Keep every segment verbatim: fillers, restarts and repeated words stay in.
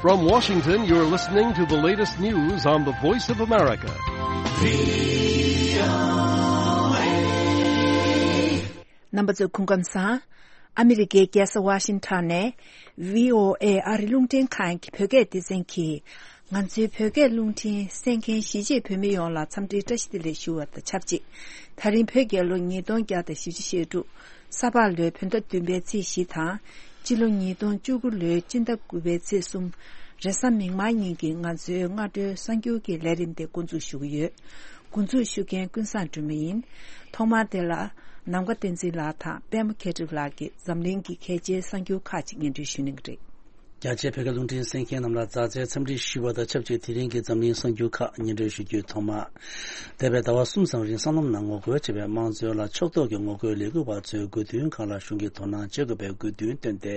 From Washington, you're listening to the latest news on the Voice of America. རྣམ་པ་ཚོ་སྐུ་ཁམས་བཟང་། ཨ་མི་རི་ཀའི་རྒྱལ་ས་ཝ་ཤིང་ཊོན་ནས་བྷི་ཨོ་ཨེ་ཨ་རི་རླུང་འཕྲིན་ཁང་གི་བོད་སྐད་སྡེ་ཚན་གྱིས། ང་ཚོའི་བོད་སྐད་རླུང་འཕྲིན་གསན་མཁན་གཞིས་བྱེས་བོད་མི་ཡོངས་ལ་འཚམས་འདྲིའི་བཀྲ་ཤིས་བདེ་ལེགས་ཞུ་བ་དང་ཆབས་ཅིག་ད་རིང་བོད་རྒྱལ་ལོ་ཉིས་སྟོང་བརྒྱ་དང་བཞི་བཅུ་ཞེ་དྲུག་ས་ཕག་ལོའི་བོད་ཟླ་བདུན་པའི་ཚེས་བཞི་དང་། སྤྱི་ལོ་ཉིས་སྟོང་བཅུ་དགུ་ལོའི་སྤྱི་ཟླ་དགུ་པའི་ཚེས་གསུམ། རེས་གཟའ་མིག་དམར་ཉིན་གྱི་ང་ཚོའི་སྔ་དྲོའི་གསར་འགྱུར་གྱི་ལས་རིམ་དེ་འགོ་འཛུགས་ཞུ་གི་ཡོད། འགོ་འཛུགས་ཞུ་མཁན་ཀུན་བཟང་སྒྲོལ་མ་ཡིན། ཐོག་མར་དེ་ལ་ནམ་མཁའ་བསྟན་འཛིན་ལགས་དང་པད་མ་མཁས་གྲུབ་ལགས་ཀྱིས་འཛམ་གླིང་གི་གལ་ཆེའི་གསར་འགྱུར་ཁག་ཅིག་སྙན་སྒྲོན་ཞུ་གནང་གི་རེད། རྒྱ་ཆེའི་བོད་སྐད་རླུང་འཕྲིན་གསན་མཁན་རྣམས་ལ་མཛའ་བརྩེའི་འཚམས་འདྲི་ཞུ་བ་དང་ཆབས་ཅིག་དེ་རིང་གི་འཛམ་གླིང་གསར་འགྱུར་ཁག་སྙན་སྒྲོན་ཞུ་རྒྱུའི་ཐོག་མ། འདས་པའི་ཟླ་བ་གསུམ་ཙམ་རིང་སྲང་ལམ་ནང་ངོ་རྒོལ་བྱས་པའི་དམངས་གཙོའི་ལ་ཕྱོགས་གཏོགས་ཀྱི་ངོ་རྒོལ་ལས་འགུལ་བ་ཚོའི་དགོས་འདུན་ཁག་ལ་གཞུང་གིས་དོ་སྣང་བྱེད་དགོས་པའི་དགོས་འདུན་བཏོན་ཏེ།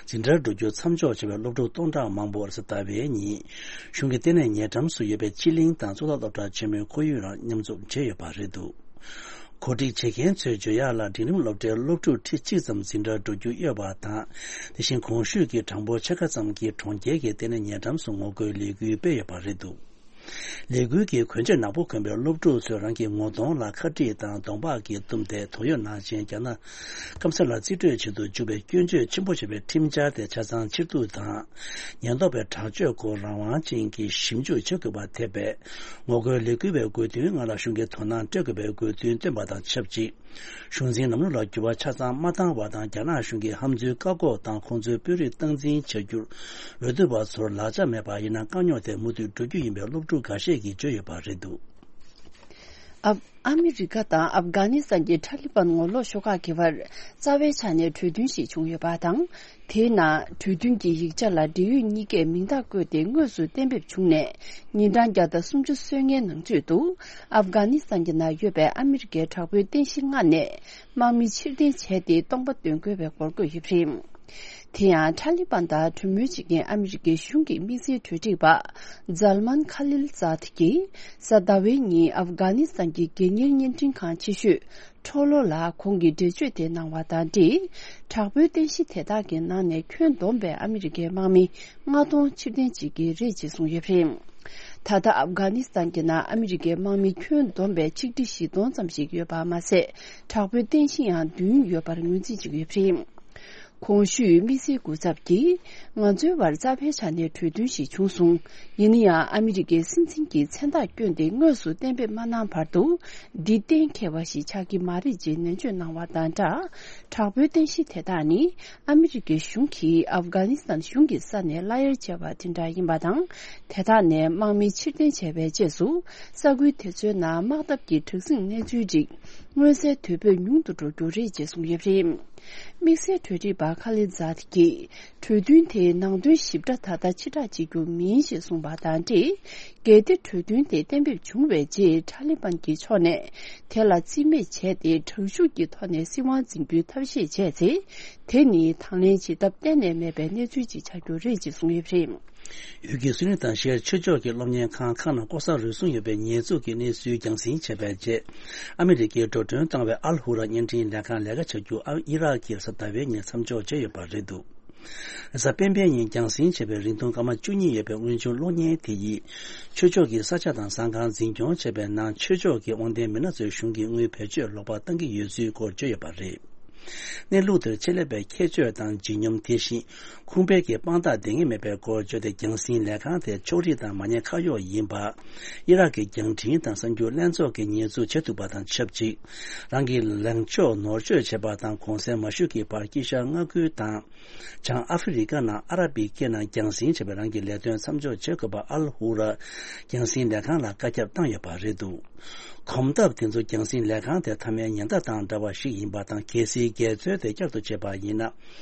འཛིན་གྲྭར་འགྲོ་རྒྱུ་མཚམས་འཇོག་བྱས་པའི་སློབ་ཕྲུག་སྟོང་ཕྲག་མང་པོ་རེས་གཟའ་ཟླ་བའི་ཉིན། གཞུང་གི་ལྟེ་གནས་ཉེ་འགྲམ་སུ་ཡོད་པའི་ཕྱི་གླིང་དང་གཙུག་ལག་སློབ་གྲྭ་ཆེན་མོའི་ཁོར་ཡུག་ནང་མཉམ་འཛོམས་བྱས་ཡོད་པ་རེད་འདུག་གོ་སྒྲིག་བྱེད་མཁན་ཚོས་བརྗོད་ཡག་ལ། འབྲིང་རིམ་སློབ་གྲྭའི་སློབ་ཕྲུག་ཁྲི་གཅིག་ཙམ་འཛིན་གྲྭར་འགྲོ་རྒྱུ་ཡོད་པ་དང་། དེ་བཞིན་གོང་ཞུས་ཀྱི་གྲངས་འབོར་ཕྱེད་ཀ་ཙམ་གྱིས་གྲོང་ཁྱེར་གྱི་ལྟེ་གནས་ཉེ་འགྲམ་སུ་ངོ་རྒོལ་ལས་འགུལ་སྤེལ་ཡོད་པ་རེད་འདུག་ལས་འགུལ་གྱི་གོན་ཆས་ནག་པོ་གོན་པའི་སློབ་ཕྲུག་ཚོས་རང་གི་ངོ་གདོང་ལ་ཁ་དཀྲིས་དང་གདོང་པགས་ཀྱིས་བཏུམས་ཏེ། དོགས་ཡོད་ནང་བཞིན་རྒྱ་ནག་སྐམ་ས་ལ་རྩིས་སྤྲོད་བྱེད་དུ་འཇུག་པའི་སྐྱོན་བརྗོད་ཆེན་པོ་བྱས་པའི་ཁྲིམས་འཆར་དེ་ཆ་ཚང་ཕྱིར་བསྡུ་དང་། ཉེན་རྟོག་པའི་དྲག་སྤྱོད་སྐོར་རང་དབང་ཅན་གྱི་ཞིབ་འཇུག་བྱེད་དགོས་པ་ཐེ་བའི་ངོ་རྒོལ་ལས་འགུལ་བའི་དགོས་འདུན་ལྔ་ལ་གཞུང་གིས་དོ་སྣང་སྤྲད་དགོས་པའི་དགོས་འདུན་བཏོན་པ་དང་ཆབས་ཅིག་གཞུང་འཛིན་ལམ་ལུགས་ལ་འགྱུར་བ་ཆ་ཚང་མ་བཏང་བ་དང་། རྒྱ་ནག་གཞུང་གིས་ཧམ་འཛུལ་བཀག་འགོག་དང་ཁོང་ཚོའི་དཔོན་རིགས་སྟངས་འཛིན་བྱ་རྒྱུར་འོས་བསྡུ་བ་ཚོར་ལག་ཆ་མེད་པ་ཡིན་ན་དཀའ་རྙོག་དེ་མུ་མཐུད་འགྲོ་རྒྱུ་ཡིན་པའི་སློབ་ཕྲུག་འགའ་ཤས་ཀྱིས་བརྗོད་ཡོད་པ་རེད་འདུག་ཨ་ཨ་མི་རི་ཀ་དང་ཨབ་གྷ་ནི་སི་ཐན་གྱི་ཐ་ལི་བན་ངོ་ལོག་ཤོག་ཁག་གི་བར་རྩ་བའི་ཆ་ནས་གྲོས་མཐུན་ཞིག་བྱུང་ཡོད་པ་དང་། དེའི་ནང་གྲོས་མཐུན་གྱི་ཡིག་ཆ་ལ་འབྲེལ་ཡོད་གཉིས་ཀས་མིང་རྟགས་བཀོད་དེ་དངོས་སུ་གཏན་འབེབས་བྱུང་ནས། ཉིན་གྲངས་བརྒྱ་དང་སུམ་ཅུ་སོན་མཁན་ནང་ཚུད་དུ། ཨབ་གྷ་ནི་སི་ཐན་གྱི་ནང་ཡོད་པའི་ཨ་མི་རི་ཀའི་དྲག་པོའི་རྟེན་གཞི་ལྔ་ནས་དམག་མི་ཕྱིར་འཐེན་བྱས་ཏེ་སྟོང་པ་འདོན་དགོས་པའི་འགོར་འགོད་ཡོད་པ་རེད། དེ་ཡང་ཐ་ལི་བན་དང་གྲོས་མོལ་བྱེད་མཁན་ཨ་མི་རི་ཀའི་གཞུང་གི་དམིགས་བསལ་གྲོས་སྒྲིག་པ་ཛལ་མན་ཁ་ལིལ་ཛཱད་ཀྱིས་གཟའ་ཟླ་བའི་ཉིན་ཨབ་གྷ་ནི་སི་ཐན་གྱི་སྒེར་གཉེར་བརྙན་འཕྲིན་ཁང་ཆེ་ཤོས། ཁྲོ་ལོ་ལ་ཁོང་གིས་འགྲེལ་བརྗོད་དེ་གནང་བ་དང་འབྲེལ། དྲག་པོའི་རྟེན་གཞི་དེ་དག་གི་ནང་ནས་ཁྱོན་བསྡོམས་པའི་ཨ་མི་རི་ཀའི་དམག་མི་ལྔ་སྟོང་ཕྱིར་འཐེན་བྱེད་ཀྱི་རེད་ཅེས་གསུངས་ཡོད་པ་རེད། ད་ལྟ་ཨབ་གྷ་ནི་སི་ཐན་གྱི་ནང་ཨ་མི་རི་ཀའི་དམག་མི་ཁྱོན་བསྡོམས་པའི་ཆིག་ཁྲི་བཞི་སྟོང་ཙམ་ཞིག་ཡོད་པ་མ་ཟད། དྲག་པོའི་རྟེན་གཞི་ཡང་བདུན་ཡོད་པར་ངོས་འཛིན་བྱེད་ཀྱི་ཡོད་པ་རེད། གོང་ཞུས་དམིགས་བསལ་སྐུ་ཚབ་ཀྱིས། ང་ཚོའི་བར་རྩ་བའི་ཆ་ནས་གྲོས་མཐུན་ཞིག་བྱུང་སོང་། ཡིན་ན་ཡང་ཨ་མི་རི་ཀའི་སྲིད་འཛིན་གྱིས་མཚན་རྟགས་བསྐྱོན་ཏེ་དངོས་སུ་གཏན་འབེབས་མ་གནང་བར་དུ། འདི་གཏན་འཁེལ་བ་ཞིག་ཆགས་ཀྱི་མ་རེད་ཅེས་ནན་བརྗོད་གནང་བ་དང་སྦྲགས། དྲག་པོའི་རྟེན་གཞི་དེ་དག་ནི་ཨ་མི་རི་ཀའི་གཞུང་གིས་ཨབ་གྷ་ནི་སི་ཐན་གཞུང་གི་ས་ནས་གླ་གཡར་བྱས་པ་དེ་འདྲ་ཡིན་པ་དང་། དེ་དག་ནས་དམག་མི་ཕྱིར་འཐེན་བྱས་པའི་རྗེས་སུ། ས་ཁུལ་དེ་ཚོའི་ནང་དམག་འཐབ་ཀྱི་དྲག་ཟིང་གནས་ཚུལ་རིགས་མངོན་གསལ་དོད་པོས་ཉུང་དུ་འགྲོ་རྒྱུ་རེད་ཅེས་གསུངས་ཡོད་པ་རེད། དམིགས་བསལ་གྲོས་རིག་པ་ཁ་ལི་ཛཱད་ཀྱིས། གྲོས་མཐུན་དེའི་ནང་དོན་ཞིབ་ཕྲ་ད་ལྟ་ཕྱིར་བསྒྲགས་བྱེད་རྒྱུ་མིན་ཞེས་གསུངས་པ་དང་འབྲེལ། གལ་ཏེ་གྲོས་མཐུན་དེ་གཏན་འབེབས་བྱུང་བའི་རྗེས་ཐ་ལི་བན་གྱི་ཕྱོགས་ནས་དེ་ལ་རྩིས་མེད་བྱས་ཏེ། དྲག་ཤུགས་ཀྱི་ཐོག་ནས་སྲིད་དབང་འཛིན་རྒྱུའི་ཐབས་ཤེས་བྱས་ཚེ། དེ་ནི་དང་ལེན་བྱེད་ཐབས་གཏན་ནས་མེད་པའི་གནས་ཚུལ་ཅིག་ཆགས་རྒྱུ་རེད་ཅེས་གསུངས་ཡོད་པ་རེད། ཡུལ་གྱི་སུན་ནི་དང་ཤིའ་ཆོས་ཕྱོགས་ཀྱི་སློབ་གཉེར་ཁང་ཁག་ནང་ལྐོག་ཟ་རུལ་སུངས་ཡོད་པའི་ཉེས་འཛུགས་ཀྱི་གནས་ཚུལ་རྒྱང་སྲིང་བྱས་པའི་རྗེས། ཨ་མི་རི་ཀས་འགྲོ་གྲོན་བཏང་བའི་ཨལ་ཧུ་ར་བརྙན་འཕྲིན་ལས་ཁང་ལས་ཀ་བྱ་རྒྱུ་ཨི་རག་གིས་གཟའ་ཟླ་བའི་ཉིན་མཚམས་འཇོག་བྱས་ཡོད་པ་རེད་འདུག་གཟའ་སྤེན་པའི་ཉིན་རྒྱང་སྲིང་བྱས་པའི་རིང་ཐུང་སྐར་མ་བཅུ་གཉིས་ཡོད་པའི་དངུལ་ཆུ་གློག་བརྙན་དེ་ཡིས། ཆོས་ཕྱོགས་ཀྱི་ས་ཆ་དང་ཟ་ཁང་འཛིན་སྐྱོང་བྱས་པའི་ནང་ཆོས་ཕྱོགས་ཀྱི་དབང་ལྡན་མི་སྣ་ཚོའི་གཞུང་གི་དངུལ་བེད་སྤྱོད་ལོག་པ་བཏང་གི་ཡོད་ཚུལ་སྐོར་བརྗོད་ཡོད་པ་རེད། གནས་ལུགས་དེར་ཆེད་ལས་པས་ཁྱད་ཆོས་དང་ལྗིད་སྙོམས། དེ་བཞིན་ཁུངས་སྤེལ་གྱི་དཔང་རྟགས་ལྡན་ངེས་མེད་པའི་སྐོར་བརྗོད་དེ། རྒྱང་སྲིང་ལས་ཁང་དེ་ཕྱོགས་རིས་དང་མ་ཉེས་ཁ་གཡོག་ཡིན་པ། ཨི་རག་གི་རྒྱང་འཕྲིན་དང་གསར་འགྱུར་ལྷན་ཚོགས་ཀྱིས་ཉེས་འཛུགས་བྱེད་ཐུབ་པ་དང་ཆབས་ཅིག་རང་གི་ལངས་ཕྱོགས་ནོར་བཅོས་བྱས་པ་དང་གོང་གསལ་མ་ཞུས་ཀྱི་བར་དཀྱིལ་ཤར་མངའ་ཁུལ་དང་། བྱང་ཨ་ཧྥེ་རི་ཀ་ནང་ཨ་ར་བི་སྐད་ནང་རྒྱང་སྲིང་བྱས་པའི་རང་གི་ལས་དོན་མཚམས་འཇོག་བྱེད་དགོས་པ་ཨལ་ཧུ་ར་རྒྱང་སྲིང་ལས་ཁང་ལ་བཀའ་ཁྱབ་བཏང་ཡོད་པ་རེད་འདུག་གོམ་སྟབས་དེ་ཚོ་རྒྱང་སྲིང་ལས་ཁང་དེ་མཐའ་མའི་ཉེན་བརྡ་དང་འདྲ་བ་ཞིག་ཡིན་པ་དང་། གལ་སྲིད་འགལ་འཛོལ་དེ་བསྐྱར་དུ་བྱས་པ་ཡིན་ན།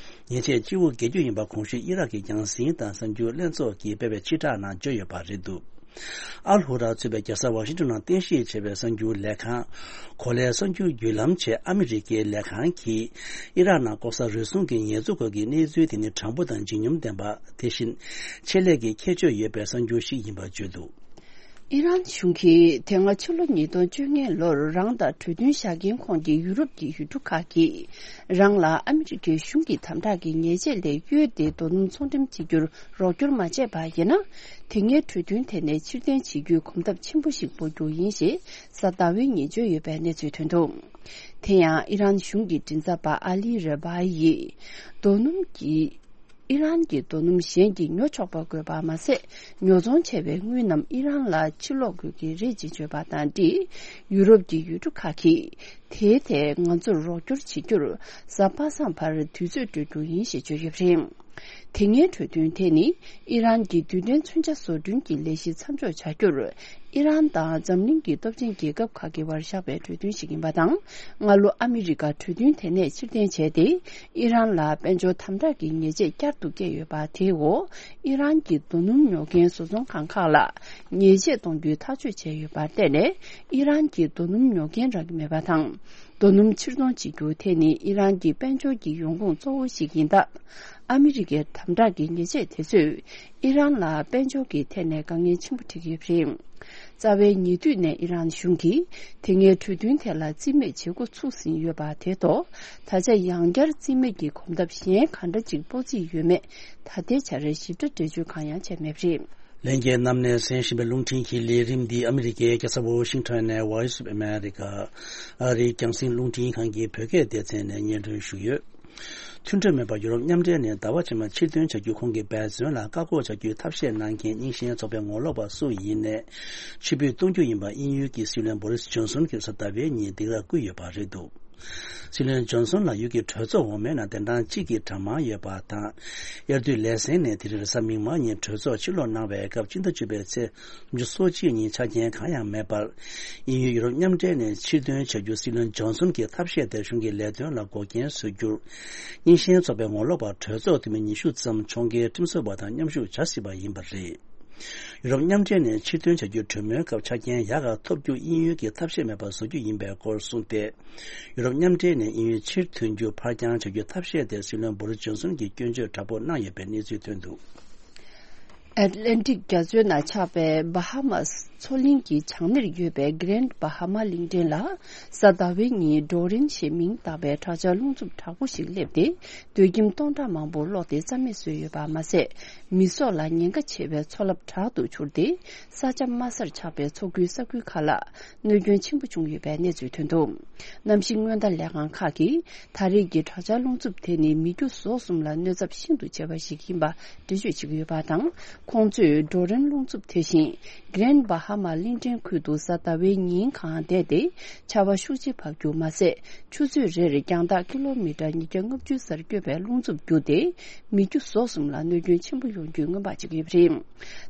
ཉེས་ཆད་སྤྱི་བོ་འགེལ་རྒྱུ་ཡིན་པ་གོང་ཞུས་ཨི་རག་གི་རྒྱང་སྲིང་དང་གསར་འགྱུར་ལྷན་ཚོགས་ཀྱིས་སྤེལ་བའི་སྤྱི་བསྒྲགས་ནང་བརྗོད་ཡོད་པ་རེད་འདུག་ཨལ་ཧུ་ར་གཙོས་པའི་རྒྱལ་ས་ཝ་ཤིང་ཏོན་ནང་རྟེན་གཞི་བྱས་པའི་གསར་འགྱུར་ལས་ཁང་། གོ་ལའི་གསར་འགྱུར་བརྒྱུད་ལམ་ཆེད་ཨ་མི་རི་ཀའི་ལས་ཁང་གིས། ཨི་རག་ནང་ལྐོག་ཟ་རུལ་སུངས་ཀྱི་ཉེས་འཛུགས་སྐོར་གྱི་གནས་ཚུལ་དེ་ནི་དྲང་པོ་དང་ལྗིད་སྙོམས་ལྡན་པ། དེ་བཞིན། ཆེད་ལས་ཀྱི་ཁྱད་ཆོས་ཡོད་པའི་གསར་འགྱུར་ཞིག་ཡིན་པར་བརྗོད་འདུག་ཨི་རན་གཞུང་གིས་དེ་སྔ་ཕྱི་ལོ་ཉིས་སྟོང་བཅོ་ལྔ་ལོར་རང་དང་གྲོས་མཐུན་བཞག་མཁན་ཁོངས་ཀྱི་ཡུ་རོབ་ཀྱི་ཡུལ་གྲུ་ཁག་གིས་རང་ལ་ཨ་མི་རི་ཀའི་གཞུང་གི་དམ་དྲག་གི་ཉེས་ཆད་ལས་གཡོལ་ཏེ་རྡོ་སྣུམ་ཚོང་འགྲེམས་བྱེད་རྒྱུར་རོགས་སྐྱོར་མ་བྱས་པ་ཡིན་ན། དེ་སྔའི་གྲོས་མཐུན་དེ་ནས་ཕྱིར་འཐེན་བྱེད་རྒྱུའི་གོམ་སྟབས་ཆེན་པོ་ཞིག་སྤོ་རྒྱུ་ཡིན་ཞེས་གཟའ་ཟླ་བའི་ཉིན་བརྗོད་ཡོད་པའི་གནས་ཚུལ་ཐོན་འདུག་དེ་ཡང་ཨི་རན་གཞུང་གི་མགྲིན་ཚབ་པ་ཨ་ལི་རེ་བྷ་ཡིས། རྡོ་སྣུམ་གྱི། ཨི་རན་གྱི་རྡོ་སྣུམ་གཞན་གྱིས་ཉོ་ཆོག་པ་དགོས་པ་མ་ཟད། ཉོ་ཚོང་བྱས་པའི་དངུལ་རྣམས་ཨི་རན་ལ་ཕྱིར་སློག་དགོས་ཀྱི་རེད་ཅེས་བརྗོད་པ་དང་འབྲེལ། ཡུ་རོབ་ཀྱི་ཡུལ་གྲུ་ཁག་གིས་དེའི་ཐད་ང་ཚོར་རོགས་སྐྱོར་བྱེད་རྒྱུར་གཟའ་པ་སངས་བར་དུས་ཚོད་སྤྲོད་རྒྱུ་ཡིན་ཞེས་བརྗོད་ཡོད་པ་རེད། དེ་སྔའི་གྲོས་མཐུན་དེ་ནི་ཨི་རན་གྱི་རྡུལ་ཕྲན་མཚོན་ཆ་བཟོ་སྐྲུན་གྱི་ལས་གཞི་མཚམས་འཇོག་བྱ་རྒྱུར། ཨི་རན་དང་འཛམ་གླིང་གི་སྟོབས་ཆེན་རྒྱལ་ཁབ་ཁག་གི་བར་བཞག་པའི་གྲོས་མཐུན་ཞིག་ཡིན་པ་དང་། སྔ་ལོ་ཨ་མི་རི་ཀ་གྲོས་མཐུན་དེ་ནས་ཕྱིར་འཐེན་བྱས་ཏེ། ཨི་རན་ལ་དཔལ་འབྱོར་དམ་དྲག་གི་ཉེས་ཆད་བསྐྱར་དུ་བཀལ་ཡོད་པ་དེའི་འོག་ཨི་རན་གྱི་རྡོ་སྣུམ་ཉོ་མཁན་བཟོ་ཚོང་ཁང་ཁག་ལ་ཉེས་ཆད་གཏོང་རྒྱུའི་ཐག་གཅོད་བྱས་ཡོད་པར་བརྟེན་ནས། ཨི་རན་གྱི་རྡོ་སྣུམ་ཉོ་མཁན་རག་གི་མེད་པ་དང་། རྡོ་སྣུམ་ཕྱིར་ཚོང་བྱེད་རྒྱུ་དེ་ནི་ཨི་རན་གྱི་དཔལ་འབྱོར་གྱི་ཡོང་ཁུངས་གཙོ་བོ་ཞིག་ཡིན་སྟབས། ཨ་མི་རི་ཀའི་དམ་དྲག་གི་ཉེས་ཆད་དེ་ཚོས་ཨི་རན་ལ་དཔལ་འབྱོར་གྱི་ཐད་ནས་དཀའ་ངལ་ཆེན་པོ་འཕྲད་ཀྱི་ཡོད་པ་རེད། རྩ་བའི་ཉེ་དུས་ནས་ཨི་རན་གཞུང་གིས་དེ་སྔའི་གྲོས་མཐུན་དེ་ལ་རྩིས་མེད་བྱེད་འགོ་ཚུགས་ཟིན་ཡོད་པ་དེ་ཐོག་ད་ཆ་ཡང་བསྐྱར་རྩིས་མེད་ཀྱི་གོམ་སྟབས་གཞན་ག་འདྲ་ཅིག་སྤོ་རྩིས་ཡོད་མེད་ད་ལྟའི་ཆར་ཞིབ་ཕྲ་འགྲེལ་བརྗོད་གང་ཡང་བྱས་མེད་པ་རེད། ལྷན་རྒྱས་རྣམས་ནས་གསན་བཞིན་པའི་རླུང་འཕྲིན་གྱི་ལས་རིམ་འདི་ཨ་མི་རི་ཀའི་རྒྱལ་ས་ཝོ་ཤིང་ཊོན་ནས་Voice of America ཨ་རིའི་རྒྱང་སྲིང་རླུང་འཕྲིན་ཁང་གི་བོད་སྐད་སྡེ་ཚན་ནས་སྙན་སྒྲོན་ཞུས་ཡོད། མཐུན་གྲོས་མེད་པར་ཡུ་རོབ་མཉམ་འབྲེལ་ནས་ཟླ་བ་ཕྱི་མ་ཕྱིར་ཐོན་བྱ་རྒྱུའི་ཁོང་གི་འབད་བརྩོན་ལ་བཀག་འགོག་བྱ་རྒྱུའི་ཐབས་ཤེས་གནང་མཁན་རྙིང་ཞེན་ཚོགས་པའི་ངོ་ལོག་པ་སུ་ཡིན་ནས་ཕྱིར་འབུད་གཏོང་རྒྱུ་ཡིན་པ་དབྱིན་ཡུལ་གྱི་སྲིད་བློན་བོ་རིས་ཇོན་སོན་གྱིས་གཟའ་ཟླ་བའི་ཉིན་སྡིགས་ར་བསྐུལ་ཡོད་པ་རེད་འདུག། སྲིད་བློན་ཇོན་སོན་ལགས་ཡུལ་གྱི་གྲོས་ཚོགས་འོག་མའི་ནང་གདན་གྲངས་གཅིག་གི་གྲངས་མང་ཡོད་པ་དང་། དབྱར་དུས་ལས་ཟིན་ནས་དེ་རིང་རེས་གཟའ་མིག་དམར་ཉིན་གྲོས་ཚོགས་ཕྱིར་ལོག་གནང་བའི་སྐབས་སྤྱི་ཟླ་བཅུ་པའི་ཚེས་སུམ་ཅུ་སོ་གཅིག་ཉིན་ཆ་རྐྱེན་གང་ཡང་མེད་པར། དབྱིན་ཡུལ་ཡུ་རོབ་མཉམ་འབྲེལ་ནས་ཕྱིར་ཐོན་བྱ་རྒྱུ་སྲིད་བློན་ཇོན་སོན་གྱི་ཐབས་ཤེས་དེར་གཞུང་གི་ལས་དོན་ལ་འགོག་རྐྱེན་བཟོ་རྒྱུར། རྙིང་ཞེན་ཚོགས་པའི་ངོ་ལོག་པ་གྲོས་ཚོགས་འཐུས་མི་ཉི་ཤུ་ཙམ་ཕྱོགས་འགལ་ཁྲིམས་བཟོ་བ་དང་མཉམ་ཞུགས་བྱ་སྲིད་པ་ཡིན་པ་རེད། ཡུ་རོབ་མཉམ་འབྲེལ་ནས་ཕྱིར་ཐོན་བྱ་རྒྱུའི་གྲོས་མོལ་སྐབས་ཆ་རྐྱེན་ཡག་ག་ཐོབ་རྒྱུ་དབྱིན་ཡུལ་གྱི་ཐབས་ཤེས་མེད་པར་བཟོ་རྒྱུ་ཡིན་པའི་སྐོར་གསུངས་ཏེ། ཡུ་རོབ་མཉམ་འབྲེལ་ནས་དབྱིན་ཡུལ་ཕྱིར་ཐོན་རྒྱུ་ཕར་འགྱངས་བྱ་རྒྱུའི་ཐབས་ཤེས་དེར་སྲིད་བློན་བོ་རིས་ཇོན་སོན་གྱིས་སྐྱོན་བརྗོད་དྲག་པོ་གནང་ཡོད་པའི་གནས་ཚུལ་ཐོན་འདུག། ཨེཊ་ལན་ཊིག་རྒྱ་མཚོའི་ནང་ཆགས་པའི་བྷ་ཧ་མ་སི་མཚོ་གླིང་གི་བྱང་སྣེར་ཡོད་པའི་Grand Bahama གླིང་ཕྲན་ལ་གཟའ་ཟླ་བའི་ཉིན་Dorian ཞེས་མིང་བཏགས་པའི་དྲག་ཆར་རླུང་འཚུབ་དྲག་པོ་ཞིག་སླེབས་ཏེ། སྡོད་ཁྱིམ་སྟོང་ཕྲག་མང་པོ་གློག་དེ་རྩ་མེད་བཟོས་ཡོད་པ་མ་ཟད། མི་སྲོག་ལ་ཉེན་ཁ་ཆེ་བའི་མཚོ་རླབས་དྲག་ཏུ་འཕྱུར་ཏེ། ས་ཆ་དམའ་སར་ཆགས་པའི་མཚོ་ཁུལ་ས་ཁུལ་ཁག་ལ་གནོད་སྐྱོན་ཆེན་པོ་བྱུང་ཡོད་པའི་གནས་ཚུལ་ཐོན་འདུག། གནམ་གཤིས་སྔོན་བརྡ་ལས་ཁང་ཁག་གིས་ད་རེས་ཀྱི་དྲག་ཆར་རླུང་འཚུབ་དེ་ནི་མི་རྒྱུ་ཟོག་གསུམ་ལ་གནོད་ཚབས་ཤིན་ཏུ་ཆེ་བ་ཞིག་ཡིན་པ་འགྲེལ་བརྗོད་བྱེད་ཀྱི་ཡོད་པ་དང་། ཁོང་ཚོས་Dorian རླུང་འཚུབ་དེ་བཞིན་Grand Bahama གླིང་ཕྲན་ཁུལ་དུ་གཟའ་ཟླ་བའི་ཉིན་གང་བསྡད་དེ་ཆར་པ་ཤུགས་ཆེ་བབས་རྒྱུ་མ་ཟད། ཆུ་ཚོད་རེར་རྒྱང་ཐག་ཀི་ལོ་མི་ཊར་ཉིས་བརྒྱ་ལྔ་བཅུ་སར་སྐྱོད་པའི་རླུང་འཚུབ་བརྒྱུད་དེ། མི་རྒྱུ་ཟོག་གསུམ་ལ་གནོད་སྐྱོན་ཆེན་པོ་ཡོང་རྒྱུའི་སྔོན་དཔག་བྱེད་ཀྱི་ཡོད་པ་རེད།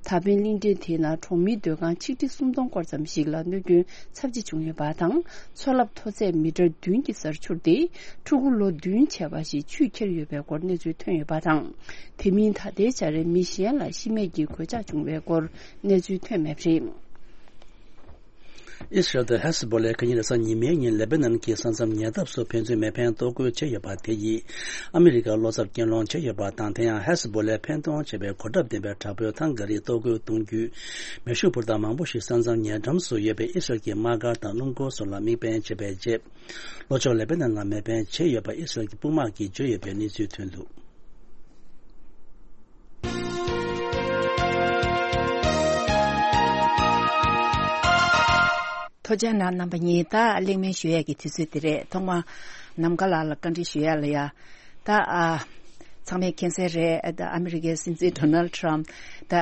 ད་ཕན་གླིང་ཕྲན་དེའི་ནང་གྲོང་མིའི་སྡོད་ཁང་ཆིག་ཁྲི་སུམ་སྟོང་སྐོར་ཙམ་ཞིག་ལ་གནོད་སྐྱོན་ཚབས་ཆེ་བྱུང་ཡོད་པ་དང་། མཚོ་རླབས་མཐོ་ཚད་མི་ཊར་བདུན་གྱི་སར་འཕྱུར་ཏེ། ཕྲུ་གུ་ལོ་བདུན་བྱས་པ་ཞིག་ཆུས་ཁྱེར་ཡོད་པའི་སྐོར་གནས་ཚུལ་ཐོན་ཡོད་པ་དང་། དེ་མིན་ད་ལྟའི་ཆར་མི་གཞན་ལ་ཤི་རྨས་ཀྱི་གོད་ཆག་བྱུང་བའི་སྐོར་གནས་ཚུལ་ཐོན་མེད་པ་རེད། ཨི་སི་རལ་དང་ཧེ་ཟི་བྷོ་ལའི་ཁ་ཉིན་རེས་གཟའ་ཉི་མའི་ཉིན་ལེ་བྷ་ནན་གྱི་ས་མཚམས་ཉེ་འདབས་སུ་ཕན་ཚུན་མེ་འཕེན་གཏོར་རྒོལ་བྱས་ཡོད་པ་དེ་ཡིས་ཨ་མི་རི་ཀར་བློ་འཚབ་སྐྱོན་སློང་བྱས་ཡོད་པ་དང་། དེ་ཡང་ཧེ་ཟི་བྷོ་ལའི་འཕེན་གཏོང་བྱས་པའི་གོ་ཁྲབ་ལྡན་པའི་དྲག་པོའི་ཐང་ག་རིགས་གཏོར་རྒོལ་གཏོང་རྒྱུའི་མེ་ཤུགས་འཕུར་མདའ་མང་པོ་ཞིག་ས་མཚམས་ཉེ་འགྲམ་སུ་ཡོད་པའི་ཨི་སི་རལ་གྱི་དམག་སྒར་དང་སྣུམ་འཁོར་སོགས་ལ་དམིགས་འབེན་བྱས་པའི་རྗེས། ལྷོ་ཕྱོགས་ལེ་བྷ་ནན་ལ་མེ་འཕེན་བྱས་ཡོད་པ་ཨི་སི་རལ་གྱི་དཔུང་དམག་གིས་བརྗོད་ཡོད་པའི་གནས་ཚུལ་ཐོན་འདུག། ཐུགས་རྗེ་གནང་རྣམ་པ་གཉིས། ད་གླེང་མོལ་ཞུ་ཡས་ཀྱི་དུས་ཚོད་འདི་རེད། ཐོག་མར་ནམ་མཁའ་ལགས་ལ་བཀའ་འདྲི་ཞུ་ཡས་ལ་ཡ། ད་ཨ། ཚང་མས་མཁྱེན་གསལ་རེད། ད་ཨ་མི་རི་ཀའི་སྲིད་འཛིན་ཌོ་ནལ་ཊམ་ད་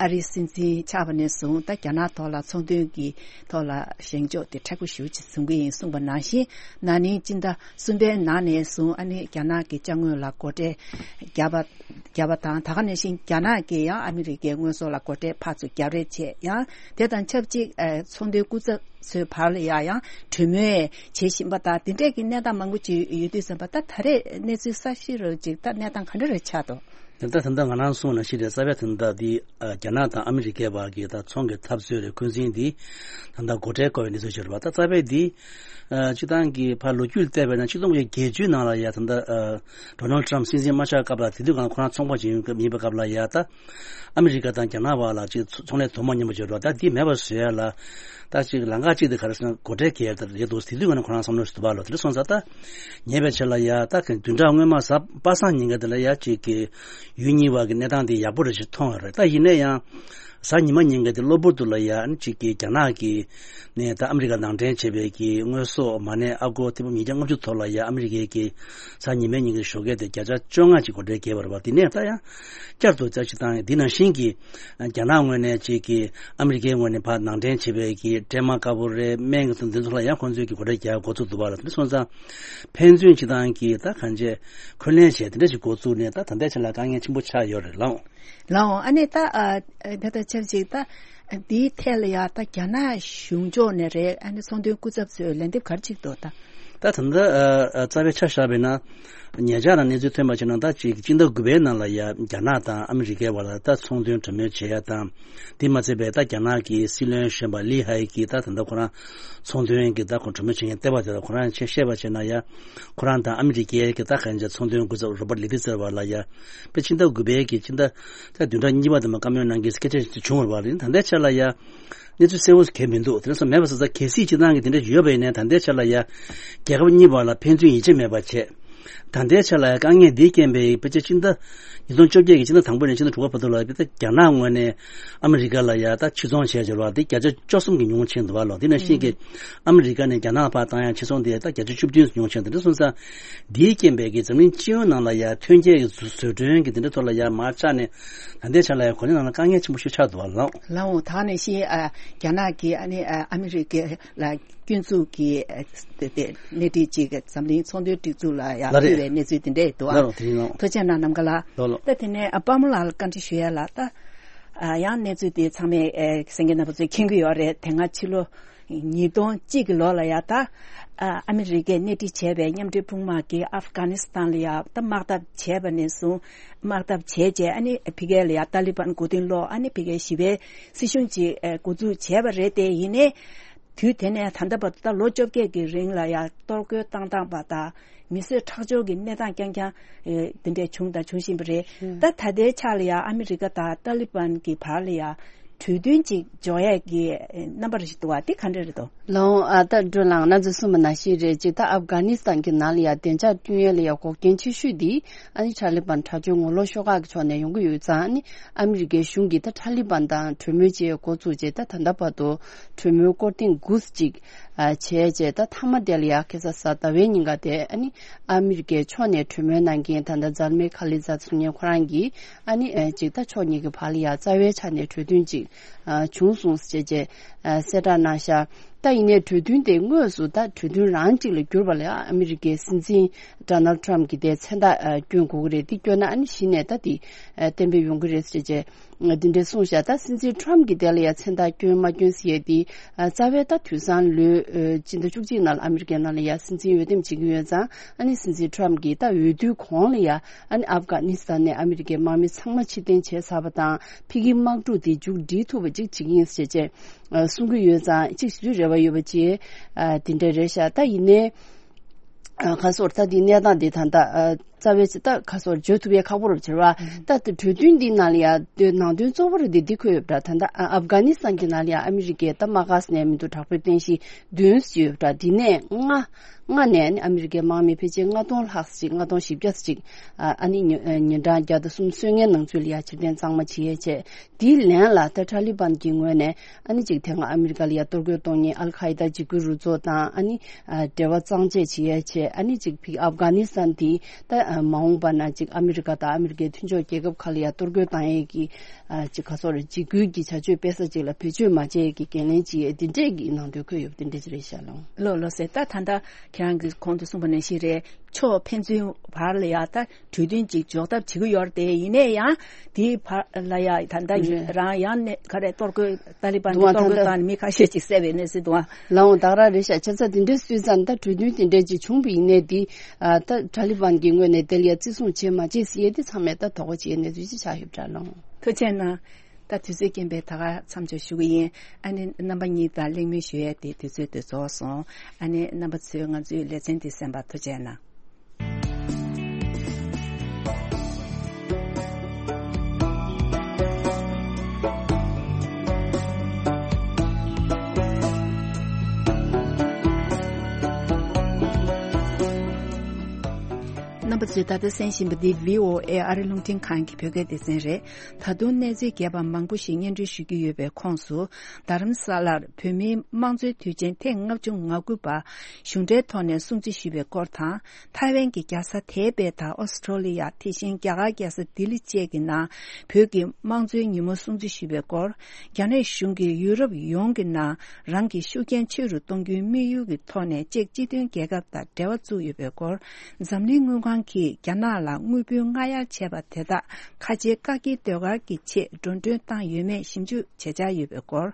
ཨ་རིའི་སྲིད་འཛིན་ཆགས་པ་ནས་བཟུང་ད་རྒྱ་ནག་ཐོག་ལ་ཚོང་དོན་གྱི་ཐོག་ལ་བཞེངས་ཕྱོགས་དེ་མཁྲེགས་པོ་ཞེ་པོ་ཅིག་བཟུང་གི་ཡིན་གསུངས་པ་ནང་བཞིན། ན་ནིང་སྤྱི་ཟླ་གསུམ་པའི་ནང་ནས་བཟུང་ཨ་ནི་རྒྱ་ནག་གི་ཅ་དངོས་ལ་སྒོ་ཁྲལ་བརྒྱབ་པ། བརྒྱབ་པ་དང་། ད་ག་ནང་བཞིན་རྒྱ་ནག་གིས་ཡང་ཨ་མི་རི་ཀའི་དངོས་ཟོག་ལ་སྒོ་ཁྲལ་ཕར་ཚུར་བརྒྱབ་རེས་བྱས། ཡང་དེ་དང་ཆབས་ཅིག་ཨ་ཚོང་དོན་སྐུ་ཚབ་ ཚོའི་བར་ལ་ཡ་ཡང་གྲོས་མོལ་བྱེད་བཞིན་པ་དང་དེ་འདྲས་ཀྱི་གནས་སྟངས་མང་པོ་ཅིག་ཡོད་དུས་ཙམ་པ། ད་ད་རེས་གནས་ཚུལ་གསར་ཤོས་རུ་ཅིག་ད་གནས་སྟངས་ག་འདྲ་རེ་ཆགས་འདུག་དེ་ལྟར་ད་ལྟ་ང་རང་གསུངས་ནང་བཞིན་རེད། རྩ་བའི་ད་ལྟ་འདི་ཨ་རྒྱ་ནག་དང་ཨ་མི་རི་ཀའི་བར་གྱི་ད་ཚོང་གི་འཐབ་རྩོད་རེད། འཁོན་འཛིན་འདི་ད་ལྟ་སྒོ་ཁྲལ་བཀོད་པའི་གནས་ཚུལ་ཞིག་རེད་པ། ད་རྩ་བའི་འདི་ཨ་སྤྱི་བཏང་གི་ཕར་ལོ་རྒྱུས་བལྟས་པ་ན་ཆིག་སྟོང་དགུ་བརྒྱ་བརྒྱད་ཅུ་ནང་ལ་ཡ་ད་ལྟ་ཨ་ཌོ་ནལ་ཊམ་སྲིད་འཛིན་མ་ཆགས་སྐབས་ལ་དེ་དུས་གང་ཁོ་རང་ཚོང་པ་ཅིག་ཡིན་སྐབས་ཡིན་པའི་སྐབས་ལ་ཡ་ད་ཨ་མི་རི་ཀ་དང་རྒྱ་ནག་བར་ལ་ཅིག་ཚོང་ལས་དོ་མ་མཉམ་པ་ཅིག་རེད་པ། ད་འདི་མེད་པར་བཟོ་ཡ་ལ་ད་ཅིག་ལམ་ཁ་ཅིག་དེ་ག་རེ་ཟེར་ན་སྒོ་ཁྲལ་འཁྱེར་ཡ་དེ་རེད་འདུག་དེ་དུས་གང་ཁོ་རང་བསམ་བློ་ཞིག་འདུག་པ་ལོ། དེ་འདྲ་སོང་ཙང་ད་ཉེ་བའི་ཆར་ལ་ཡ་ད་གི་བདུན་ཕྲག་སྔོན་མ་གཟའ་པ་སངས་ཉིན་ག་དེ་ལ་ཡ་ཅིག་གི་ཡུལ་གཉིས་བར་གྱི་གནས་སྟངས་དེ་ཡག་པོ་རེ་ཞིག་མཐོང་བ་རེད། ད་ཡིན་ན་ཡང་གཟའ་ཉི་མ་ཉིན་ག་དེ་གློ་བུར་དུ་ལ་ཡ་ཨ་ནི་ཅིག་གི་རྒྱ་ནག་གི་ནས་ད་ཨ་མི་རི་ཀ་ནང་འདྲེན་བྱས་པའི་གི་དངོས་ཟོག་མ་ཎི་ཨ་སྒོར་ཐེར་འབུམ་ཉིས་བརྒྱ་ལྔ་བཅུ་ཐོག་ལ་ཡ་ཨ་མི་རི་ཀའི་གི་གཟའ་ཉི་མའི་ཉིན་གྱི་ཞོགས་ཀས་དེ་བརྒྱ་ཆ་བཅོ་ལྔ་ཅིག་སྒོ་ཁྲལ་བརྒྱབ་པ་རེད་པ། དེ་ནས་ད་ཡང་བསྐྱར་དུ་བཅའ་ཁྲིམས་བཏང་ཡ་འདི་ནང་བཞིན་གྱི་རྒྱ་ནག་ངོས་ནས་ཅིག་གི་ཨ་མི་རི་ཀའི་ངོས་ནས་ཕར་ནང་འདྲེན་བྱས་པའི་གི་འདྲེས་མ་དཀར་པོ་རེད། སྨན་གྱི་ཚོ་འདི་ཚོ་ལ་ཡང་ཁོང་ཚོས་ཀྱི་སྒོ་ཁྲལ་རྒྱག་འགོ་ཚུགས་འདུག་པ་ལ། དེ་སོང་ཙང་ཕན་ཚུན་སྤྱི་བཏང་གི་ད་གང་ཅི་འཁོན་ལན་བྱས་དེ་འདྲ་ཞིག་འགོ་བཙུགས་ནས་ད་ད་ལྟའི་ཆ་ལ་དཀའ་ངལ་ཆེན་པོ་ཆགས་ཡོད་རེད་ལགས། ལགས་འོང་། ཨ་ནི་ད་ཨ་ད་ལྟ་ཆབས་ཅིག་ད་འདིའི་ཐད་ལ་ཡ་ད་རྒྱ་ནག་གཞུང་ཕྱོགས་ནས་རེད། ཨ་ནི་ཚོང་དོན་སྐུ་ཚབ་ཚོས་ལན་འདེབས་ག་རེ་བྱེད་ཀྱི་འདུག་ད། ད་ད་ལྟ་ཨ་ཨ་རྩ་བའི་ཆ་བཞག་པ་ཡིན་ན། ཉེ་ཆར་ལ་གནས་ཚུལ་ཐོན་པ་བྱས་ན་ད་ཅིག་སྤྱི་ཟླ་དགུ་པའི་ནང་ལ་ཡ་རྒྱ་ནག་དང་ཨ་མི་རི་ཀའི་བར་ལ་ད་ཚོང་དོན་གྲོས་མོལ་བྱེད་ཡ་དང་། དེ་མ་ཚད་པའི་ད་རྒྱ་ནག་གི་སྲིད་བློན་གཞོན་པ་ལི་ཧའེ་གིས་ད་ད་ལྟ་ཁོ་རང་ཚོང་དོན་གྱི་ད་ཁོ་གྲོས་མོལ་བྱེད་མཁན་བལྟས་པ་དེ་ལ་ཁོ་རང་ཆེད་བཤད་པ་བྱས་ན་ཡ། ཁོ་རང་དང་ཨ་མི་རི་ཀའི་གི་ད་གང་ཅི་ཚོང་དོན་སྐུ་ཚབ་རོ་པར་ལི་ཏི་ཟེར་བ་ལ་ཡ། དཔེ་ཕྱི་ཟླ་དགུ་པའི་གི་ཕྱི་ཟླ་ད་བདུན་ཕྲག་གཉིས་པ་དེ་མ་བཀའ་མོལ་གནང་གི་སྐད་ཆ་ཞིག་བྱུང་བ་རེད། ད་ལྟའི་ཆ་ལ་ཡ། གནས་ཚུལ་གསལ་བོ་གལ་མི་འདུག་དེ་འདྲ་སོང་མེད་པ་ས་ས་གལ་སྲིད་སྤྱི་བཏང་གི་དེ་འདྲ་ཡོད་པ་ཡིན་ན་ད་ལྟའི་ཆ་ལ་ཡ། རྒྱལ་ཁབ་གཉིས་བར་ལ་ཕན་ཚུན་ཡིད་ཆེས་མེད་པ་བྱས། ད་ལྟའི་ཆ་ལ་ཡ་དཀའ་ངལ་འདིའི་རྐྱེན་པས་ཕལ་ཆེར་ཕྱི་ཟླ་ཉིས་སྟོང་བཅོ་བརྒྱད་ཀྱི་ཕྱི་ཟླ་དང་པོ་ནས་ཕྱི་ཟླ་དྲུག་པ་བར་དུ་ལ་ཕལ་ཆེར་རྒྱ་ནག་ངོས་ནས་ཨ་མི་རི་ཀ་ལ་ཡ་ད་ཕྱིར་ཚོང་བྱས་ཡོད་པ་དེ་བརྒྱ་ཆ་བཅུ་གསུམ་གྱིས་ཉུང་ཕྱིན་འདུག་བ་ལོ། དེ་ནང་བཞིན་གྱི་ཨ་མི་རི་ཀ་ནས་རྒྱ་ནག་ལ་ཕར་བཏང་ཡ་ཕྱིར་ཚོང་དེ་ད་བརྒྱ་ཆ་བཅུ་བདུན་ཉུང་ཕྱིན། དེ་འདྲ་སོང་ཙང་འདིའི་རྐྱེན་པས་ཀྱི་འཛམ་གླིང་སྤྱི་ཡོངས་ནང་ལ་ཡ་ཐོན་སྐྱེད་ཀྱི་བཟོ་བཟོ་སྐྲུན་གྱི་དེ་འདྲ་ཐོག་ལ་ཡ་མར་ཆག་ནས་ད་ལྟའི་ཆ་ལ་ཡ་གོ་ལའི་ནང་ལ་དཀའ་ངལ་ཆེན་པོ་ཞིག་ཆགས་འདུག་བ་ལོ། ལགས་འོང་། ད་ནང་བཞིན་ཨ་རྒྱ་ནག་གིས་ཨ་ནི་ཨ་ཨ་མི་རི་ཀ་ལ་སྐྱོན་འཛུགས་ཀྱི་ཨ་དེ་དེ་སྣེ་ཁྲིད་ཅིག་འཛམ་གླིང་ཚོང་དོན་སྒྲིག་འཛུགས་ལ་ཡང་ལགས་རེད། ཕུལ་བའི་གནས་ཚུལ་དེ་འདྲ་འདུག་ཨ། ལགས་རོ། དེ་རིང་ལགས། ཐུགས་རྗེ་གནང་། ནམ་མཁའ་ལགས། ལགས་ལགས། ད་དེ་ནས་ཨ་དཔའ་མོ་ལགས་ལ་བཀའ་འདྲི་ཞུ་ཡ་ལ། ད་ཨ་ཡང་གནས་ཚུལ་དེ་ཚང་མས་ཨེ་གསན་མཁན་རྣམ་པ་ཚོས་མཁྱེན་གྱི་ཡོད་རེད། དེ་སྔ་ཕྱི་ལོ་ཉིས་སྟོང་གཅིག་གི་ལོ་ལ་ཡ་ད་ཨ་ཨ་མི་རི་ཀས་སྣེ་ཁྲིད་བྱས་པའི་མཉམ་འབྲེལ་དཔུང་དམག་གིས་ཨབ་གྷ་ནི་སི་ཐན་ལ་ཡ་ད་དམག་འཐབ་བྱས་པ་ནས་བཟུང་། དམག་འཐབ་བྱས་རྗེས་ཨ་ནི་ཕ་གི་ལ་ཡ་ཏཱ་ལི་བན་མགོ་རྟིང་སློག་ཨ་ནི་ཕ་གིའི་ཞི་བའི་སྲིད་གཞུང་ཅིག་ཨེ་འགོ་འཛུགས་བྱས་པ་རེད། དེ་ཡིན་ནའི་དུས་དེ་ནས་ད་ལྟ་བར་དུ་ད་ལོ་བཅོ་བརྒྱད་ཀྱི་རིང་ལ་ཡ་གཏོར་རྒོལ་བཏང་སྟངས་པ་དང་མི་གསོད་ཁྲག་སྦྱོར་གྱི་གནས་སྟངས་རྐྱང་རྐྱང་ཨེ་འདི་འདྲས་བྱུང་དང་འབྱུང་བཞིན་པ་རེད། ད་ད་ལྟའི་ཆ་ལ་ཡ་ཨ་མི་རི་ཀ་དང་ཏཱ་ལི་བན་གྱི་བར་ལ་ཡ་གྲོས་མཐུན་ཅིག་འཇོག་ཡས་ཀྱི་ཨེ་རྣམ་པ་རེ་ཞིག་འདུག་བ། དེ་ག་འདྲ་རེད་དོ། ལགས་འོང་། ཨ་ད་སྒྲོལ་ལགས་ང་ཚོས་གསུངས་པ་ནང་བཞིན་རེད། ཅིག་ད་ཨབ་གྷ་ནི་སི་ཐན་གྱི་ནང་ལ་ཡ་བདེ་འཇགས་བསྐྲུན་ཡས་ལ་ཡ་འགོག་རྐྱེན་ཆེ་ཤོས་འདི་ཨ་ནི་ཏཱ་ལི་བན་དྲག་སྤྱོད་ངོ་ལོག་ཤོག་ཁག་གི་ཕྱོགས་ནས་ཡོང་གི་ཡོད་ཙང་། ཨ་ནི་ཨ་མི་རི་ཀའི་གཞུང་གིས་ད་ཏཱ་ལི་བན་དང་གྲོས་མོལ་བྱེད་འགོ་བཙུགས་རྗེས་ད་ད་ལྟ་བར་དུ་གྲོས་མོལ་སྐོར་ཐེངས་དགུ་ཅིག་ཨ་བྱས་རྗེས། ད་མཐའ་མ་དེ་ལ་ཡ་ཁ་སང་གཟའ་ཟླ་བའི་ཉིན་ཀ་དེ་ཨ་ནི་ཨ་མི་རི་ཀའི་ཕྱོགས་ནས་གྲོས་མོལ་གནང་མཁན་ད་ལྟ་ཛལ་མའི་ཁ་ལི་ཛ་ཚུར་ཉན་ཁོ་རང་གིས་ཨ་ནི་ཨ་ཅིག་ད་ཕྱོགས་གཉིས་ཀྱི་བར་ལ་ཡ་རྩ་བའི་ཆ་ནས་གྲོས་མཐུན་ཅིག་ཨ་བྱུང་སོང་ཟེར་བྱས་རྗེས་ཨ་གསལ་བསྒྲགས་གནང་ཤག་ད་ཡིན་ནའི་གྲོས་མཐུན་དེ་དངོས་སུ་ད་གྲོས་མཐུན་རང་གཅིག་ལ་གྱུར་པ་ལ་ཡ་ཨ་མི་རི་ཀའི་སྲིད་འཛིན་ཌོ་ནལ་ཊམ་གྱིས་དེ་མཚན་རྟགས་ཨ་བསྐྱོན་དགོས་ཀྱི་རེད། འདི་བསྐྱོན་ན་ཨ་ནི་གཞི་ནས་ད་དེ་ཨ་གཏན་འབེབས་ཡོང་གི་རེད་ཟེར་བྱས་འདི་འདྲས་གསུངས་ཤག་ད་སྲིད་འཛིན་ཊམ་གྱིས་དེ་ལ་ཡ་མཚན་རྟགས་བསྐྱོན་མ་བསྐྱོན་ཟེར་ཡས་དེ་ཨ་རྩ་བའི་ད་དུས་སང་ལོའི་ཨ་སྤྱི་ཟླ་བཅུ་གཅིག་ནང་ལ་ཨ་མི་རི་ཀའི་ནང་ལ་ཡ་སྲིད་འཛིན་འོས་འདེམས་བྱེད་ཀྱི་ཡོད་ཙང་། ཨ་ནི་སྲིད་འཛིན་ཊམ་གྱིས་ད་འོས་བསྡུའི་གོང་ལ་ཡ་ཨ་ནི་ཨབ་གྷ་ནི་སི་ཐན་ནས་ཨ་མི་རི་ཀའི་དམག་མི་ཚང་མ་ཕྱིར་འཐེན་བྱས་ཚར་བ་དང་། ཕ་གིའི་དམག་འཁྲུག་དེ་མཇུག་སྒྲིལ་ཐུབ་པ་ཅིག་བྱེད་ཀྱི་ཡིན་ཟེར་བྱས། ཨ་གསུང་གི་ཡོད་ཙང་གཅིག་ཞུ་རེ་བ་ཡོད་པ་ཅིག་ཨ་དེ་འདྲ་རེད་ཤག་ད་ཡིན་ནའི་ཨ་ཁ་སོར་ད་འདི་གནས་སྟངས་འདི་ད་ལྟ་ཨ་རྩ་བའི་ད་ཁ་སོར་བརྗོད་ཐུབ་ཡས་ཁག་པོ་རུ་གྱུར་བ། ད་དེ་གྲོས་མཐུན་འདི་ནང་ལ་ཡ་དེ་ནང་དོན་གཙོ་བོ་རུ་འདི་འདི་འཁོད་ཡོད་པ་འདྲ། ད་ལྟ་ཨ་ཨབ་གྷ་ནི་སི་ཐན་གྱི་ནང་ལ་ཡ་ཨ་མི་རི་ཀའི་ད་དམག་སྒར་ནས་མི་འདུག་དྲག་པོའི་རྟེན་གཞི་བདུན་ཅིག་ཡོད་པ་འདྲ། འདི་ནས་ལྔ་ལྔ་ནས་ནི་ཨ་མི་རི་ཀའི་དམག་མི་ཕལ་ཆེར་ལྔ་སྟོང་ལྷག་ཅིག་ལྔ་སྟོང་བཞི་བརྒྱ་ཅིག་ཨ་ཨ་ནི་ཉི་ཉིན་གྲངས་བརྒྱ་དང་གསུམ་སོན་མཁན་ནང་ཚུད་ལ་ཡ་ཕྱིར་འཐེན་གཙང་མ་བྱེད་ཡས་བྱས། དེའི་ལན་ལ་ད་ཏཱ་ལི་བན་གྱི་ངོས་ནས་ཨ་ནི་ཅིག་དེ་སྔ་ཨ་མི་རི་ཀ་ལ་ཡ་གཏོར་རྒོལ་གཏོང་མཁན་ཨལ་ཁ་ཡི་ད་འཇིགས་སྐུལ་རུ་ཚོགས་དང་ཨ་ནི་ཨ་འབྲེལ་བ་གཙང་བཅད་བྱེད་ཡས་བྱས། ཨ་ནི་ཅིག་ཕ་གི་ཨབ་གྷ་ནི་སི་ཐན་དེ་ད་ཨ་མ་འོངས་པ་ན་ཅིག་ཨ་མི་རི་ཀ་དང་ཨ་མི་རི་ཀའི་མཐུན་ཕྱོགས་རྒྱལ་ཁབ་ཁག་ལ་ཡ་གཏོར་རྒོལ་བཏང་ཡས་ཀྱི་ཨ་ཅིག་ག་སོགས་རེད། འཇིགས་སྐུལ་གྱི་བྱ་སྤྱོད་སྤེལ་ས་ཅིག་ལ་བེད་སྤྱོད་མ་བྱས་ཀྱི་འགན་ལེན་བྱེད་ཡས་འདི་འདྲས་ཀྱི་ནང་དོན་འཁོད་ཡོད་པ་འདི་འདྲས་ཅིག་རེད་ཤག་ལགས། ལགས་ལགས་སེ། ད་ད་ལྟ་ཁྱེད་རང་གིས་གོང་དུ་གསུངས་པ་ནང་བཞིན་རེད། ཕྱོགས་ཕན་ཚུན་བར་ལ་ཡ་ད་གྲོས་མཐུན་ཅིག་འཇོག་ཐབས་བྱེད་ཀྱི་ཡོད་རེད་དེ། ཡིན་ནའི་ཡང་དེའི་བར་ལ་ཡ་ད་ལྟ་རེད། རང་ཡང་ནས་ག་རེ་གཏོར་རྒོལ་ཏཱ་ལི་བན་གྱིས་གཏོར་རྒོལ་བཏང་ནས་མི་ཁ་ཤས་ཅིག་བསད་པའི་གནས་ཚུལ་འདུག་ཨ། ལའོ་ད་ག་རང་རེད་ཤག་ཆ་ཚང་དེ་འདྲའི་སུས་ཙང་ད་གྲོས་མཐུན་དེ་འདྲ་ཅིག་བྱུང་བ་ཡིན་ནའི་དེ་ད་ཏཱ་ལི་བན་གྱི་ངོས་ནས་དེ་ལ་ཡ་བརྩི་སྲུང་བྱེད་མ་བྱེད་ཟེར་ཡས་དེ་ཚང་མས་ད་དོགས་པ་བྱེད་གནས་ཚུལ་ཅིག་ཆགས་ཡོད་པ་འདྲ་ལོང་། ཐུགས་རྗེ་གནང་། ད་དུས་ཚོད་རྐྱེན་པས་ད་ག་མཚམས་འཇོག་ཞུ་གི་ཡིན། ཨ་ནི་རྣམ་པ་གཉིས་དང་གླེང་མོལ་ཞུ་ཡས་དེ་དུས་ཚོད་དེ་རྫོགས་སོང་། ཨ་ནི་རྣམ་པ་ཚོས་ང་ཚོའི་ལེ་ཚན་དེ་གསན་པར་ཐུགས་རྗེ་གནང་། རྣམ་པ་ཚོས་ད་ལྟ་གསན་བཞིན་པ་འདི་བྷི་ཨོ་ཨེ་ཨ་རི་རླུང་འཕྲིན་ཁང་གི་བོད་སྐད་སྡེ་ཚན་རེད། ད་དུང་གནས་ཚུལ་རྒྱས་པ་མང་པོ་ཞིག་སྙན་སྒྲོན་ཞུ་རྒྱུ་ཡོད་པའི་ཁོངས་སུ། རྡ་རམ་ས་ལར་བོད་མིའི་དམངས་གཙོའི་དུས་ཆེན་ཐེངས་ལྔ་བཅུ་ང་དགུ་པ་གཞུང་འབྲེལ་ཐོག་ནས་སྲུང་བརྩི་ཞུས་པའི་སྐོར་དང་། ཐའེ་ཝན་གྱི་རྒྱལ་ས་ཐའེ་པེ་དང་ཨོ་སི་ཁྲོ་ལི་ཡ། དེ་བཞིན་རྒྱ་གར་རྒྱལ་ས་ལྡི་ལི་བཅས་ཀྱི་ནང་བོད་ཀྱི་དམངས་གཙོའི་ཉིན་མོ་སྲུང་བརྩི་ཞུས་པའི་སྐོར། རྒྱ་ནག་གཞུང་གིས་ཡུ་རོབ་ཡོངས་ཀྱི་ནང་རང་གི་ཤུགས་རྐྱེན་ཆེ་རུ་གཏོང་རྒྱུའི་དམིགས་ཡུལ་གྱི་ཐོག་ནས་ཅེཀ་སྤྱི་མཐུན་རྒྱལ་ཁབ་དང་འབྲེལ་བ་བཙུགས་ཡོད་པའི་སྐོར། འཛམ་གླིང་དངུལ་ཁང་གིས་རྒྱ་ནག་ལ་དངུལ་བུན་སྔ་གཡར་བྱས་པ་དེ་དག་ཁ་ཆེའི་བཀག་སྐྱིལ་ཟློས་གར་གྱི་ཆེད་འགྲོ་གྲོན་བཏང་ཡོད་མེད་ཞིབ་འཇུག་བྱེད་འཆར་ཡོད་པའི་སྐོར།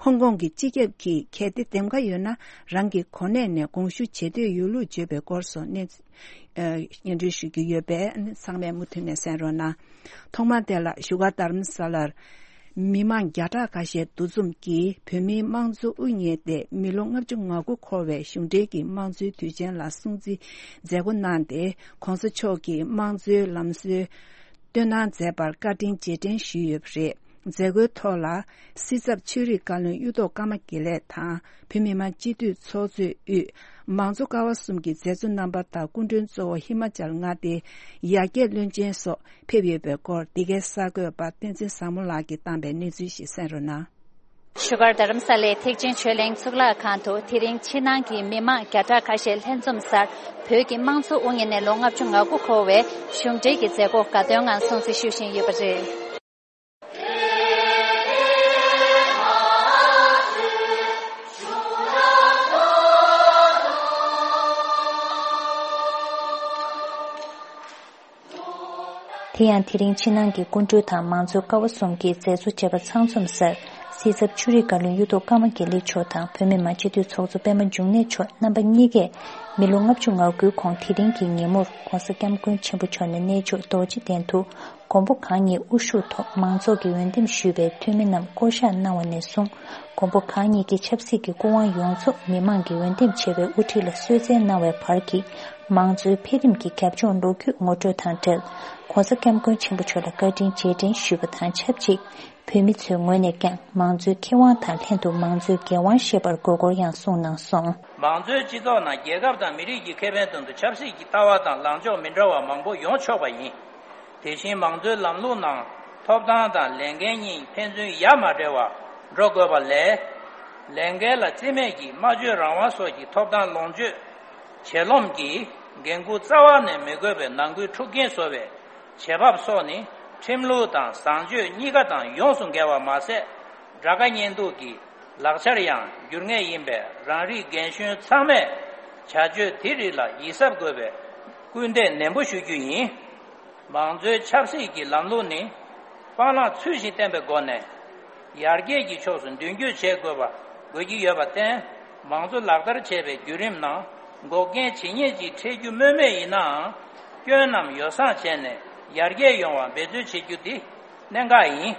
ཧོང་ཀོང་གི་སྤྱི་ཁྱབ་ཀྱིས་གལ་ཏེ་འདེམས་ཀ་ཡོད་ན་རང་གི་གོ་གནས་ནས་དགོངས་ཞུ་བྱེད་འདོད་ཡོད་ལུགས་བརྗོད་པའི་སྐོར་སོགས་གནས་ཚུལ། ཨ། སྙན་སྒྲོན་ཞུ་རྒྱུ་ཡོད་པས་ཚང་མས་མུ་མཐུད་ནས་གསན་རོགས་གནང་། ཐོག་མར་དེ་ལ་བཞུགས་སྒར་རྡ་རམ་ས་ལར་མི་མང་བརྒྱ་ཕྲག་ཁ་ཤས་འདུ་འཛོམས་ཀྱིས་བོད་མིའི་དམངས་གཙོ་དབུ་བརྙེས་ཏེ་མི་ལོ་ལྔ་བཅུ་ང་དགུ་འཁོར་བའི་གཞུང་འབྲེལ་གྱི་དམངས་གཙོའི་དུས་ཆེན་ལ་སྲུང་བརྩི་མཛད་སྒོ་གནང་སྟེ། ྋགོང་ས་མཆོག་གིས་དམངས་གཙོའི་ལམ་སྲོལ་སྟོན་གནང་མཛད་པར་བཀའ་དྲིན་རྗེས་དྲན་ཞུས་ཡོད་པ་རེད། མཛད་སྒོའི་ཐོག་ལ། སྲིད་ཚབ་ཆོས་རིག་བཀའ་བློན་གཡུ་ཐོག་ཀརྨ་དགེ་ལེགས་དང་། བོད་མི་མང་སྤྱི་འཐུས་ཚོགས་གཙོས་དབུས་མང་གཙོ་ཀ་བ་གསུམ་གྱི་མཛད་གཙོ་རྣམ་པ་དང་སྐུ་མགྲོན་གཙོ་བོ་ཧི་མ་ཅལ་མངའ་སྡེའི་ཡར་རྒྱས་བློན་ཆེན་སོགས་ཕེབས་ཡོད་པའི་སྐོར། འདི་གའི་གསར་འགོད་པ་བསྟན་འཛིན་བཟང་མོ་ལགས་ཀྱིས་བཏང་པའི་གནས་ཚུལ་ཞིག་གསན་རོགས་གནང་། བཞུགས་སྒར་རྡ་རམ་ས་ལའི་ཐེག་ཆེན་ཆོས་གླིང་གཙུག་ལག་ཁང་དུ་དེ་རིང་ཕྱི་ནང་གི་མི་མང་བརྒྱ་ཕྲག་ཁ་ཤས་ལྷན་འཛོམས་སར་བོད་ཀྱི་དམངས་གཙོ་དབུ་བརྙེས་ནས་ལོ་ལྔ་བཅུ་ང་དགུ་འཁོར་བའི་གཞུང་འབྲེལ་གྱི་མཛད་སྒོ་དགའ་སྟོན་ངང་སྲུང་བརྩི་ཞུ་བཞིན་ཡོད་པ་རེད། དེ་ཡང་དེ་རིང་ཕྱི་ནང་གི་སྐུ་མགྲོན་དང་མང་གཙོའི་ཀ་བ་གསུམ་གྱི་མཛད་གཙོ་བཅས་པ་ཚང་འཛོམས་སར་སྲིད་ཚབ་ཆོས་རིག་བཀའ་བློན་གཡུ་ཐོག་ཀརྨ་དགེ་ལེགས་མཆོག་དང་བོད་མི་མང་སྤྱི་འཐུས་ཚོགས་གཙོ་པད་མ་འབྱུང་གནས་མཆོག་རྣམ་པ་གཉིས་ཀས་མི་ལོ་ལྔ་བཅུ་ང་དགུའི་གོང་དེ་རིང་གི་ཉིན་མོར་ྋགོང་ས་ྋསྐྱབས་མགོན་ཆེན་པོ་མཆོག་ནས་གནས་མཆོག་རྡོ་རྗེ་གདན་དུ་མགོན་པོ་གང་ཉིད་དབུ་བཞུགས་ཐོག་མང་ཚོགས་ཀྱིས་འོས་འདེམས་ཞུས་པའི་འཐུས་མི་རྣམས་བསྐོ་གཞག་གནང་བ་ནས་བཟུང་། མགོན་པོ་གང་ཉིད་ཀྱི་ཆབ་སྲིད་ཀྱི་སྐུ་དབང་ཡོངས་རྫོགས་མི་མང་གིས་འོས་འདེམས་བྱས་པའི་དབུ་ཁྲིད་ལ་གསོལ་སྩལ་གནང་བའི་བར་གྱི་མང་གཙོའི་འཕེལ་རིམ་གྱི་རྒྱབ་ལྗོངས་ལོ་རྒྱུས་ངོ་སྤྲོད་དང་འབྲེལ། ྋགོང་ས་ྋསྐྱབས་མགོན་ཆེན་པོ་མཆོག་ལ་བཀའ་དྲིན་རྗེས་དྲན་ཞུས་པ་དང་ཆབས་ཅིག་བོད་མི་ཚོའི་ངོས་ནས་ཀྱང་མང་གཙོའི་ཁེ་དབང་དང་ལྷན་དུ་མང་གཙོའི་འགན་དབང་བཞེས་པར་དགོས་སྐོར་ཡང་གསུངས་གནང་སོང་། མང་གཙོའི་སྤྱི་ཚོགས་ནང་རྒྱལ་ཁབ་དང་མི་རིགས་ཀྱི་ཁེ་ཕན་དོན་དུ་ཆབ་སྲིད་ཀྱི་ལྟ་བ་དང་ལངས་ཕྱོགས་མི་འདྲ་བ་མང་པོ་ཡོང་ཆོག་པ་ཡིན། དེ་བཞིན་མང་གཙོའི་ལམ་ལུགས་ནང་ཐོབ་ཐང་དང་ལས་འགན་གཉིས་ཕན་ཚུན་ཡ་མ་བྲལ་བར་འགྲོ་དགོས་པ་ལས། ལས་འགན་ལ་རྩིས་མེད་ཀྱིས་སྨྲ་བརྗོད་རང་དབང་སོགས་ཀྱི་ཐོབ་ཐང་ལོངས་སྤྱོད་བྱེད་ལོང་གིས་འགན་འཁུར་རྩ་བ་ནས་མི་དགོས་པའི་ནང་ཁུལ་འཁྲུག་རྐྱེན་བཟོ་བའི་བྱེད་བབ་སོགས་ནི་ཁྲིམས་ལུགས་དང་བཟང་སྤྱོད་གཉིས་ཀ་དང་ཡོངས་སུ་འགལ་བ་མ་ཟད། དགྲ་དགའ་གཉེན་སྡུག་གི་ལག་ཆར་ཡང་འགྱུར་ངེས་ཡིན་པས། རང་རིགས་རྒན་གཞོན་ཚང་མས་བྱ་སྤྱོད་དེ་རིགས་ལ་ཡིད་གཟབ་དགོས་པའི་སྐུལ་འདེད་ནན་པོ་ཞུ་རྒྱུ་ཡིན། མང་གཙོའི་ཆབ་སྲིད་ཀྱི་ལམ་ལུགས་ནི་སྤང་བླང་ཚུལ་བཞིན་བསྟེན་པའི་སྒོ་ནས་ཡར་རྒྱས་ཀྱི་ཕྱོགས་སུ་མདུན་སྐྱོད་བྱེད་དགོས་པ། དགོས་ཀྱི་ཡོད་པར་བརྟེན། མང་གཙོ་ལག་བསྟར་བྱེད་པའི་བརྒྱུད་རིམ་ནང་འགོག་རྐྱེན་ཇི་སྙེད་ཅིག་འཕྲད་རྒྱུ་སྨོས་མེད་ཡིན་ནའང་། སྐྱོན་རྣམས་ཡོ་བསྲང་བྱས་ནས་ཡར་རྒྱས་ཡོང་བར་འབད་བརྩོན་བྱེད་རྒྱུ་འདི་གནད་འགག་ཡིན།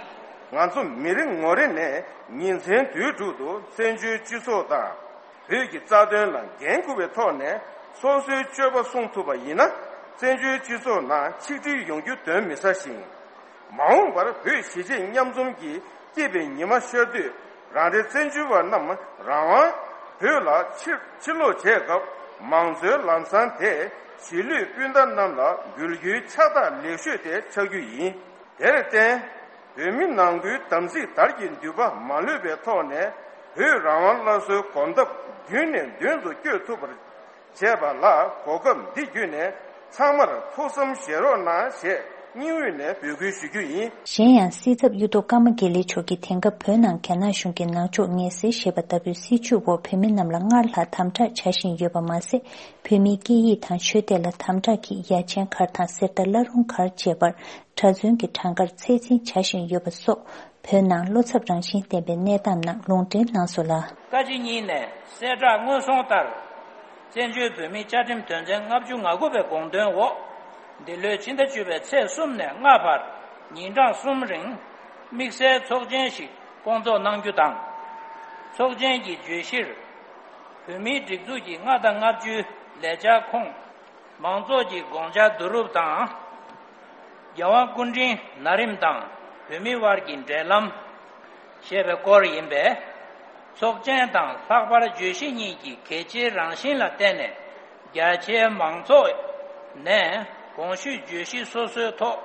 ང་ཚོ་མི་རེ་ངོ་རེ་ནས་ཉིན་མཚན་དུས་དྲུག་ཏུ་བཙན་བྱོལ་སྤྱི་ཚོགས་དང་། བོད་ཀྱི་རྩ་དོན་ལ་འགན་འཁུར་བའི་ཐོག་ནས་སོ་སོའི་སྤྱོད་པ་སྲུང་ཐུབ་པ་ཡིན་ན། བཙན་བྱོལ་སྤྱི་ཚོགས་ནང་ཆིག་སྒྲིལ་ཡོང་རྒྱུ་གདོན་མི་ཟ་ཞིང་། མ་འོངས་པར་བོད་གཞིས་བྱེས་མཉམ་འཛོམས་ཀྱི་སྐྱིད་པའི་ཉི་མ་ཤར་དུས། རང་རེ་བཙན་བྱོལ་བ་རྣམས་རང་དབང་བོད་ལ་ཕྱིར་ཕྱིར་ལོག་བྱེད་སྐབས། མང་གཙོའི་ལམ་བཟང་དེ་གཞིས་ལུས་སྤུན་ཟླ་རྣམས་ལ་འབུལ་རྒྱུའི་ཕྱག་རྟགས་ལེགས་ཤོས་དེ་ཆགས་རྒྱུ་ཡིན། དེར་བརྟེན། བོད་མི་ནང་ཁུལ་དམ་ཚིག་དར་གྱི་མདུད་པ་མ་ལུས་པའི་ཐོག་ནས། བོད་རང་དབང་སླར་གསོའི་གོམ་སྟབས་མདུན་ནས་མདུན་དུ་སྐྱོད་ཐུབ་པར་བྱས་པ་ལ། གོ་སྐབས་འདི་བརྒྱུད་ནས་ཚང་མར་ཐུགས་བསམ་བཞེས་རོགས་གནང་ཞེས་ སྙིང་དབུས་ནས་འབོད་སྐུལ་ཞུ་རྒྱུ་ཡིན། གཞན་ཡང་། སྲིད་ཚབ་གཡུ་ཐོག་ཀརྨ་དགེ་ལེགས་མཆོག་གིས་དེང་སྐབས་བོད་ནང་རྒྱ་ནག་གཞུང་གིས་ནང་ཆོས་ངལ་སེལ་ཞེས་པ་ལྟ་བུའི་སྲིད་བྱུས་འོག་བོད་མི་རྣམས་ལ་སྔར་ལྷག་དམ་དྲག་བྱ་བཞིན་ཡོད་པ་མ་ཟད། བོད་མིའི་སྐད་ཡིག་དང་ཆོས་དད་ལ་དམ་དྲག་གིས་ཡ་ཆེན་སྒར་དང་གསེར་རྟ་བླ་རུང་སྒར་བཅས་པར་གྲྭ་བཙུན་གྱི་གྲངས་ཀར་ཚད་འཛིན་བྱ་བཞིན་ཡོད་པ་སོགས། བོད་ནང་བློ་འཚབ་རང་བཞིན་ལྡན་པའི་གནས་སྟངས་རྣམས་ལུང་འདྲེན་གནང་སོང་ལ། བཀའ་སྤྱི་གཉིས་ནས་གསལ་བསྒྲགས་སྔོན་སོང་ལྟར། བཙན་བྱོལ་བོད་མིའི་བཅའ་ཁྲིམས་དོན་ཚན་ལྔ་བཅུ་ང་དགུ་པའི་དགོངས་དོན་འོག་འདི་ལོའི་ཕྱི་ཟླ་བཅུ་པའི་ཚེས་གསུམ་ནས་ལྔ་བར་ཉིན་གྲངས་གསུམ་རིང་དམིགས་བསལ་ཚོགས་ཆེན་ཞིག་སྐོང་ཚོགས་གནང་རྒྱུ་དང་། ཚོགས་ཆེན་གྱི་བརྗོད་གཞིར། བོད་མིའི་སྒྲིག་འཛུགས་ཀྱི་ལྔ་དང་ལྔ་བཅུའི་ལས་འཆར་ཁོངས། མང་ཚོགས་ཀྱི་དགོངས་འཆར་བསྡུ་རུབ་དང་། རྒྱལ་དབང་སྐུ་ཕྲེང་ན་རིམ་དང་བོད་མི་དབར་གྱི་འབྲེལ་ལམ། ཞེས་པའི་སྐོར་ཡིན་པས། ཚོགས་ཆེན་དང་ལྷག་པར་བརྗོད་གཞི་གཉིས་ཀྱི་གལ་ཆེའི་རང་བཞིན་ལ་བརྟེན་ནས། རྒྱ་ཆེའི་མང་ཚོགས་ནས་གོང་ཞུས་བརྗོད་གཞི་སོ་སོའི་ཐོག་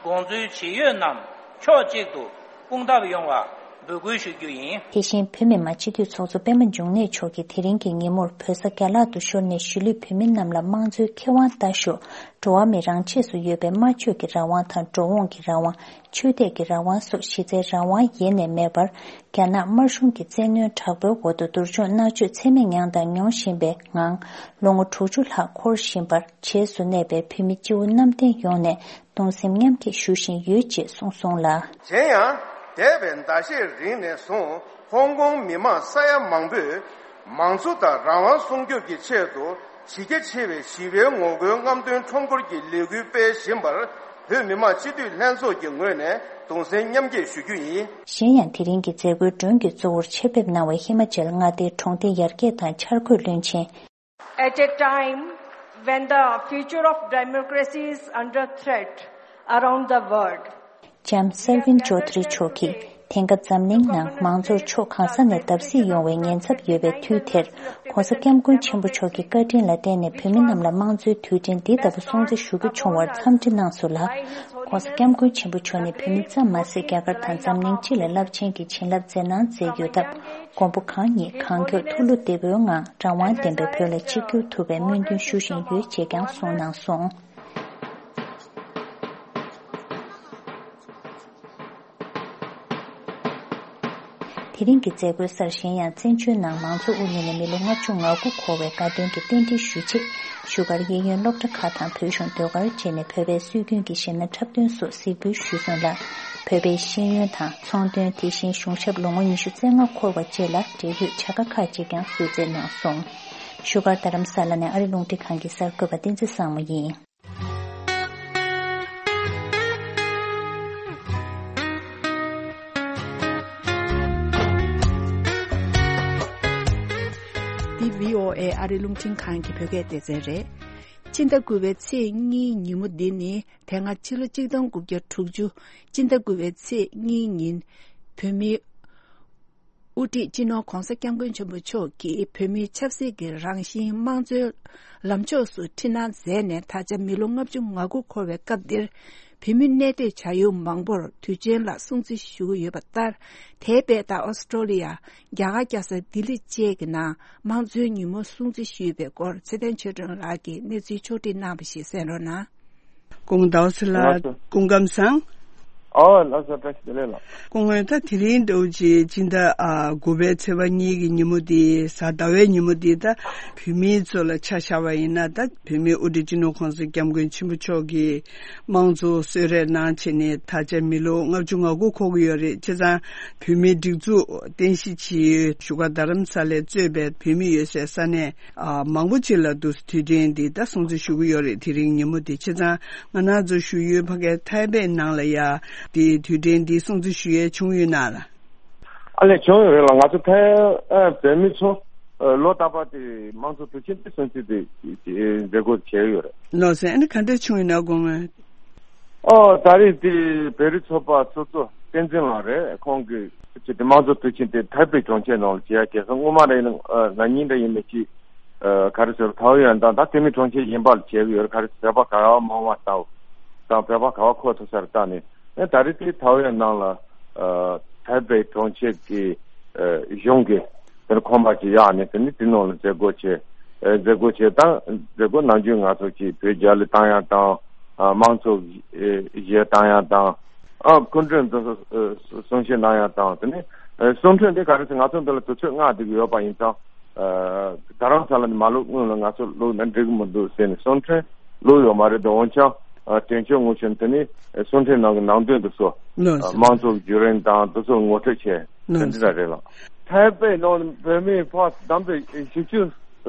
དགོངས་ཚུལ་ཇི་ཡོད་རྣམས་ཕྱོགས་གཅིག་ཏུ་སྤུངས་ཐབས་ཡོང་བ་འབོད་སྐུལ་ཞུ་རྒྱུ་ཡིན། དེ་བཞིན་བོད་མི་མང་སྤྱི་འཐུས་ཚོགས་གཙོ་པད་མ་འབྱུང་གནས་མཆོག་གིས་དེ་རིང་གི་ཉིན་མོར་བོད་ས་རྒྱ་ལག་ཏུ་ཤོར་ནས་གཞིས་ལུས་བོད་མི་རྣམས་ལ་དམངས་གཙོའི་ཁེ་དབང་ལྟ་ཞོག་འགྲོ་བ་མི་རང་ཆས་སུ་ཡོད་པའི་སྨྲ་བརྗོད་ཀྱི་རང་དབང་དང་འགྲོ་འོང་གི་རང་དབང་། ཆོས་དད་ཀྱི་རང་དབང་སོགས་གཞི་རྩའི་རང་དབང་ཡེ་ནས་མེད་པར། རྒྱ་ནག་དམར་གཞུང་གི་བཙན་གནོན་དྲག་པོའི་འོག་ཏུ་སྡུག་སྦྱོང་མནར་གཅོད་ཚད་མེད་མྱངས་དང་མྱོང་བཞིན་པའི་ངང་། ལོ་ངོ་དྲུག་ཅུ་ལྷག་འཁོར་བཞིན་པར། རྗེས་སུ་གནས་པའི་བོད་མི་སྤྱི་བོ་གནམ་བསྟན་ཡོངས་ནས་གདུང་སེམས་མཉམ་སྐྱེད་ཞུ་བཞིན་ཡོད་ཅེས་གསུངས་སོང་ལ། གཞན་ཡང་། འདས་པའི་ཟླ་ཤས་རིང་ནས་བཟུང་ཧོང་ཀོང་མི་མང་ས་ཡ་མང་པོས་མང་གཙོ་དང་རང་དབང་སྲུང་སྐྱོབ་ཀྱི་ཆེད་དུ་གཞི་རྒྱ་ཆེ་བའི་ཞི་བའི་ངོ་རྒོལ་རྔམ་སྟོན་ཁྲོམ་སྐོར་གྱི་ལས་འགུལ་སྤེལ་བཞིན་པར་བོད་མི་མང་སྤྱི་འཐུས་ལྷན་ཚོགས་ཀྱི་ངོས་ནས་གདུང་སེམས་མཉམ་སྐྱེད་ཞུ་རྒྱུ་ཡིན། གཞན་ཡང་། དེ་རིང་གི་མཛད་སྒོའི་མགྲོན་གྱི་གཙོ་བོར་ཆེད་ཕེབས་གནང་བའི་ཧི་མ་ཅལ་མངའ་སྡེའི་གྲོང་སྡེ་ཡར་རྒྱས་དང་འཆར་འགོད་བློན་ཆེན། At a time when the future of democracy is under threat around the world, ལྕམ་སར་ཝིན་ཅོ་དྷ་རི་མཆོག་གིས་དེང་སྐབས་འཛམ་གླིང་ནང་མང་གཙོར་ཕྱོགས་གང་ས་ནས་བརྡབ་གསིག་ཡོང་བའི་ཉེན་ཚབས་ཡོད་པའི་དུས་དེར། ྋགོང་ས་ྋསྐྱབས་མགོན་ཆེན་པོ་མཆོག་གི་བཀའ་དྲིན་ལ་བརྟེན་ནས་བོད་མི་རྣམས་ལ་དམངས་གཙོའི་དུས་དྲན་འདི་ལྟ་བུ་སྲུང་བརྩི་ཞུ་རྒྱུ་བྱུང་བར་འཚམས་འདྲི་གནང་སོང་ལ། ྋགོང་ས་ྋསྐྱབས་མགོན་ཆེན་པོ་མཆོག་ནི་བོད་མི་ཙམ་མ་ཟད། རྒྱ་གར་དང་འཛམ་གླིང་སྤྱི་ལ་རླབས་ཆེན་གྱི་བྱིན་རླབས་མཛད་གནང་མཛད་ཡོད་སྟབས། མགོན་པོ་གང་ཉིད་གང་མགྱོགས་ཐུགས་བློ་བདེ་པོའི་ངང་རང་དབང་ལྡན་པའི་བོད་ལ་ཆིབས་བསྒྱུར་ཐུབ་པའི་སྨོན་འདུན་ཞུ་བཞིན་ཡོད་ཅེས་ཀྱང་གསུངས་གནང་སོང་། དེ་རིང་གི་མཛད་སྒོའི་སར། གཞན་ཡང་། བཙན་བྱོལ་ནང་མང་གཙོ་དབུ་བརྙེས་ནས་མི་ལོ་ལྔ་བཅུ་ང་དགུ་འཁོར་བའི་དགའ་སྟོན་གྱི་རྟེན་འབྲེལ་ཞུ་ཆེད། བཞུགས་སྒར་གཡས་གཡོན་སློབ་གྲྭ་ཁག་དང་བོད་གཞུང་ཟློས་གར་བཅས་ནས་བོད་པའི་སྲོལ་རྒྱུན་གྱི་གཞས་སྣ་འཁྲབ་སྟོན་སོགས་གཟིགས་འབུལ་ཞུས་སོང་ལ། བོད་པའི་ཤེས་ཡོན་དང་ཚོང་དོན། དེ་བཞིན་གཞུང་ཞབས་ལོ་ངོ་ཉི་ཤུ་རྩ་ལྔ་འཁོར་བ་བཅས་ལ་འབྲེལ་ཡོད་བྱ་དགའ་ཁག་ཅིག་ཀྱང་གསོལ་སྩལ་གནང་སོང་། བཞུགས་སྒར་རྡ་རམ་ས་ལ་ནས་ཨ་རི་རླུང་འཕྲིན་ཁང་གི་གསར་འགོད་པ་བསྟན་འཛིན་བཟང་མོ་ཡིན། འདི་བྷི་ཨོ་ཨེ་ཨ་རི་རླུང་འཕྲིན་ཁང་གི་བོད་སྐད་སྡེ་ཚན་རེད། ཕྱི་ཟླ་དགུ་པའི་ཚེས་གཉིས་ཉིན་མོ་འདི་ནི་དེ་སྔ་ཕྱི་ལོ་གཅིག་སྟོང་དགུ་བརྒྱ་དྲུག་ཅུ་ཕྱི་ཟླ་དགུ་པའི་ཚེས་གཉིས་ཉིན་བོད་མིའི་དབུ་ཁྲིད་སྤྱི་ནོར་ྋགོང་ས་ྋསྐྱབས་མགོན་ཆེན་པོ་མཆོག་གིས་བོད་མིའི་ཆབ་སྲིད་ཀྱི་རང་བཞིན་དམངས་གཙོའི་ལམ་ཕྱོགས་སུ་འཁྲིད་གནང་མཛད་ནས་ད་ཆ་མི་ལོ་ལྔ་བཅུ་ང་དགུ་འཁོར་བའི་སྐབས་འདིར། བོད་མི་གནས་སྡོད་བྱ་ཡུལ་མང་པོར་དུས་ཆེན་ལ་སྲུང་བརྩི་ཞུ་གི་ཡོད་པ་ལྟར། དེའི་དཔེ་ལྟར་ཨོ་སི་ཀྲོ་ལི་ཡ། རྒྱ་གར་རྒྱལ་ས་ལྡི་ལི་བཅས་ཀྱི་ནང་དམངས་གཙོའི་ཉིན་མོ་སྲུང་བརྩི་ཞུས་པའི་སྐོར་ཚེ་བརྟན་ཆོས་སྒྲོན་ལགས་ཀྱིས་གནས་ཚུལ་ཕྱོགས་བསྒྲིགས་གནང་བ་ཞིག་གསན་རོགས་གནང་། སྐུ་ངོ་ཟླ་བ་ཚེ་ལགས། ལགས་སོ། སྐུ་ཁམས་བཟང་། ཨོ་ལགས་སོ། བཀྲ་ཤིས་བདེ་ལེགས་ལགས། སྐུ་ངོ་ད་དེ་རིང་འདྲ་བོ་ཅིག་སྤྱི་ཟླ་ཨ་དགུ་པའི་ཚེས་པ་གཉིས་ཀྱི་ཉིན་མོ་འདི་གཟའ་ཟླ་བའི་ཉིན་མོ་འདི་ད་བོད་མིའི་ཚོ་ལ་ཆ་བཞག་པ་ཡིན་ན། ད་བོད་མིའི་དབུ་ཁྲིད་སྤྱི་ནོར་ྋགོང་ས་ྋསྐྱབས་མགོན་ཆེན་པོ་མཆོག་གིས་དམངས་གཙོ་གསོལ་རས་གནང་བྱས་ནས་ད་ཆ་མི་ལོ་ལྔ་བཅུ་ང་དགུ་འཁོར་གྱི་ཡོད་རེད། བྱས་ཙང་བོད་མིའི་སྒྲིག་འཛུགས་རྟེན་གཞི་བྱས་ཡོད་བཞུགས་སྒར་རྡ་རམ་ས་ལས་གཙོས་པའི་བོད་མི་ཡོད་སའི་ས་གནས་ཨ་མང་པོ་ཅིག་ལ་འདུག་དུས་དྲན་འདི་ད་སྲུང་བརྩི་ཞུ་གི་ཡོད་རེད། དེ་རིང་ཉིན་མོ་འདི། བྱས་ཙང་ང་རང་ཚོ་བཞུགས་ཡུལ་ཕ་གའི་ཐའེ་པེ་ནང་ལ་ཡ་འདི་དུས་དྲན་འདི་སྲུང་བརྩི་ཞུ་ཡས་བྱུང་ཡོད་ན་ལ། ཨ་ལས་བྱུང་ཡོད་རེད་ལ། ང་ཚོ་ཐའེ་ཨ་བོད་མི་ཚོ་ཨ་ལོ་རྟག་པར་དེ་དམངས་གཙོ་དུས་ཆེན་དེ་སྲུང་བརྩི་དེ་དེ་མཛད་སྒོ་བྱས་ཡོད་རེད། ལགས་སོ། ཨ་ནི་ག་འདྲ་བྱུང་ཡོད་ན་དགོངས་ངོ་། ཨོ་ད་རེས་དེ་བོད་རིགས་ཚོགས་པ་ཚོགས་གཙོ་བསྟན་འཛིན་ལགས་རེད། ཁོང་གིས་ཅིག་དེ་དམངས་གཙོ་དུས་ཆེན་དེ་ཐའེ་པེ་གྲོང་ཁྱེར་ནང་ལ་བྱས་ཡ་གལ་སྲིད་སྔོན་མ་རེད་ན་ཨ་ན་ནིང་འདྲ་ཡིན་མིན་ཅིག་ཨ་ག་རེ་ཟེར་ཐའོ་ཡོན་དང་ད་དེ་མིན་གྲོང་ཁྱེར་གཞན་པ་ལ་བྱས་ཡོད་རེད། ག་རེ་བོད་པ་ག་བ་མང་བ་ལྟ་བུ་དང་བོད་པ་ག་བ་མཁོ་ཐུབ་ས་རེད་ལྟ་ནས། ཨེ་ད་རེས་དེ་ཐའོ་ཡོན་ནང་ལ་ཨ་ཐའེ་པེ་གྲོང་ཁྱེར་གྱི་ཨ་གཞུང་གི་དེར་ཁོམ་པ་ཅིག་གཡར་ནས་དེ་ནི་དེ་ནང་ལ་མཛད་སྒོ་བྱས། ཨེ་མཛད་སྒོ་བྱས་དང་མཛད་སྒོ་ནམ་རྒྱུན་ང་ཚོ་ཅིག་བོད་རྒྱལ་ལ་བཏང་ཡ་དང་ དམངས་གཙོ་གཞས་བཏང་ཡག་དང་། ཨ་སྐུ་མགྲོན་དུ་གསུང་བཤད་གནང་ཡག་དང་། དེ་ནས་གསུང་འཕྲིན་དེ་ག་རེ་ཟེར། ང་ཚོ་འདི་ལ་དུས་ཚོད་ལྔ་དེ་གི་ཡོད་པ་ཡིན་ཙང་། ད་རང་ས་ལ་ནི་མ་བླུགས་སྔོན་ལ་ང་ཚོ་བླུགས་ན་འགྲིག་གི་མི་འདུག་ཟེར་ནས་གསུང་འཕྲིན་བླུགས་ཡོད་མ་རེད། འདི་འོན་ཀྱང་དྲན་གཅོད་ངོས་བཞིན་དེ་ནས་གསུང་འཕྲིན་ནང་གི་ནང་དོན་དེ་ཚོ་ལགས་སོ། དམངས་གཙོ་བརྒྱུད་རིམ་དང་དེ་ཚོ་ངོ་སྤྲོད་བྱས། དེ་འདྲ་རེད་ལགས། ཐའེ་པེ་ནང་བོད་མི་ཕར་བདམས་པའི་བཞི་བཅུ་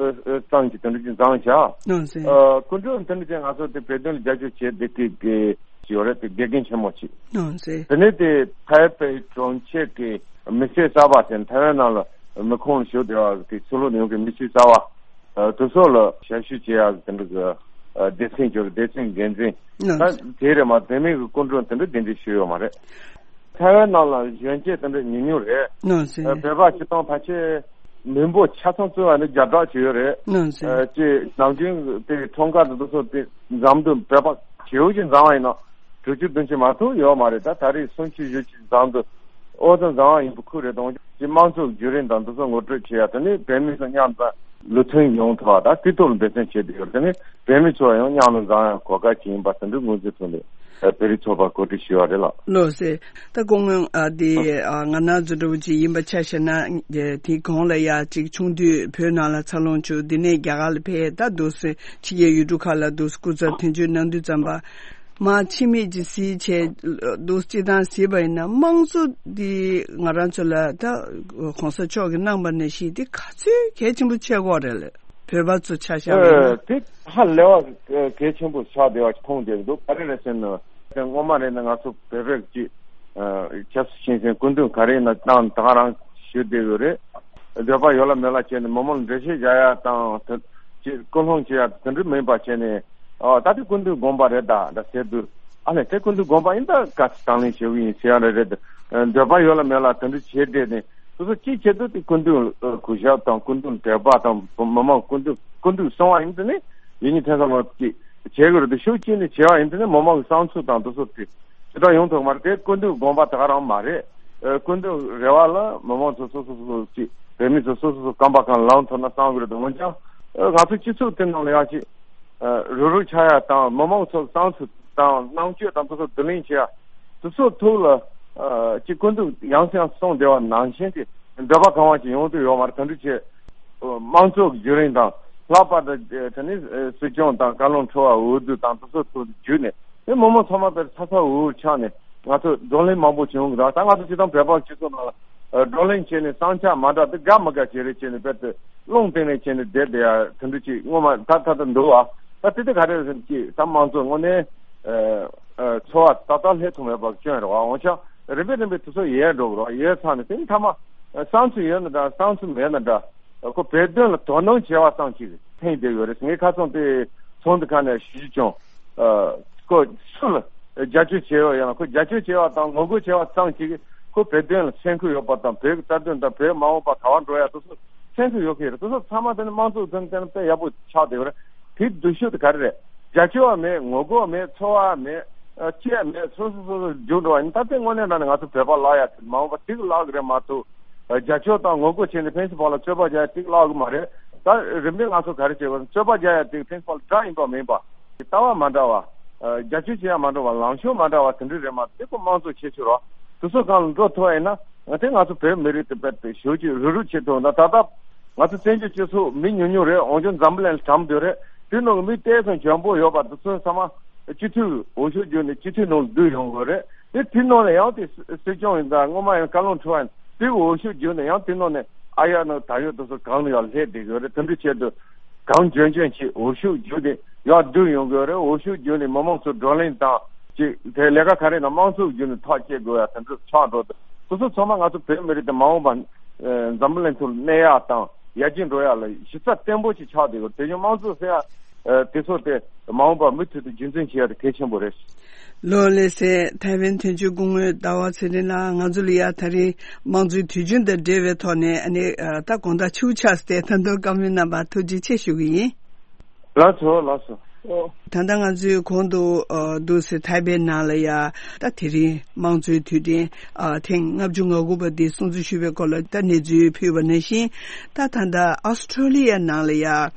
ཙམ་གྱི་དེ་འདྲ་ཅིག་འཛོམས་བྱས། ལགས་སོ། སྐུ་མགྲོན་དེ་འདྲ་ཅིག་ང་ཚོ་དེ་བོད་དོན་ལ་རྒྱབ་སྐྱོར་བྱེད་བསྡད་མཁན་གྱི་ཡོད་རེད། དེ་དགེ་རྒན་ཆེན་མོ་ཅིག་ལགས་སོ། དེ་ནས་དེ་ཐའེ་པེ་གྲོང་ཁྱེར་གྱི་མི་སེར་གསར་པ་དེ་ཐའེ་ཝན་ནང་ལ་མི་ཁོངས་ཞུགས་བསྡད་པ་གི་ཕྱི་ལོགས་ནས་ཡོང་མཁན་མི་སེར་གསར་པ་དེ་ཚོ་ལ་ཞབས་ཞུ་བྱེད་ཡག་གི་དེ་འདྲ་གི་སྡེ་ཚན་ཅིག་ཡོད་རེད། སྡེ་ཚན་འགན་འཛིན། ལགས་ད་སོ། དེ་རེད་མ། དེ་མིན་གྱི་སྐུ་མགྲོན་དེ་འདྲ་གདན་འདྲེན་ཞུས་ཡོད་མ་རེད། ཐའེ་ཝན་ནང་ལ་གཞོན་སྐྱེས་དེ་འདྲ་ཉུང་ཉུང་རེད། ལགས་སོ། ཨ་བོད་པ་སྤྱིར་བཏང་ཕལ་ཆེར་མི་འབོར་ཆ་ཚང་བརྩི་བ་ནི་བརྒྱ་ཕྲག་ཅིག་ཡོད་རེད། ལགས་སོ། ཨ་ཅེས་ནམ་རྒྱུན་དེ་ཁྲོམ་ཁ་དང་དེ་ཚོ་དེ་འཛོམས་དུས་བོད་པ་ཞེ་པོ་ཅིག་འཛོམས་པ་ཡིན་ན་དྲུག་ཅུ་བདུན་ཅུ་མ་གཏོགས་ཡོད་མ་རེད། ད་ད་རེས་སུམ་ཅུ་བཞི་བཅུ་འཛོམས་དུས་ཨོ་ཙམ་འཛོམས་པ་ཡིན་པ་ཁུལ་རེད། དང་ཅི་དམངས་གཙོ་བརྒྱུད་རིམ་དང་དེ་ཚོ་ངོ་སྤྲོད་བྱེད་ཡ། དེ་ནི་བོད་མི་ཚོ་མཉམ་དུ་ལུགས་མཐུན་ཡོང་ཐུབ་པ་དང་སྤྱི་ཚོགས་ལ་འབད་བརྩོན་བྱེད་དུ་ཡོད། དེ་ནི་བོད་མི་ཚོ་ཡང་མཉམ་དུ་འཛོམས་ཡ་གོ་སྐབས་ཅིག་ཡིན་པ་དེ་འདྲ་ངོས་འཛིན་ཐུབ་ནས་བོད་རིགས་ཚོགས་པ་གོ་སྒྲིག་ཞུས་པ་རེད་ལགས། ལགས་སོ། ད་སྐུ་ངོ་ཨ་དེ་ཨ་ང་ནང་ཚོ་འདྲ་བོ་ཅིག་ཡིན་པ་ཆ་བཞག་ན། དེ་གོང་ལ་ཡ་ཅིག་ཆུང་དུས་བོད་ནང་ལ་འཚར་ལོངས་བྱུང་། དེ་ནས་རྒྱ་གར་ལ་ཕེབས། ད་འདུག་སེ་ཕྱི་རྒྱལ་ཡུལ་གྲུ་ཁག་ལ་འདུག་སེ་སྐུ་ཚབ་དོན་གཅོད་གནང་དུས་ཙམ་པ། མ་ཕྱི་མིག་ཅིག་གཟིགས་བྱས་འདུག་སེ་སྤྱིར་བཏང་གཟིགས་པ་ཡིན་ན། དམངས་གཙོ་འདི་ང་རང་ཚོ་ལ་ད་གོང་ས་མཆོག་གིས་གནང་པ་ནང་བཞིན་འདི་ག་ཚོད་གལ་ཆེན་པོ་ཆགས་ཀྱི་ཡོད་རེད། བོད་པ་ཚོ་ཆ་བཞག་པ་ཡིན་ན། ཨ་དེ་ཧ་ལས་པ་གལ་ཆེན་པོ་ཆགས་བསྡད་པ་མཐོང་བསྡད་ཀྱི་འདུག་ག་རེ་རེད་ཟེར་ན། དེ་སྔོན་མ་རེད་ན་ང་ཚོ་བོད་པའི་ཅིག་ཨ་ཆབ་སྲིད་ཆེན་སེང་སྐུ་མདུན་ག་རེ་ཡིན་ན་བཏང་ད་ག་རང་ཞུ་བསྡད་ཡོད་རེད། འདོད་པ་ཡོད་ལ་མེད་ལ་བྱས་ནས་མི་མང་ལ་འགྲེལ་བཤད་རྒྱག་ཡ་དང་དེ་ཅིག་སྐུལ་སློང་བྱེད་ཡ་དེ་འདྲ་མིན་པ་བྱས་ནས། ཨ་ད་དེ་སྐུ་མདུན་དགོངས་པ་རེད་ད་ད་ཟེར་དུས། ཨ་ལས་དེ་སྐུ་མདུན་དགོངས་པ་ཡིན་ད་ག་ཚོད་དང་ལེན་བྱེད་ཀྱི་ཡིན་ཟེར་ཡ་རེད་རེད། འདོད་པ་ཡོད་ལ་མེད་ལ་དེ་འདྲ་བྱས་བསྡད་ནས། སོ་སོ་ཅིའི་ཆེད་དུ་དེ་སྐུ་མདུན་གུས་ཞབས་དང་སྐུ་མདུན་དད་པ་དང་མི་མང་སྐུ་མདུན་སྐུ་མདུན་གསུང་བ་ཡིན་དུས་ནི་ཡིན་ནི་ཐེ་ཚོམ་ཅིག་བྱེད་དགོས་རེད་དེ། ཤུགས་ཅིག་ནས་བྱས་པ་ཡིན་དུས་ནི་མི་མང་གི་བསམ་ཚུལ་དང་དེ་ཚོ་དེ་ཇི་ལྟར་ཡོང་ཐུབ་མ་རེད། དེ་སྐུ་མདུན་དགོངས་པ་དེ་ག་རང་མ་རེད། སྐུ་མདུན་རེ་བ་ལ་མི་མང་ཚོ་སོ་སོ་སོ་སོ་ཅིག་བོད་མི་ཚོ་སོ་སོ་སོ་རྐང་པ་གང་ལངས་ཐུབ་ན་བསམ་གི་རེད་དེ། འོན་ཀྱང་ང་ཚོ་སྤྱི་ཚོགས་དེ་ནང་ལ་ཡང་ཅིག་རུག་རུག་ཆགས་ཡ་དང་མི་མང་ཚོ་བསམ་ཚུལ་དང་རྣམ་དཔྱོད་དང་དེ་ཚོ་བསྡུ་ལེན་བྱེད་ཡ། དེ་ཚོ་ཐོག་ལ་ཨ་ཅིག་སྐུ་མདུན་ཡང་སེ་ཡང་སེ་གསུངས་བསྡད་པ་ནང་བཞིན་གྱི་འདོད་པ་གང་བ་ཅིག་ཡོང་དུས་ཡོད་མ་རེད། དེ་འདྲ་བྱས་དམངས་གཙོ་བརྒྱུད་རིམ་དང་ལྷག་པར་དུ་དེ་ནི་སྲིད་སྐྱོང་དང་བཀའ་བློན་ཁྲི་པ་འོས་བསྡུ་དང་དེ་ཚོ་ཐོག་བརྒྱུད་ནས་དེ་མི་མང་ཚང་མ་དེར་ཚ་ཚ་འུར་འུར་ཆགས་ནས་ང་ཚོ་བགྲོ་གླེང་མང་པོ་བྱུང་གི་རེད། ད་ང་ཚོ་སྤྱིར་བཏང་བོད་པ་སྤྱི་ཚོགས་ནང་ལ་བགྲོ་གླེང་བྱས་ནས་བསམ་འཆར་མ་འདྲ་དེ་དགའ་མ་དགའ་བྱས་རེད་བྱས་ནས་དཔེ་དེ། རླུང་བཏང་ནས་བྱས་ནས་བསྡད་བསྡད་ཡ་དེ་འདྲ་ཅིག་སྔོན་མ་ད་ད་ད་འདུག་ཨ། ད་དེ་དེ་ག་རེ་རེད་ཟེར་ན་ཅིག་ད་དམངས་གཙོ་དངོས་གནས་ཨ་ཨ་འཚོ་བ་ཏག་ཏག་སླེབས་ཐུབ་མེད་པ་སྐྱོན་རེད་བ། འོན་ཀྱང་རིམ་པས་རིམ་པས་དེ་ཚོ་ཡལ་འགྲོ་གི་རེད་བ། ཡལ་ཚར་ནས་དེ་ནི་མཐའ་མ་བསམ་ཚུལ་ཡོད་ན་འདྲ་བསམ་ཚུལ་མེད་ན་འདྲ། ཁོ་བོད་དོན་ལ་དོ་སྣང་བྱས་པ་ཙམ་ཅིག་ཕན་བསྡད་ཡོད་རེད། ངས་ཁ་སང་དེ་ཚོགས་འདུ་ཁང་ནས་ཞུ་རྒྱུ་བྱུང་། ཨ་ཁོ་སུ་ལ་རྒྱབ་སྐྱོར་བྱས་ཡོད་ཡང་ཁོ་རྒྱབ་སྐྱོར་བྱས་པ་དང་ངོ་རྒོལ་བྱས་པ་ཙམ་ཅིག་ཁོ་བོད་དོན་ལ་སེམས་ཁུར་ཡོད་པ་དང་བོད་ཀྱི་རྩ་དོན་དང་བོད་མ་འོངས་པ་ག་པར་འགྲོ་ཡ་དེ་ཚོ་སེམས་ཁུར་ཡོད་མཁན་རེད། དེ་ཚོ་ཚང་མ་དེ་ནི་དམངས་གཙོ་དོན་དེ་ནི་དཔེ་ཡག་པོ་ཆགས་བསྡད་ཡོད་རེད། དེའི་སྡུག་ཤོས་དེ་ག་རེ་རེད། རྒྱབ་སྐྱོར་བ་མེད། ངོ་རྒོལ་བ་མེད། ཚོར་བ་མེད། ཨ་ཅི་ཡང་མེད། སོ་སོ་སོ་སོ་རྒྱུགས་འགྲོ་བ་ཡིན། ད་ལྟའི་དངོས་གནས་དྲང་གནས་ང་ཚོ་བོད་པ་བརླག་ཡ་དེ་མ་འོངས་པ་ཏིག་བརླག་གི་རེད་མ་གཏོགས། རྒྱབ་སྐྱོར་དང་ངོ་རྒོལ་བྱས་ནས་ཕན་སེམས་པ་ལ་རྩོད་པ་རྒྱག་ཡ་ཏིག་བརླག་གི་མ་རེད། ད་རིམ་པས་ང་ཚོ་ག་རེ་བྱེད་དགོས། རྩོད་པ་རྒྱག་ཡ་ཏིག་ཕན་སེམས་པ་ལ་དགྲ་ཡིན་པ་མིན་པ། ལྟ་བ་མ་འདྲ་བ། རྒྱབ་སྐྱོར་བྱེད་ཡ་མ་འདྲ་བ། ལངས་ཕྱོགས་མ་འདྲ་བ་དེ་འདྲ་རེད་མ་གཏོགས་ཁོ་དམངས་གཙོ་ཆེ་ཆུང་རོ། དེ་ཚོ་སྒང་ལ་འགྲོ་ཐུབ་པ་ཡིན་ན། ང་དེ་ང་ཚོ་བོད་མི་རིགས་དེ་དཔེ་དེ་ཞེ་པོ་ཅིག་རུག་རུག་བྱེད་ཐུབ་ན། ད་ལྟ་ང་ཚོ་བཙན་བྱོལ་སྤྱི་ཚོགས་མི་ཉུང་ཉུང་རེད། འོན་ཀྱང་འཛམ་བུ་གླིང་ལ་གྲམ་སྡོད་རེད། དེ་ནང་གི་མི་ཏོག་ཙམ་འཇོན་པོ་ཡོད་པ་དེ་ཚོ་ཚང་མ་སྤྱི་འཐུས་འོས་ཤོག་བརྒྱུད་ནས་སྤྱི་འཐུས་ནང་ལ་བསྡུ་ཡོང་དགོས་རེད། དེ་དེ་ནང་ནས་ཡང་དེ་སྲིད་སྐྱོང་ཡིན་ད་སྔོན་མ་ཡང་བཀའ་བློན་ཁྲི་པ་ཡིན་དེ་འོས་ཤོག་བརྒྱུད་ནས་ཡང་དེ་ནང་ནས་ཨ་ཡ་ནང་ད་ཡོད་དེ་ཚོ་གང་ལ་ཡང་སླེབས་བསྡད་ཡོད་རེད། དེ་འདྲ་བྱས་དུས། གང་འཇོན་འཇོན་གྱིས་འོས་ཤོག་བརྒྱུད་དེ་ཡར་བསྡུ་ཡོང་དགོས་རེད། འོས་ཤོག་བརྒྱུད་ནས་མི་མང་ཚོ་བགྲོ་གླེང་དང་ཅིག་དེ་ལས་ཀ་ག་རེ་ན་དམངས་གཙོ་བརྒྱུད་ནས་ཐག་བཅད་དགོས་ཡ་དེ་འདྲ་ཆགས་འགྲོ་འདུག་དེ་ཚོ་ཚང་མ་ང་ཚོ་བོད་མི་རིགས་དེ་མ་འོངས་པ་འཛམ་བུ་གླིང་ཐོག་ལ་གནས་ཡ་དང་ཡར་རྒྱས་འགྲོ་ཡ་ལ་གཞི་རྩ་བརྟན་པོ་ཞིག་ཆགས་བསྡད་ཡོད། དེ་བཞིན་དམངས་གཙོ་ཟེར་ཡ་དེ་ཚོ་དེ་མ་འོངས་པ་མུ་མཐུད་དུ་རྒྱུན་འཛིན་བྱེད་ཡ་དེ་གལ་ཆེན་པོ་རེད། ལོ་ལེགས་སེ་ཐའེ་ཝན་དོན་གཅོད་སྐུ་ངོ་ཟླ་བ་ཚེ་རིང་ལགས། ང་ཚོ་ལ་ཡ་ད་རེས་དམངས་གཙོའི་དུས་ཆེན་དང་འབྲེལ་བའི་ཐོག་ནས་ཨ་ནི་ད་དགོང་དག་ཆུ་ཆགས་སྟེ་ད་དུང་བཀའ་མོལ་གནང་བར་ཐུགས་རྗེ་ཆེ་ཞུ་གི་ཡིན། ལགས་སོ་ལགས་སོ། ཨོ། ད་ལྟ་ང་ཚོས་གོང་དུ་ཨ་འདུག་སེ་ཐའེ་པེ་ནང་ལ་ཡ་ད་དེ་རིང་དམངས་གཙོའི་དུས་དྲན་ཨ་ཐེངས་ལྔ་བཅུ་ང་དགུ་པ་འདི་སྲུང་བརྩི་ཞུས་པའི་སྐོར་ལ་ད་གནས་ཚུལ་ཕུལ་བ་ནང་བཞིན། ད་ད་ལྟ་ཨོ་སི་ཀྲོ་ལི་ཡ་ནང་ལ་ཡ་ཨ་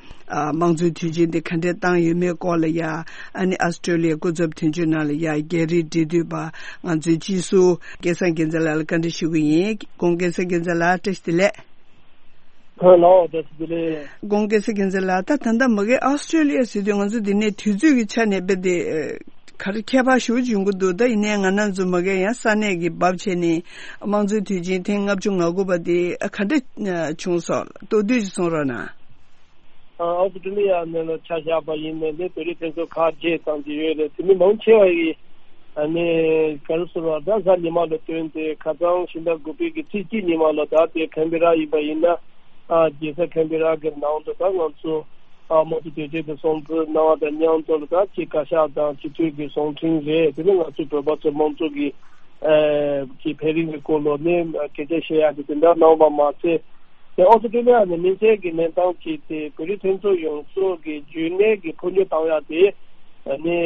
དམངས་གཙོའི་དུས་ཆེན་འདི་ག་འདྲས་བཏང་ཡོད་མེད་སྐོར་ལ་ཡ། ཨ་ནི་ཨོ་སི་ཀྲོ་ལི་ཡའི་སྐུ་ཚབ་དོན་གཅོད་ནང་ལ་ཡ་རྒྱ་རིགས་འབྲེལ་མཐུད་པ་ང་ཚོའི་སྤྱི་ཟུར་སྐལ་བཟང་རྒྱལ་མཚན་ལགས་ལ་བཀའ་འདྲི་ཞུ་གི་ཡིན། སྐུ་ངོ་སྐལ་བཟང་རྒྱལ་མཚན་ལགས། བཀྲ་ཤིས་བདེ་ལེགས། ལགས་སོ། བཀྲ་ཤིས་བདེ་ལེགས། སྐུ་ངོ་སྐལ་བཟང་རྒྱལ་མཚན་ལགས། ད་ད་ལྟ་མ་གི་ཨོ་སི་ཀྲོ་ལི་ཡ་ཟེར་དུས་ང་ཚོ་འདི་ནས་དུས་ཚོད་ཀྱི་ཆ་ནས་དཔེ་དེ་ཨ་ག་རེ་ཁྱད་པར་ཞེ་པོ་ཅིག་ཡོང་གི་འདུག་ད་ཡིན་ནའི་ང་རང་ཚོ་མ་གི་ཡང་ས་གནས་ཀྱི་བབ་བྱས་ནས་དམངས་གཙོའི་དུས་ཆེན་ཐེངས་ལྔ་བཅུ་ང་དགུ་པ་དེ་ཨ་ག་འདྲ་ཨ་བྱུང་སོང་། མདོར་བསྡུས་ཅིག་གསུང་རོགས་གནང་། ཨ་ཨོ་སི་ཀྲོ་ལི་ཡ་ནས་ལ་ཆ་བཞག་པ་ཡིན་ནའི་ནི་བོད་རིགས་ཕན་ཚུན་ཁག་བརྗེས་བཏང་གི་ཡོད་རེད། དེ་མི་མང་ཆེ་བ་ཡིས་ཨ་ནི་ག་རེ་ཟེར་བ་ད་གཟའ་ཉི་མ་ལ་བསྟུན་ཏེ་ཁ་སང་ཕྱི་ཟླ་དགུ་པའི་གི་ཚེས་གཅིག་ཉི་མ་ལ་ད་ལྟའི་ཁན་བེ་ར་ཡིན་པ་ཡིན་ན། ཨ་རྒྱལ་ས་ཁན་བེ་ར་གི་ནང་དུ་ད་ང་ཚོ་ཨ་དམངས་གཙོ་དོན་གཅོད་ཀྱི་སྲུང་བརྩི་གནང་བ་དང་མཉམ་དུ་ལ་ད་ཅིག་བཀའ་ཤག་དང་སྤྱི་འཐུས་ཀྱི་གསུང་འཕྲིན་རེད། དེ་ནི་ང་ཚོ་བོད་པ་ཚོ་དམངས་གཙོ་གི་ཨ་གི་འཕེལ་རིམ་གྱི་སྐོར་ལ་ནི་སྐད་ཆ་བཤད་ཡག་གི་དེ་འདྲ་གནང་བ་མ་ཟད། དེ་ཨོ་སི་ཀྲོ་ལི་ཡ་ནས་དམིགས་བསལ་གྱི་གནས་སྟངས་ཀྱི་དེ་བོད་རིགས་ཕན་ཚུན་ཡོངས་རྫོགས་ཀྱི་རྒྱུན་གནས་ཀྱི་འཕོ་འགྱུར་བཏང་ཡག་དེ་ནི་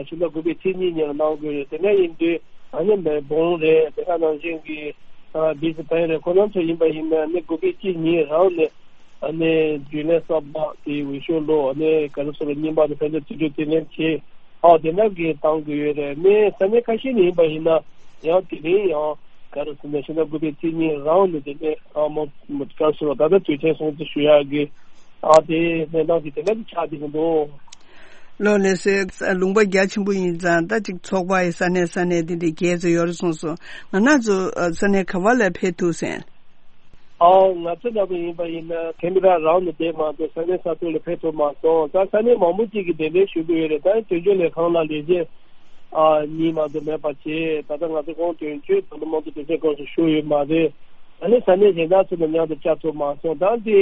ཕྱི་ཟླ་དགུ་པའི་ཚེས་གཉིས་ཉིན་ལ་གནང་དགོས་རེད། དེ་ནས་ཡིན་དུས་ཨ་ནི་མེལ་བོན་རེད། དེ་ག་ནང་བཞིན་གྱི་བྷི་སི་བྷེན་རེད། ཁོ་རང་ཚོ་ཡིན་པ་ཡིན་ན་ནི་དགུ་པའི་ཚེས་གཉིས་རང་ནས་ཨ་ནི་རྒྱུན་ལས་གསར་པ་དེ་འོས་ཤོག་ལོ་ཨ་ནི་ག་རེ་ཟེར་རྙིང་པ་དེ་ཕན་ཚུན་རྩིས་སྤྲོད་དེ་ལེན་བྱས། ཨ་དེ་འདྲ་གི་བཏང་དགོས་ཡོད་རེད། ནི་ས་གནས་ཁ་ཤས་ནས་ཡིན་པ་ཡིན་ན་ཡང་དེ་རིང་ཡང་ག་རེ་ཟེར་ན་ཕྱི་ཟླ་དགུ་པའི་ཚེས་གཉིས་རང་ནས་དེ་ནས་ཨ་མ་ག་རེ་ཟེར་ད་ལྟ་དུས་ཆེན་སྲུང་བརྩི་ཞུ་ཡག་གི་ཨ་དེ་གནས་སྟངས་ཀྱི་དེ་འདྲ་གི་ཆགས་བསྡད་ཀྱི་འདུག་ལོ་ལགས་སོ། ལུང་པ་རྒྱ་ཆེན་པོ་ཡིན་ཙང་ད་ཅིག་ཚོགས་པ་ཡི་ས་གནས་ས་གནས་དེ་འདྲའི་རྒྱས་ཙམ་ཡོད་རེད་གསུངས་སོང་། ང་རང་ཚོ་ས་གནས་ག་བ་ལ་ཕེབས་ཐུབ་སོང་། ཨའོ་ང་ཚོ་འདྲ་པོ་ཡིན་པ་ཡིན་ན་ཁེམ་ར་རང་ནས་བསྡད་མ་གཏོགས་ས་གནས་ས་ཐོག་ལ་ཕེབས་ཐུབ་མ་སོང་། ད་ས་གནས་མང་པོ་ཅིག་གིས་གདན་འདྲེན་ཞུ་གི་ཡོད་རེད། ད་དོན་གཅོད་ལས་ཁང་ལ་ལས་བྱེད་ཨ་གཉིས་མ་གཏོགས་མེད་པ་བྱས། ད་ལྟ་ང་ཚོ་ཁོང་དོན་གཅོད་དང་དམངས་གཙོ་དོན་གཅོད་སྐབས་སུ་ཞུགས་ཡོད་མ་རེད། ད་ནི་ས་གནས་གཞན་དག་ཚོ་ལ་མཉམ་དུ་བཅར་ཐུབ་མ་སོང་། ད་འདི་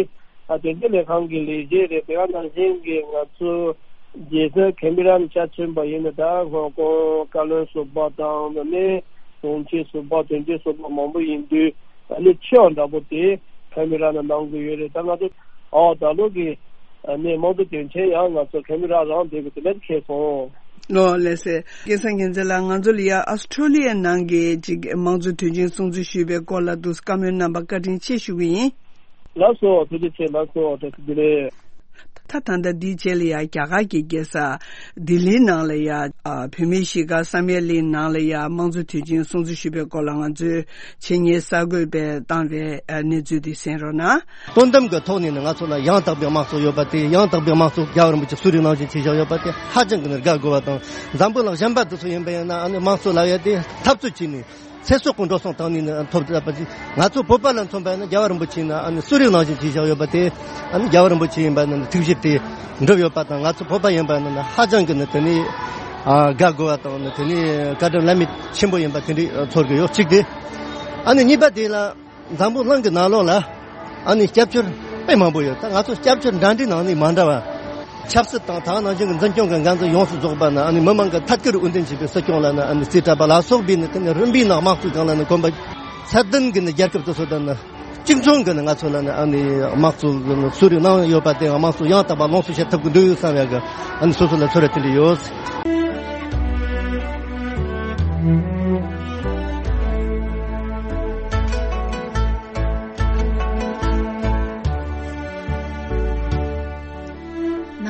ཨ་དོན་གཅོད་ལས་ཁང་གི་ལས་བྱེད་རེད། དེ་ག་ནང་བཞིན་གྱི་ང་ཚོ་རྒྱལ་ས་ཁེམ་ར་ནས་ཆ་མཚོན་པ་ཡིན་ན་ད་ཧོང་ཀོང་བཀའ་བློན་ཟུར་པ་དང་ད་ནི་དྲུང་ཆེ་ཟུར་པ་དོན་གཅོད་ཟུར་པ་མང་པོ་ཡིན་དུས། ཨ་ནི་ཆེ་བ་འདྲ་པོ་དེ་ཁེམ་ར་ནང་གནང་གི་ཡོད་རེད། ད་ང་ཚོ་ཨོ་ད་ལོ་གི་ཨ་ནི་དམངས་གཙོ་དོན་ཆེན་ཡང་ང་ཚོ་ཁེམ་ར་རང་བསྡད་དགོས་དེ་འདྲ་ཁེལ་སོང་། ལོ་ལགས་སེ། སྐལ་བཟང་རྒྱལ་མཚན་ལགས། ང་ཚོ་ལ་ཡ་ཨོ་སི་ཀྲོ་ལི་ཡའི་ནང་གི་ཅིག་དམངས་གཙོ་དོན་ཆེན་སྲུང་བརྩི་ཞུས་པའི་སྐོར་ལ་འདུག་བཀའ་མོལ་གནང་བ་བཀའ་དྲིན་ཆེ་ཞུ་གི་ཡིན། ལགས་སོ། ཐུགས་རྗེ་ཆེ། ལགས་སོ། བཀྲ་ཤིས་བདེ་ལེགས། ད་ད་ལྟ་འདིའི་རྗེས་ལ་ཡ་རྒྱ་གར་གྱི་རྒྱལ་ས་ལྡི་ལིའི་ནང་ལ་ཡ་ཨ་བོད་མིའི་གཞིས་སྒར་བསམ་ཡས་གླིང་ནང་ལ་ཡ་དམངས་གཙོ་དུས་ཆེན་སྲུང་བརྩི་ཞུས་པའི་སྐོར་ལ་ང་ཚོའི་ཆེད་གཉེར་གསར་འགོད་པས་བཏང་བའི་ཨ་གནས་ཚུལ་དེ་གསན་རོགས་གནང་། དོན་དམ་གྱི་ཐོག་ནས་ནི་ང་ཚོ་ལ་ཡང་དག་པའི་དམངས་གཙོ་ཡོད་པ་དེ། ཡང་དག་པའི་དམངས་གཙོ་རྒྱལ་བ་རིན་པོ་ཆེ་གསོལ་རས་གནང་བཞིན་བྱས་བཞག་ཡོད་པ་དེ་ཧ་ཅང་གི་ནི་དགའ་དགོས་པ་དང་། འཛམ་བུ་གླིང་གཞན་པ་དེ་ཚོ་ཡིན་པ་ཡིན་ན་ཨ་ནི་དམངས་གཙོ་ལབ་ཡ་དེ་འཐབ་རྩོད་བྱས་ནས། ཚེ་སྲོག་གི་འགྲོ་སོང་བཏང་ནས་ནི་ཐོབ་ཐུབ་པ་ཅིག་ང་ཚོ་བོད་པ་ལ་མཚོན་པ་ཡིན་ན་རྒྱལ་བ་རིན་པོ་ཆེ་ནི་ཨ་ནི་གསོལ་རས་གནང་བཞིན་བྱས་བཞག་ཡོད་པ་དེ། ཨ་ནི་རྒྱལ་བ་རིན་པོ་ཆེ་ཡིན་པ་ནི་ཐུགས་བཞེད་དེ་འགྲུབ་ཡོད་པ་དང་། ང་ཚོ་བོད་པ་ཡིན་པ་ནི་ཧ་ཅང་གི་ནི་དེ་ནི་ཨ་དགའ་དགོས་པ་དང་། ནི་དེ་ནི་བཀའ་དྲིན་བླ་མེད་ཆེན་པོ་ཡིན་པ་དེ་འདྲའི་ཚོར་གི་ཡོད། གཅིག་དེ། ཨ་ནི་གཉིས་པ་དེ་ལ་འཛམ་བུ་གླིང་གི་ནང་ལོགས་ལ་ཨ་ནི་སྐྱབས་བཅོལ་དཔེ་མང་པོ་ཡོད། ད་ང་ཚོ་སྐྱབས་བཅོལ་འདྲ་འདྲའི་ནང་ནས་མ་འདྲ་བ། ཆབ་སྲིད་དང་ད་ག་ནང་བཞིན་གྱི་འཛིན་སྐྱོང་གི་འགན་འཛིན་ཡོངས་སུ་རྫོགས་པ་ནི་ཨ་ནི་མི་མང་གི་ཐད་ཀར་འོས་འདེམས་བྱས་པའི་སྲིད་སྐྱོང་ལ་ནི་ཨ་ནི་རྩིས་སྤྲད་པ་ལ་སོགས་པའི་ནི་དེ་ནི་རིམ་པས་ནི་དམངས་གཙོའི་སྒང་ལ་ནི་གོམ་པ་ཚད་ལྡན་གྱི་ནི་རྒྱལ་ཁབ་དེ་ཚོ་དང་ནི་གཅིག་མཚུངས་ཀྱི་ནི་ང་ཚོ་ལ་ནི་ཨ་ནི་དམངས་གཙོ་གི་ནི་གསོལ་རས་གནང་ཡོད་པ་དེ། དམངས་གཙོ་ཡང་དག་པ་ལོངས་སུ་སྤྱད་ཐུབ་ཀྱི་འདུག་ཡོད་བསམ་ཡག་གི་ཨ་ནི་སོ་སོ་ལ་ཚོར་བ་དེ་འདྲ་ཡོད།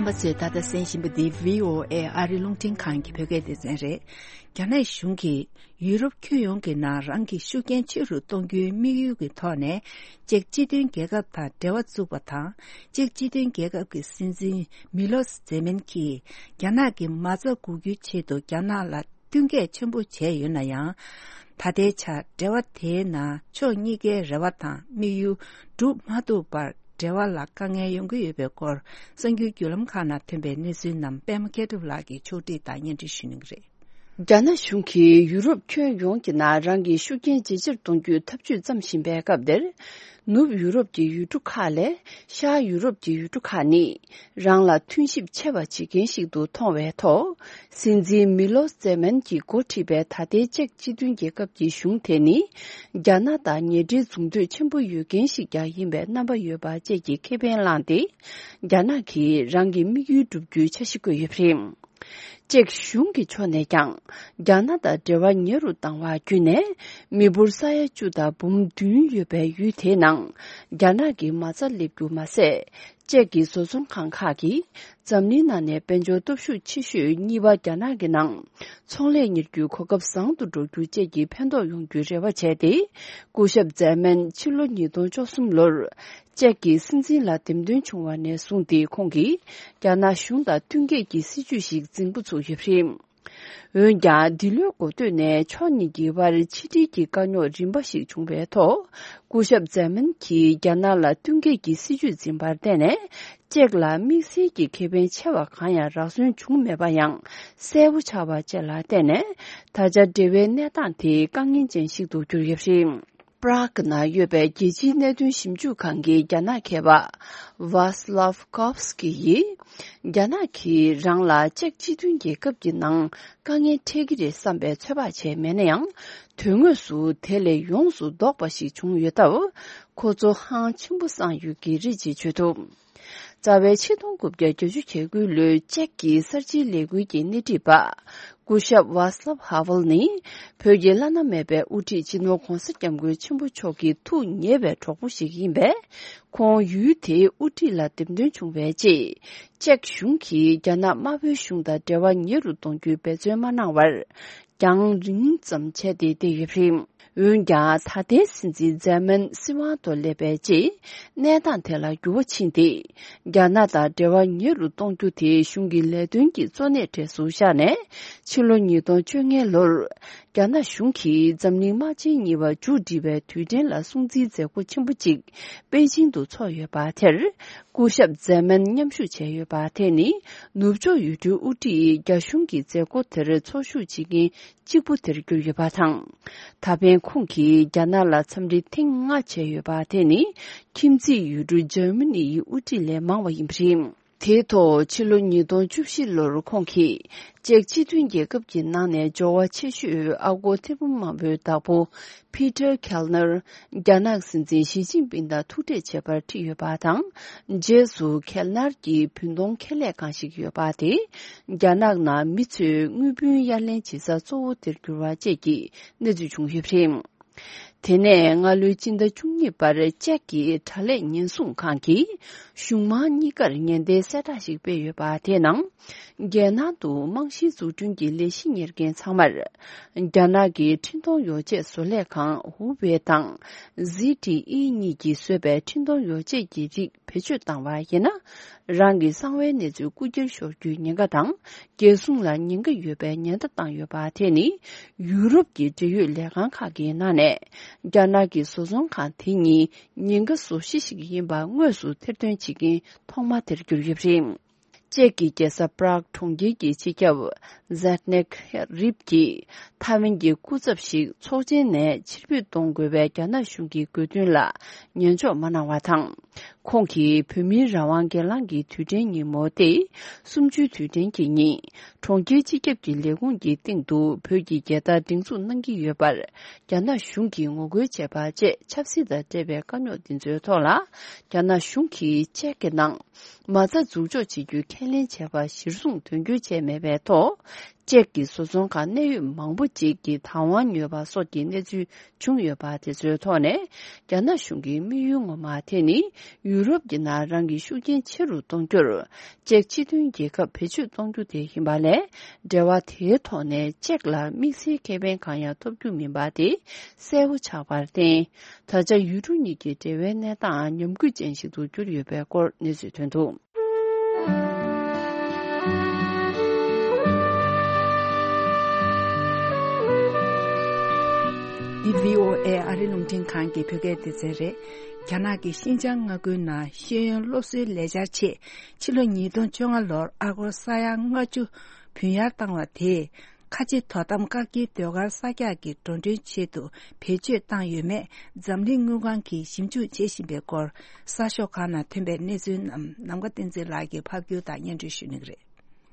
རྣམ་པ་ཚོས་ད་ལྟ་གསན་བཞིན་པ་འདི་བྷི་ཨོ་ཨེ་ཨ་རིའི་རླུང་འཕྲིན་ཁང་གི་བོད་སྐད་སྡེ་ཚན་རེད། རྒྱ་ནག་གཞུང་གིས་ཡུ་རོབ་ཁྱོན་ཡོངས་ཀྱི་ནང་རང་གི་ཤུགས་རྐྱེན་ཆེ་རུ་གཏོང་རྒྱུའི་དམིགས་ཡུལ་གྱི་ཐོག་ནས། ཅེཀ་སྤྱི་མཐུན་རྒྱལ་ཁབ་དང་འབྲེལ་བ་བཙུགས་པ་དང་། ཅེཀ་སྤྱི་མཐུན་རྒྱལ་ཁབ་ཀྱི་སྲིད་འཛིན་མི་ལོ་ཛེ་མན་གྱིས་རྒྱ་ནག་གི་མ་རྩ་འགུག་རྒྱུའི་ཆེད་དུ་རྒྱ་ནག་ལ་བསྟུན་མཁས་ཆེན་པོ་བྱས་ཡོད་ན་ཡང་། ད་ལྟའི་ཆར་འབྲེལ་བ་དེའི་ནང་ཕྱོགས་གཉིས་ཀའི་རེ་བ་དང་དམིགས་ཡུལ་འགྲུབ་མ་ཐུབ་པར། འབྲེལ་བ་ལ་དཀའ་ངལ་ཡོང་གི་ཡོད་པའི་སྐོར། གསར་འགྱུར་བརྒྱུད་ལམ་ཁག་ནང་ཐོན་པའི་གནས་ཚུལ་རྣམས་པད་མ་མཁས་གྲུབ་ལགས་ཀྱིས་ཕྱོགས་སྒྲིག་དང་སྙན་སྒྲོན་ཞུ་གནང་གི་རེད། རྒྱ་ནག་གཞུང་གིས་ཡུ་རོབ་ཁྱོན་ཡོངས་ཀྱི་ནང་རང་གི་ཤུགས་རྐྱེན་ཇེ་ཆེར་གཏོང་རྒྱུའི་འཐབ་ཇུས་བརྩམས་བཞིན་པའི་སྐབས་འདིར། ནུབ་ཡུ་རོབ་ཀྱི་ཡུལ་གྲུ་ཁག་ལས་ཤར་ཡུ་རོབ་ཀྱི་ཡུལ་གྲུ་ཁག་ནི་རང་ལ་མཐུན་གཤིབ་ཆེ་བ་བྱེད་མཁན་ཞིག་ཏུ་མཐོང་བའི་ཐོག་སྲིད་འཛིན་མི་ལོ་ཙེ་མན་གྱིས་འགོ་ཁྲིད་པའི་ད་ལྟའི་ཅེཀ་སྤྱི་མཐུན་རྒྱལ་ཁབ་ཀྱི་གཞུང་དེ་ནི། རྒྱ་ནག་དང་ཉེ་འབྲེལ་འཛུགས་འདོད་ཆེན་པོ་ཡོད་མཁན་ཞིག་ཀྱང་ཡིན་པའི་རྣམ་པ་ཡོད་པ་བཅས་ཀྱི་ཁེ་ཕན་བླངས་ཏེ། རྒྱ་ནག་གིས་རང་གི་དམིགས་ཡུལ་བསྒྲུབ་རྒྱུའི་འཆར་གཞི་བཀོད་ཡོད་པ་རེད། ཅེཀ་གཞུང་གི་ཕྱོགས་ནས་ཀྱང་། རྒྱ་ནག་དང་འབྲེལ་བ་ཉེ་རུ་བཏང་བ་བརྒྱུད་ནས། མི་འབོར་ས་ཡ་བཅུ་དང་འབུམ་བདུན་ཡོད་པའི་ཡུལ་དེའི་ནང་། རྒྱ་ནག་གི་མ་རྩ་སླེབས་རྒྱུ་མ་ཟད། ཅེཀ་གི་བཟོ་ཚོང་ཁང་ཁག་གིས། འཛམ་གླིང་ནང་ནས་དཔལ་འབྱོར་སྟོབས་ཤུགས་ཆེ་ཤོས་གཉིས་པ་རྒྱ་ནག་གི་ནང་། ཚོང་ལས་གཉེར་རྒྱུའི་གོ་སྐབས་བཟང་དུ་འགྲོ་རྒྱུ་བཅས་ཀྱི་ཕན་ཐོགས་ཡོང་རྒྱུའི་རེ་བ་བྱས་ཏེ། སྐུ་ཞབས་ཛེ་མན་ཕྱི་ལོ་ཉིས་སྟོང་བཅུ་གསུམ་ལོར། ཅེཀ་གི་སྲིད་འཛིན་ལ་འདེམས་ཐོན་བྱུང་བ་ནས་བཟུང་སྟེ་ཁོང་གིས་རྒྱ་ནག་གཞུང་དང་བསྟུན་མཁས་ཀྱི་སྲིད་ཇུས་ཤིག་འཛིན་འགོ་ཚུགས་ཡོད་པ་རེད། འོན་ཀྱང་འདི་ལོའི་འགོ་སྟོད་ནས་ཕྱོགས་གཉིས་ཀྱི་དབར་ཕྱི་འབྲེལ་གྱི་དཀའ་རྙོག་རིམ་པ་ཞིག་བྱུང་བའི་ཐོག་སྐུ་ཞབས་ཛེ་མན་གྱིས་རྒྱ་ནག་ལ་བསྟུན་མཁས་ཀྱི་སྲིད་ཇུས་འཛིན་པར་བརྟེན་ནས། ཅེཀ་ལ་དམིགས་བསལ་གྱི་ཁེ་ཕན་ཆེ་བ་གང་ཡང་རག་སོན་བྱུང་མེད་པ་ཡང་གསལ་པོ་ཆགས་པ་བཅས་ལ་བརྟེན་ནས། ད་ཆ་འབྲེལ་བའི་གནས་སྟངས་དེ་དཀའ་ངལ་ཅན་ཞིག་ཏུ་གྱུར་ཡོད་པ་རེད། པྲག་ནང་ཡོད་པའི་རྒྱལ་སྤྱིའི་གནད་དོན་ཞིབ་འཇུག་ཁང་གི་རྒྱ་ནག་མཁས་པ་ཝཱ་སི་ལབ་ཀོབ་སི་ཀི་ཡིས། རྒྱ་ནག་གིས་རང་ལ་ཅེཀ་སྤྱི་མཐུན་རྒྱལ་ཁབ་ཀྱི་ནང་དཀའ་ངལ་འཕྲད་ཀྱི་རེད་བསམ་པའི་ཚོད་དཔག་བྱས་མེད་ན་ཡང་། དོན་དངོས་སུ་དེ་ལས་ཡོངས་སུ་ལྡོག་པ་ཞིག་བྱུང་ཡོད་སྟབས། ཁོ་ཚོ་ཧང་ཆེན་པོ་སངས་ཡོད་ཀྱི་རེད་ཅེས་བརྗོད་འདུག་རྩ་བའི་ཆིག་སྟོང་དགུ་བརྒྱ་བརྒྱད་ཅུ་གྱ་དགུ་ལོའི་ཅེཀ་གི་གསར་བརྗེའི་ལས་འགུལ་གྱི་སྣེ་ཁྲིད་པ། སྐུ་ཞབས་ཝཱ་སི་ལབ་ཧ་ཝེལ་ནི། བོད་ཀྱི་བླ་ན་མེད་པའི་དབུ་ཁྲིད་སྤྱི་ནོར་༧གོང་ས་༧སྐྱབས་མགོན་ཆེན་པོ་མཆོག་གི་ཐུགས་ཉེ་བའི་གྲོགས་པོ་ཞིག་ཡིན་པས། ཁོང་ཡུལ་དེའི་དབུ་ཁྲིད་ལ་འདེམས་ཐོན་བྱུང་བའི་རྗེས། ཅེཀ་གཞུང་གིས་རྒྱ་ནག་དམར་པོའི་གཞུང་དང་འབྲེལ་བ་ཉེ་རུ་གཏོང་རྒྱུའི་འབད་བརྩོན་མ་གནང་བར། རྒྱང་རིང་ཙམ་བྱས་ཏེ་བསྡད་ཡོད་པ་རེད། འོན་ཀྱང་ད་ལྟའི་སྲིད་འཛིན་ཛེ་མན་སྲིད་དབང་དུ་སླེབས་པའི་རྗེས། གནས་སྟངས་དེ་ལ་འགྱུར་བ་ཕྱིན་ཏེ། རྒྱ་ནག་དང་འབྲེལ་བ་ཉེ་རུ་གཏོང་རྒྱུ་དེ་གཞུང་གི་ལས་དོན་གྱི་གཙོ་གནད་གྲས་སུ་བཞག་ནས། ཕྱི་ལོ་ཉིས་སྟོང་བཅོ་ལྔ་ལོར། རྒྱ་ནག་གཞུང་གིས་འཛམ་གླིང་དམག་ཆེན་གཉིས་པ་མཇུག་སྒྲིལ་བའི་དུས་དྲན་ལ་སྲུང་བརྩིའི་མཛད་སྒོ་ཆེན་པོ་གཅིག་པེ་ཅིང་དུ་ཚོགས་ཡོད་པ་དེར། སྐུ་ཞབས་ཛེ་མན་མཉམ་ཞུགས་བྱས་ཡོད་པ་དེ་ནི། ནུབ་ཕྱོགས་ཡུལ་གྲུའི་དབུ་ཁྲིད་རྒྱ་གཞུང་གི་མཛད་སྒོ་དེར་ཚོགས་ཞུགས་བྱེད་མཁན་གཅིག་པུ་དེར་གྱུར་ཡོད་པ་དང་། ད་ཕན་ཁོང་གིས་རྒྱ་ནག་ལ་འཚམས་འདྲི་ཐེངས་ལྔ་བྱས་ཡོད་པ་དེ་ནི། ཁྱིམ་མཚེས་ཡུལ་གྲུ་འཇར་མ་ནི་ཡི་དབུ་ཁྲིད་ལས་མང་བ་ཡིན་པ་རེད། དེའི་ཐོག་ཕྱི་ལོ་ཉིས་སྟོང་བཅུ་བཞི་ལོར་ཁོང་གིས། ཅེཀ་སྤྱི་མཐུན་རྒྱལ་ཁབ་ཀྱི་ནང་ནས་འབྱོར་བ་ཆེ་ཤོས་ཨ་སྒོར་ཐེར་འབུམ་མང་པོའི་བདག་པོ། ཕི་ཏར་ཁེལ་ནར། རྒྱ་ནག་སྲིད་འཛིན་ཞི་ཅིན་ཕིང་དང་ཐུག་འཕྲད་བྱེད་པར་ཁྲིད་ཡོད་པ་དང་། རྗེས་སུ་ཁེལ་ནར་གྱི་བུན་གཏོང་ཁེ་ལས་ཁང་ཞིག་ཡོད་པ་དེ། རྒྱ་ནག་ནང་མི་ཚོས་དངུལ་བུན་གཡར་ལེན་བྱེད་ས་གཙོ་བོ་དེར་གྱུར་བ་བཅས་ཀྱི་གནས་ཚུལ་བྱུང་ཡོད་པ་རེད། དེ་ནས་སྔ་ལོའི་སྤྱི་ཟླ་བཅུ་གཉིས་པར་ཅེཀ་གི་དྲ་ལས་ཉེན་སྲུང་ཁང་གིས་གཞུང་མང་གཉིས་ཀར་ཉེན་བརྡའི་གསལ་བསྒྲགས་ཤིག་སྤེལ་ཡོད་པ་དེའི་ནང་། རྒྱལ་ནང་དུ་རྨང་གཞིའི་འཛུགས་སྐྲུན་གྱི་ལས་གཞི་གཉེར་མཁན་ཚང་མར། རྒྱ་ནག་གི་འཕྲིན་གཏོང་ཡོ་བྱད་བཟོ་ལས་ཁང་ཧུ་ཝེ་དང་། ཟི་ཏི་ཨི་གཉིས་ཀྱིས་བཟོས་པའི་འཕྲིན་གཏོང་ཡོ་བྱད་ཀྱི་རིགས་བེད་སྤྱོད་བཏང་བ་ཡིན་ན། རང་གི་གསང་བའི་གནས་ཚུལ་རྐུ་འཁྱེར་ཤོར་རྒྱུའི་ཉེན་ཁ་དང་། རྒྱལ་སྲུང་ལ་ཉེན་ཁ་ཡོད་པའི་ཉེན་བརྡ་བཏང་ཡོད་པ་དེ་ནི། ཡུ་རོབ་ཀྱི་འབྲེལ་ཡོད་ལས་ཁང་ཁག་གི་ནང་ནས། རྒྱ་ནག་གི་བཟོ་ཚོང་ཁང་དེ་གཉིས་ཉེན་ཁ་བཟོ་གཞི་ཞིག་ཡིན་པ་དངོས་སུ་ཐེར་འདོན་བྱེད་མཁན་ཐོག་མ་དེར་གྱུར་ཡོད་པ་རེད། ཅེཀ་གི་རྒྱལ་ས་པྲག་གྲོང་ཁྱེར་གྱི་སྤྱི་ཁྱབ་ཛེད་ནེག་རིབ་ཀྱིས་ཐའེ་ཝན་གྱི་སྐུ་ཚབ་ཞིག་ཚོགས་ཆེན་ནས་ཕྱིར་འབུད་གཏོང་དགོས་པའི་རྒྱ་ནག་གཞུང་གི་དགོས་འདུན་ལ་ཉན་འཇོག་མ་གནང་བ་དང་། ཁོང་གིས་བོད་མིའི་རང་དབང་སྒེར་ལངས་ཀྱི་དུས་དྲན་ཉིན་མོ་སྟེ། གསུམ་བཅུའི་དུས་དྲན་གྱི་ཉིན། གྲོང་ཁྱེར་སྤྱི་ཁྱབ་ཀྱི་ལས་ཁུངས་ཀྱི་སྟེང་དུ་བོད་ཀྱི་རྒྱལ་དར་སྒྲེང་འཛུགས་གནང་གི་ཡོད་པར། རྒྱ་ནག་གཞུང་གིས་ངོ་རྒོལ་བྱས་པ་བཅས་ཆབ་སྲིད་དང་འབྲེལ་བའི་དཀའ་རྙོག་འདི་ཚོའི་ཐོག་ལ། རྒྱ་ནག་གཞུང་གིས་ཅེཀ་གི་ནང་། མ་རྩ་འཛུགས་འཇོག་བྱེད་རྒྱུའི་ཁས་ལེན་བྱས་པ་གཞིར་བཟུང་དོན་འཁྱོལ་བྱས་མེད་པའི་ཐོག་ཅེཀ་གི་བཟོ་ཚོང་ཁང་གནད་ཡོད་མང་པོ་ཅིག་གི་བདག་དབང་ཉོས་པ་སོགས་ཀྱི་གནས་ཚུལ་བྱུང་ཡོད་པ་དེ་ཚོའི་ཐོག་ནས། རྒྱ་ནག་གཞུང་གི་དམིགས་ཡུལ་ངོ་མ་དེ་ནི། ཡུ་རོབ་ཀྱི་ནང་རང་གི་ཤུགས་རྐྱེན་ཆེ་རུ་གཏོང་རྒྱུར། ཅེཀ་སྤྱི་མཐུན་རྒྱལ་ཁབ་བེད་སྤྱོད་གཏོང་རྒྱུ་དེ་ཡིན་པ་ལས། འབྲེལ་བ་དེའི་ཐོག་ནས་ཅེཀ་ལ་དམིགས་བསལ་ཁེ་ཕན་གང་ཡང་ཐོབ་རྒྱུ་མིན་པ་དེ་གསལ་པོ་ཆགས་པར་བརྟེན། ད་ཆ་ཡུལ་གྲུ་གཉིས་ཀྱི་འབྲེལ་བའི་གནས་སྟངས་ཉམས་རྒུད་ཅན་ཞིག་ཏུ་གྱུར་ཡོད་པའི་སྐོར་གནས་ཚུལ་ཐོན་འདུག་འདི་བྷི་ཨོ་ཨེ་ཨ་རི་རླུང་འཕྲིན་ཁང་གི་བོད་སྐད་སྡེ་ཚན་རེད། རྒྱ་ནག་གི་ཤིན་ཅང་མངའ་ཁུལ་ནང་ཤེས་ཡོན་སློབ་གསོའི་ལས་འཆར་ཆེད་ཕྱི་ལོ་ཉིས་སྟོང་བཅོ་ལྔ་ལོར་ཨ་སྒོར་ས་ཡ་ལྔ་བཅུ་བུན་གཡར་བཏང་བ་དེས། ཁ་ཆེ་དོ་དམ་བཀག་སྐྱིལ་ཟློས་གར་གསར་རྒྱག་གི་འགྲོ་གྲོན་ཆེད་དུ་བེད་སྤྱོད་བཏང་ཡོད་མེད་འཛམ་གླིང་དངུལ་ཁང་གིས་ཞིབ་འཇུག་བྱེད་བཞིན་པའི་སྐོར། གསར་ཤོག་ཁག་ནང་ཐོན་པའི་གནས་ཚུལ་རྣམས་ནམ་མཁའ་བསྟན་འཛིན་ལགས་ཀྱིས་ཕབ་སྒྱུར་དང་སྙན་སྒྲོན་ཞུ་གནང་གི་རེད།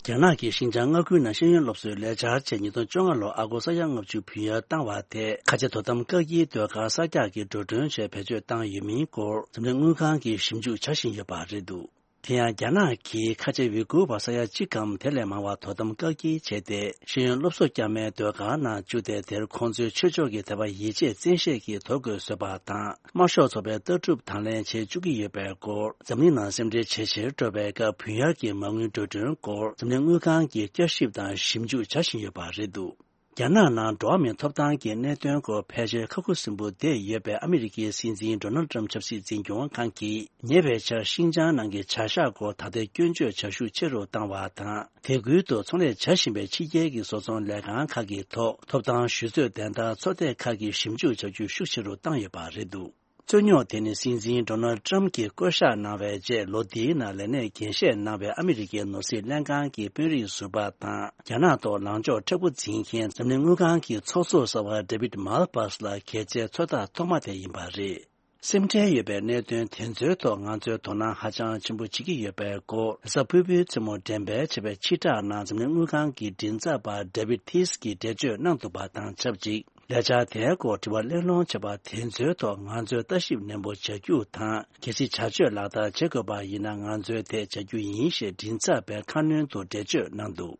རྒྱ་ནག་གིས་ཤིན་ཅང་མངའ་ཁུལ་ནང་ཤེས་ཡོན་སློབ་གསོའི་ལས་འཆར་ཆེད་ཉིས་སྟོང་བཅོ་ལྔ་ལོར་ཨ་སྒོར་ས་ཡ་ལྔ་བཅུ་བུན་གཡར་བཏང་བ་དེས། ཁ་ཆེ་དོ་དམ་བཀག་སྐྱིལ་ཟློས་གར་གསར་རྒྱག་གི་འགྲོ་གྲོན་ཆེད་བེད་སྤྱོད་བཏང་ཡོད་མིན་སྐོར་འཛམ་གླིང་དངུལ་ཁང་གིས་ཞིབ་འཇུག་བྱ་བཞིན་ཡོད་པ་རེད་འདུག་དེ་ཡང་རྒྱ་ནག་གིས་ཁ་ཆེ་ཝི་གུར་བ་ས་ཡ་གཅིག་གམ་དེ་ལས་མང་བ་དོ་དམ་བཀག་སྐྱིལ་བྱས་ཏེ། ཤེས་ཡོན་སློབ་གསོ་རྒྱག་མིའི་ཟློས་གར་ནང་བཅུག་སྟེ། དེར་ཁོང་ཚོའི་ཆོས་ཕྱོགས་ཀྱི་དད་པ་ཡིད་ཆེས་བཙན་ཤེད་ཀྱིས་དོ་དགོས་བཟོས་པ་དང་། དམར་ཤོག་ཚོགས་པའི་ལྟ་གྲུབ་དང་ལེན་བྱེད་བཅུག་གི་ཡོད་པའི་སྐོར། འཛམ་གླིང་ནང་སེམས་ཁྲལ་ཇེ་ཆེར་འགྲོ་བའི་སྐབས། བུན་གཡར་གྱི་མ་དངུལ་འགྲོ་གྲོན་སྐོར་འཛམ་གླིང་དངུལ་ཁང་གིས་བསྐྱར་ཞིབ་དང་ཞིབ་འཇུག་བྱ་བཞིན་ཡོད་པ་རེད་འདུག་རྒྱ་ནག་ནང་འགྲོ་བ་མིའི་ཐོབ་ཐང་གི་གནད་དོན་སྐོར་ཕལ་ཆེར་ཁ་ཁུ་སིམ་པོ་བསྡད་ཡོད་པའི་ཨ་མི་རི་ཀའི་སྲིད་འཛིན་ཌོ་ནལ་ཊམ་ཆབ་སྲིད་འཛིན་སྐྱོང་ཁང་གིས། ཉེ་བའི་ཆར་ཤིན་ཅང་ནང་གི་བྱ་གཞག་སྐོར་ད་ལྟའི་སྐྱོན་བརྗོད་བྱ་ཤུགས་ཆེ་རུ་བཏང་བ་དང་། དེ་ཁུལ་དུ་ཚོང་ལས་བྱ་བཞིན་པའི་ཕྱི་རྒྱལ་གྱི་བཟོ་ཚོང་ལས་ཁང་ཁག་གི་ཐོག་ཐོབ་ཐང་ཞུ་རྩོད་དོན་དག་ཚོགས་སྡེ་ཁག་གིས་ཞིབ་འཇུག་བྱ་རྒྱུ་ཤུགས་ཆེ་རུ་བཏང་ཡོད་པ་རེད་འདུག་རྩོད་རྙོག་དེ་ནི་སྲིད་འཛིན་ཌོ་ནལ་ཊམ་གྱིས་བསྐོ་གཞག་གནང་བའི་རྗེས། ལོ་འདིའི་ནང་ལས་གནས་འགན་བཞེས་གནང་བའི་ཨ་མི་རི་ཀའི་ནོར་སྲིད་ལྷན་ཁང་གི་དཔོན་རིགས་ཟུར་པ་དང་། རྒྱ་ནག་ཐོག་ལངས་ཕྱོགས་མཁྲེགས་པོ་འཛིན་མཁན་འཛམ་གླིང་དངུལ་ཁང་གི་ཚོགས་གཙོ་གསར་པ་ཌེ་བིད་མལ་པཱས་ལ་གལ་ཆེའི་ཚོད་ལྟ་ཐོག་མ་དེ་ཡིན་པ་རེད། སེམས་ཁྲལ་ཡོད་པའི་གནད་དོན་དེ་ཚོའི་ཐོག་ང་ཚོས་དོ་སྣང་ཧ་ཅང་ཆེན་པོ་བྱེད་ཀྱི་ཡོད་པའི་སྐོར། རེས་གཟའ་ཕུར་བུའི་མཚན་མོ་འགྲེམས་སྤེལ་བྱས་པའི་ཕྱིར་བསྒྲགས་ནང་འཛམ་གླིང་དངུལ་ཁང་གི་མགྲིན་ཚབ་པ་ཌེ་བིད་ཐིས་ཀྱིས་འགྲེལ་བརྗོད་གནང་འདུག་པ་དང་ཆབས་ཅིག་ལས་འཆར་དེའི་སྐོར་དྲི་བ་གླེང་སློང་བྱས་པ་དེ་ཚོའི་ཐོག་ང་ཚོས་ལྟ་ཞིབ་ནན་པོ་བྱ་རྒྱུ་དང་། གལ་སྲིད་བྱ་སྤྱོད་ལག་བསྟར་བྱེད་དགོས་པ་ཡིན་ན། ང་ཚོས་དེ་བྱ་རྒྱུ་ཡིན་ཞེས་མགྲིན་ཚབ་པས་ཁ་སྣོན་དུ་འགྲེལ་བརྗོད་གནང་འདུག་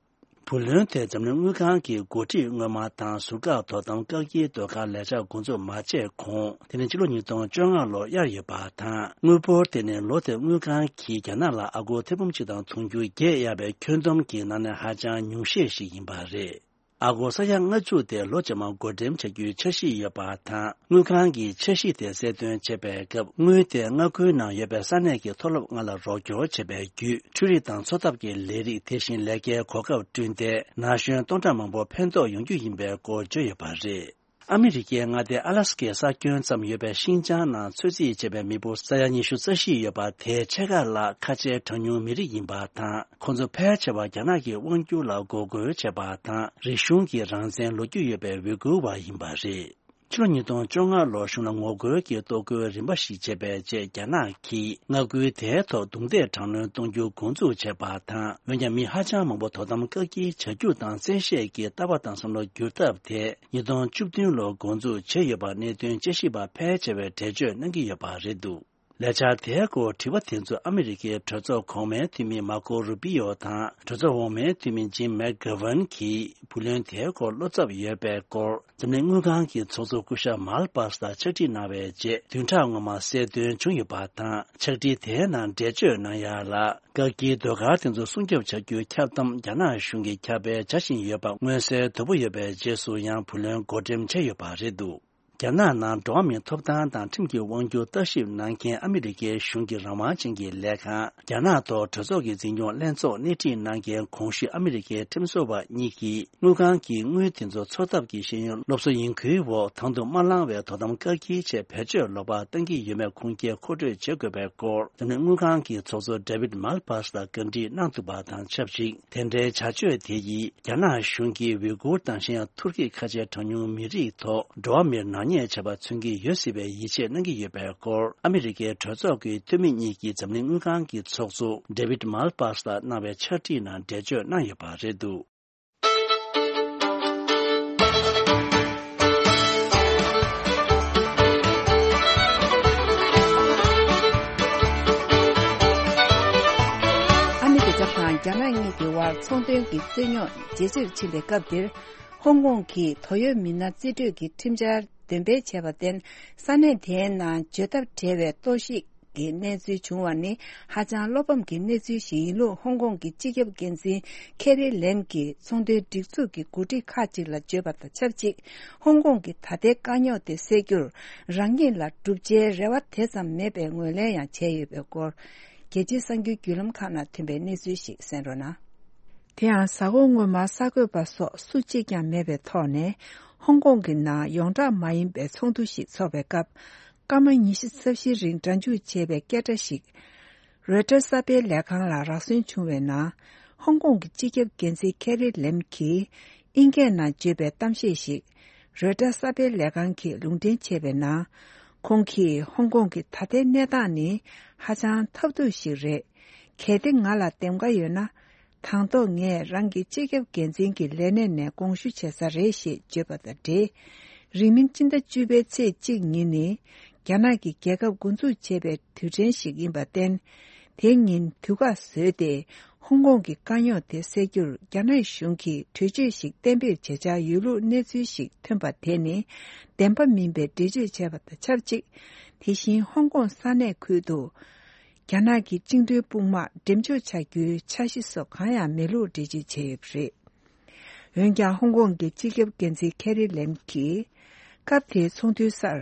བུ་ལོན་དེ་འཛམ་གླིང་དངུལ་ཁང་གི་འགོ་ཁྲིད་སྔོན་མ་དང་ཟུར་བཀག་དོ་དམ་བཀག་སྐྱིལ་ཟློས་གར་ལས་འཆར་འགོ་འཛུགས་མ་བྱས་གོང་། དེ་ནི་ཕྱི་ལོ་ཉིས་སྟོང་བཅོ་ལྔ་ལོར་གཡར་ཡོད་པ་དང་། དངུལ་འབོར་དེ་ནི་ལོ་དེར་དངུལ་ཁང་གིས་རྒྱ་ནག་ལ་ཨ་སྒོར་ཐེར་འབུམ་གཅིག་དང་དུང་ཕྱུར་བརྒྱད་གཡར་བའི་ཁྱོན་བསྡོམས་ཀྱི་ནང་ནས་ཧ་ཅང་ཉུང་ཤས་ཤིག་ཡིན་པ་རེད། ཨ་སྒོར་ས་ཡ་ལྔ་བཅུ་དེ་ལོ་རྗེས་མར་བགོ་འགྲེམས་བྱ་རྒྱུའི་འཆར་གཞི་ཡོད་པ་དང་། དངུལ་ཁང་གིས་འཆར་གཞི་དེ་གསལ་སྟོན་བྱེད་པའི་སྐབས། དངུལ་དེ་མངའ་ཁུལ་ནང་ཡོད་པའི་ས་གནས་ཀྱི་མཐོ་སློབ་ལྔ་ལ་རོགས་སྐྱོར་བྱེད་པའི་བརྒྱུད། འཕྲུལ་རིག་དང་འཚོ་ཐབས་ཀྱི་ལས་རིགས། དེ་བཞིན་ལས་ཀའི་གོ་སྐབས་བསྐྲུན་ཏེ། ན་གཞོན་སྟོང་ཕྲག་མང་པོར་ཕན་ཐོགས་ཡོང་རྒྱུ་ཡིན་པའི་སྐོར་བརྗོད་ཡོད་པ་རེད། ཨ་མི་རི་ཀའི་མངའ་སྡེ་ཨ་ལ་སི་ཀའི་ས་ཁྱོན་ཙམ་ཡོད་པའི་ཤིན་ཅང་ནང་ཚོད་རྩིས་བྱས་པའི་མི་འབོར་ས་ཡ་ཉི་ཤུ་རྩ་བཞི་ཡོད་པ། དེའི་ཕྱེད་ཀ་ལ་ཁ་ཆེའི་གྲངས་ཉུང་མི་རིགས་ཡིན་པ་དང་། ཁོང་ཚོ་ཕལ་ཆེ་བ་རྒྱ་ནག་གི་དབང་སྒྱུར་ལ་འགོག་རྒོལ་བྱས་པ་དང་། རིག་གཞུང་གི་རང་བཙན་ལོ་རྒྱུས་ཡོད་པའི་ཝི་གུར་བ་ཡིན་པ་རེད། ཕྱི་ལོ་ཉིས་སྟོང་བཅོ་ལྔ་ལོར་གཞུང་ལ་ངོ་རྒོལ་གྱི་གཏོར་རྒོལ་རིམ་པ་ཞིག་བྱས་པའི་རྗེས། རྒྱ་ནག་གིས་མངའ་ཁུལ་དེའི་ཐོག་རྡུང་རྡེག་དྲག་གནོན་གཏོང་རྒྱུ་འགོ་འཛུགས་བྱས་པ་དང་། འོན་ཀྱང་མི་ཧ་ཅང་མང་པོ་དོ་དམ་བཀག་སྐྱིལ་བྱ་རྒྱུ་དང་། བཙན་ཤེད་ཀྱིས་ལྟ་བ་དང་བསམ་བློ་བསྒྱུར་ཐབས་དེ་ཉིས་སྟོང་བཅུ་བདུན་ལོར་འགོ་འཛུགས་བྱས་ཡོད་པ། གནད་དོན་དཔྱད་ཞིབ་པ་ཕལ་ཆེ་བས་འགྲེལ་བརྗོད་གནང་གི་ཡོད་པ་རེད་འདུག་ལས་འཆར་དེའི་སྐོར་དྲི་བ་དེ་ཚོ་ཨ་མི་རི་ཀའི་གྲོས་ཚོགས་གོང་མའི་འཐུས་མི་མར་ཀོ་རུ་པི་ཡོ་དང་། གྲོས་ཚོགས་འོག་མའི་འཐུས་མི་ཇིམ་མེག་གྷ་ཝན་གྱིས། བུ་ལོན་དེའི་སྐོར་བློ་འཚབ་ཡོད་པའི་སྐོར། འཛམ་གླིང་དངུལ་ཁང་གི་ཚོགས་གཙོ་སྐུ་ཞབས་མལ་པཱས་ལ་ཕྱག་བྲིས་གནང་བའི་རྗེས། བདུན་ཕྲག་སྔོན་མ་གསལ་སྟོན་བྱུང་ཡོད་པ་དང་། ཕྱག་བྲིས་དེའི་ནང་འགྲེལ་བརྗོད་གནང་ཡ་ལ། བཀག་སྐྱིལ་ཟློས་གར་དེ་ཚོ་སྲུང་སྐྱོབ་བྱ་རྒྱུའི་ཁྱབ་གདམ་རྒྱ་ནག་གཞུང་གིས་ཁྱབ་སྤེལ་བྱ་བཞིན་ཡོད་པ་མངོན་གསལ་དོད་པོ་ཡོད་པའི་རྗེས་སུ་ཡང་བུ་ལོན་བགོ་འགྲེམས་བྱས་ཡོད་པ་རེད་འདུག་རྒྱ་ནག་ནང་འགྲོ་བ་མིའི་ཐོབ་ཐང་དང་ཁྲིམས་ཀྱི་དབང་སྒྱུར་ལྟ་ཞིབ་གནང་མཁན་ཨ་མི་རི་ཀའི་གཞུང་གི་རང་དབང་ཅན་གྱི་ལས་ཁང་། རྒྱ་ནག་ཐོག་གྲོས་ཚོགས་ཀྱི་འཛིན་སྐྱོང་ལྷན་ཚོགས་སྣེ་ཁྲིད་གནང་མཁན་གོང་ཞུས་ཨ་མི་རི་ཀའི་ཁྲིམས་བཟོ་བ་གཉིས་ཀྱིས། དངུལ་ཁང་གིས་དངུལ་དེ་ཚོ་འཚོ་ཐབས་ཀྱི་ཤེས་ཡོན་སློབ་གསོ་ཡིན་ཁུལ་འོག་དང་དུ་མ་བླངས་བའི་དོ་དམ་བཀག་སྐྱིལ་ཆེད་བེད་སྤྱོད་ལོག་པར་བཏང་གི་ཡོད་མེད་ཁུངས་སྐྱེལ་མཁོ་སྤྲོད་བྱེད་དགོས་པའི་སྐོར། འཛམ་གླིང་དངུལ་ཁང་གི་ཚོགས་གཙོ་ཌེ་བིད་མལ་པཱས་ལ་བཀའ་འདྲི་གནང་ཐུབ་པ་དང་ཆབས་ཅིག་དེ་འདྲའི་བྱ་སྤྱོད་དེ་ཡིས་རྒྱ་ནག་གཞུང་གིས་ཝི་གུར་དང་གཞན་ཡང་ཐུར་ཁེ་ཁ་ཆེའི་གྲངས་ཉུང་མི་རིགས་ཐོག་འགྲོ་བ་མིར་ནག་ཉེས་བྱས་པ་མཚོན་གྱི་ཡོད་སྲིད་པའི་ཡིད་ཆེས་གནང་གི་ཡོད་པའི་སྐོར། ཨ་མི་རི་ཀའི་གྲོས་ཚོགས་ཀྱི་འཐུས་མི་གཉིས་ཀྱིས་འཛམ་གླིང་དངུལ་ཁང་གི་ཚོགས་གཙོ་ཌེ་བིད་མལ་པཱས་ལ་གནང་བའི་ཕྱག་བྲིས་ནང་འགྲེལ་བརྗོད་གནང་ཡོད་པ་རེད་འདུག་ཨ་མི་རི་ཀ་དང་རྒྱ་ནག་གཉིས་ཀྱི་དབར་ཚོང་དོན་གྱི་རྩོད་རྙོག་ཇེ་ཆེར་ཕྱིན་པའི་སྐབས་འདིར། ཧོང་ཀོང་གིས་དོ་ཡོད་མི་སྣ་རྩིས་སྤྲོད་ཀྱི་ཁྲིམས་འཆར་འདོན་སྤེལ་བྱས་པར་བརྟེན། ས་གནས་དེའི་ནང་འཇོལ་ཐབས་བྲལ་བའི་གཏོར་བཤིག་གི་གནས་ཚུལ་བྱུང་བ་ནི་ཧ་ཅང་བློ་ཕམ་གྱི་གནས་ཚུལ་ཞིག་ཡིན་ལུགས། ཧོང་ཀོང་གི་སྤྱི་ཁྱབ་འགན་འཛིན་ཁེ་རི་ལེམ་གྱིས་ཚོང་དོན་སྒྲིག་འཛུགས་ཀྱི་འགོ་ཁྲིད་ཁག་ཅིག་ལ་བརྗོད་པ་དང་ཆབས་ཅིག་ཧོང་ཀོང་གི་ད་ལྟའི་དཀའ་རྙོག་དེ་སེལ་རྒྱུར་རང་ཉིད་ལ་བསྒྲུབ་བྱའི་རེ་བ་དེ་ཙམ་མེད་པའི་ངོས་ལེན་ཡང་བྱས་ཡོད་པའི་སྐོར། རྒྱལ་སྤྱིའི་གསར་འགྱུར་བརྒྱུད་ལམ་ཁག་ནང་ཐོན་པའི་གནས་ཚུལ་ཞིག་གསན་རོགས་གནང་། དེ་ཡང་གཟའ་འཁོར་སྔོན་མར་གསར་འགོད་པ་སོགས་སུ་གཅིག་ཀྱང་མེད་པའི་ཐོག་ནས། ཧོང་ཀོང་གི་ནང་ཡོངས་གྲགས་མ་ཡིན་པའི་ཚོགས་འདུ་ཞིག་འཚོགས་པའི་སྐབས། སྐར་མ་ཉི་ཤུ་རྩ་བཞིའི་རིང་སྒྲ་འཇུག་བྱས་པའི་སྐད་སྒྲ་ཞིག་རོའི་ཊར་གསར་སྤེལ་ལས་ཁང་ལ་རག་སོན་བྱུང་བའི་ནང་། ཧོང་ཀོང་གི་སྤྱི་ཁྱབ་འགན་འཛིན་ཁེ་རི་ལེམ་གྱིས། ཨིན་སྐད་ནང་བརྗོད་པའི་གཏམ་བཤད་ཞིག་རོའི་ཊར་གསར་སྤེལ་ལས་ཁང་གིས་ལུང་འདྲེན་བྱས་པའི་ནང་། ཁོང་གིས་ཧོང་ཀོང་གི་ད་ལྟའི་གནས་སྟངས་ནི་ཧ་ཅང་ཐབས་སྡུག་ཞིག་རེད། གལ་ཏེ་ང་ལ་འདེམས་ཀ་ཡོད་ན། དང་ཐོག་ངས་རང་གི་སྤྱི་ཁྱབ་འགན་འཛིན་གྱི་ལས་གནས་ནས་དགོངས་ཞུ་བྱེད་ས་རེད་ཞེས་བརྗོད་པ་དང་འབྲེལ། རིང་མིན་སྤྱི་ཟླ་བཅུ་པའི་ཚེས་གཅིག་ཉིན་ནི། རྒྱ་ནག་གི་རྒྱལ་ཁབ་འགོ་འཛུགས་བྱས་པའི་དུས་དྲན་ཞིག་ཡིན་པར་བརྟེན། དེ་ཉིན་དུས་བཀག་བཟོས་ཏེ། ཧོང་ཀོང་གི་དཀའ་རྙོག་དེ་སེལ་རྒྱུར་རྒྱ་ནག་གཞུང་གིས་གྲོས་ཆོད་ཞིག་གཏན་འབེབས་བྱེད་འཆར་ཡོད་ལུགས་གནས་ཚུལ་ཞིག་ཐོན་པ་དེ་ནི། བདེན་པ་མིན་པའི་འགྲེལ་བརྗོད་བྱས་པ་དང་ཆབས་ཅིག་དེ་བཞིན་ཧོང་ཀོང་ས་གནས་ཁུལ་དུ། རྒྱ་ནག་གི་བཅིངས་འགྲོལ་དཔུང་དམག་འགྲེམས་འཇོག་བྱ་རྒྱུའི་འཆར་གཞི་སོགས་གང་ཡང་མེད་ལུགས་འགྲེལ་བརྗོད་བྱས་ཡོད་པ་རེད། འོན་ཀྱང་། ཧོང་ཀོང་གི་སྤྱི་ཁྱབ་འགན་འཛིན་ཁེ་རི་ལེམ་གྱིས། སྐབས་དེའི་ཚོགས་འདུའི་སར།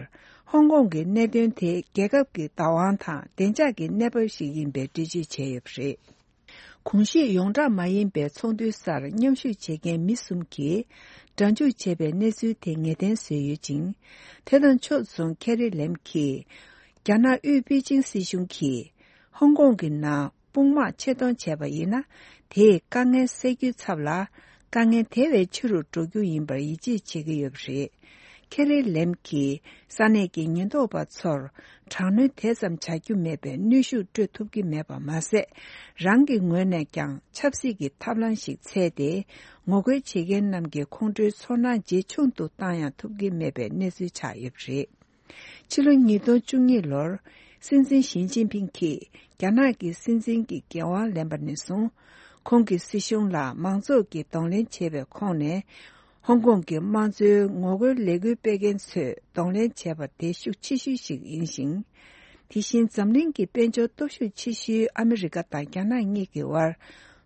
ཧོང་ཀོང་གི་གནད་དོན་དེ་རྒྱལ་ཁབ་ཀྱི་བདག་དབང་དང་བདེ་འཇགས་ཀྱི་གནས་བབ་ཞིག་ཡིན་པའི་འགྲེལ་བརྗོད་བྱས་ཡོད་པ་རེད། གོང་ཞུས་ཡོངས་གྲགས་མ་ཡིན་པའི་ཚོགས་འདུའི་སར་མཉམ་ཞུགས་བྱེད་མཁན་མི་གསུམ་གྱིས་སྒྲ་འཇུག་བྱས་པའི་གནས་ཚུལ་དེ་ངེས་གཏན་བཟོས་ཡོད་ཅིང་། དེ་དང་ཕྱོགས་མཚུངས་ཁེ་རི་ལེམ་གྱིས། རྒྱ་ནག་དབུས་པེ་ཅིང་སྲིད་གཞུང་གིས། ཧོང་ཀོང་གི་ནང་དཔུང་དམག་ཆེད་གཏོང་བྱས་པ་ཡིན་ན། དེས་དཀའ་ངལ་སེལ་རྒྱུའི་ཚབ་ལ། དཀའ་ངལ་དེ་བས་ཆེ་རུ་འགྲོ་རྒྱུ་ཡིན་པར་ཡིད་ཆེས་བྱེད་ཀྱི་ཡོད་པ་རེད། ཁེ་རི་ལེམ་གྱིས་ས་གནས་ཀྱི་ཉེན་རྟོག་པ་ཚོར་དྲག་གནོན་དེ་ཙམ་བྱ་རྒྱུ་མེད་པའི་གནོན་ཤུགས་སྤྲོད་ཐུབ་ཀྱི་མེད་པ་མ་ཟད། རང་གི་ངོས་ནས་ཀྱང་ཆབ་སྲིད་ཀྱི་ཐབས་ལམ་ཞིག་འཚོལ་ཏེ། ངོ་རྒོལ་བྱེད་མཁན་རྣམས་ཀྱི་ཁོང་ཁྲོའི་ཚོར་སྣང་ཇེ་ཆུང་དུ་བཏང་ཡང་ཐུབ་ཀྱི་མེད་པའི་གནས་ཚུལ་ཆགས་ཡོད་པ་རེད། ཕྱི་ལོ་ཉིས་སྟོང་བཅུ་གཉིས་ལོར། སྲིད་འཛིན་ཞི་ཅིན་ཕིང་གིས་རྒྱ་ནག་གི་སྲིད་འཛིན་གྱི་འགན་དབང་ལེན་པ་ནས་བཟུང་། ཁོང་གི་སྲིད་གཞུང་ལ་མང་ཚོགས་ཀྱིས་གདོང་ལེན་བྱས་པའི་ཁོངས་ནས། ཧོང་ཀོང་གི་དམངས་གཙོའི་ངོ་རྒོལ་ལས་འགུལ་སྤེལ་མཁན་ཚོས་གདོང་ལེན་བྱས་པ་དེ་ཤུགས་ཆེ་ཤོས་ཤིག་ཡིན་ཞིང་། དེ་བཞིན་འཛམ་གླིང་གི་དཔལ་འབྱོར་སྟོབས་ཤུགས་ཆེ་ཤོས་ཨ་མི་རི་ཀ་དང་རྒྱ་ནག་གཉིས་ཀྱི་དབར།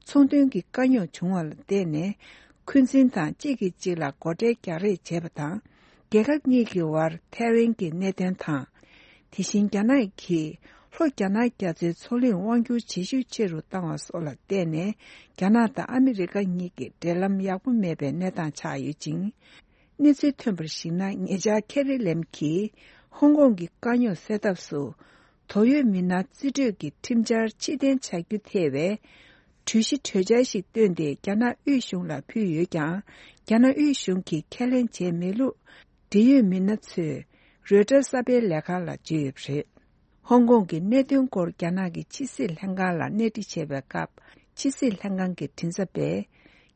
ཚོང་དོན་གྱི་དཀའ་རྙོག་བྱུང་བ་ལ་བརྟེན་ནས། འཁོན་འཛིན་དང་གཅིག་གིས་གཅིག་ལ་སྒོ་ཁྲལ་རྒྱག་རེས་བྱས་པ་དང་། རྒྱལ་ཁབ་གཉིས་ཀྱི་དབར་ཐེ་ཝན་གྱི་གནད་དོན་དང་། དེ་བཞིན་རྒྱ་ནག་གིས་ལྷོ་རྒྱ་ནག་རྒྱ་མཚོའི་མཚོ་གླིང་དབང་སྒྱུར་བྱེད་ཤུགས་ཆེ་རུ་བཏང་བ་སོགས་ལ་བརྟེན་ནས། རྒྱ་ནག་དང་ཨ་མི་རི་ཀ་གཉིས་ཀྱི་འབྲེལ་ལམ་ཡག་པོ་མེད་པའི་གནས་སྟངས་ཆགས་ཡོད་ཅིང་། གནས་ཚུལ་ཐོན་པར་གཞིགས་ན། ཉེ་ཆར་ཁེ་རི་ལེམ་གྱིས་ཧོང་ཀོང་གི་དཀའ་རྙོག་སེལ་ཐབས་སུ། དོགས་ཡོད་མི་སྣ་རྩིས་སྤྲོད་ཀྱི་ཁྲིམས་འཆར་ཕྱིར་འཐེན་བྱ་རྒྱུ་ཐེ་བའི་གྲོས་གཞི་གྲོས་འཆར་ཞིག་བཏོན་ཏེ། རྒྱ་ནག་དབུས་གཞུང་ལ་ཕུལ་ཡོད་ཀྱང་། རྒྱ་ནག་དབུས་གཞུང་གིས་ཁས་ལེན་བྱས་མེད་ལུགས། འབྲེལ་ཡོད་མི་སྣ་ཚོས་རོའི་ཊར་གསར་སྤེལ་ལས་ཁང་ལ་བརྗོད་ཡོད་པ་རེད། ཧོང་ཀོང་གི་གནད་དོན་སྐོར་རྒྱ་ནག་གི་ཕྱི་སྲིད་ལྷན་ཁང་ལ་གནས་འདྲི་བྱས་པའི་སྐབས། ཕྱི་སྲིད་ལྷན་ཁང་གི་མགྲིན་ཚབ་པས།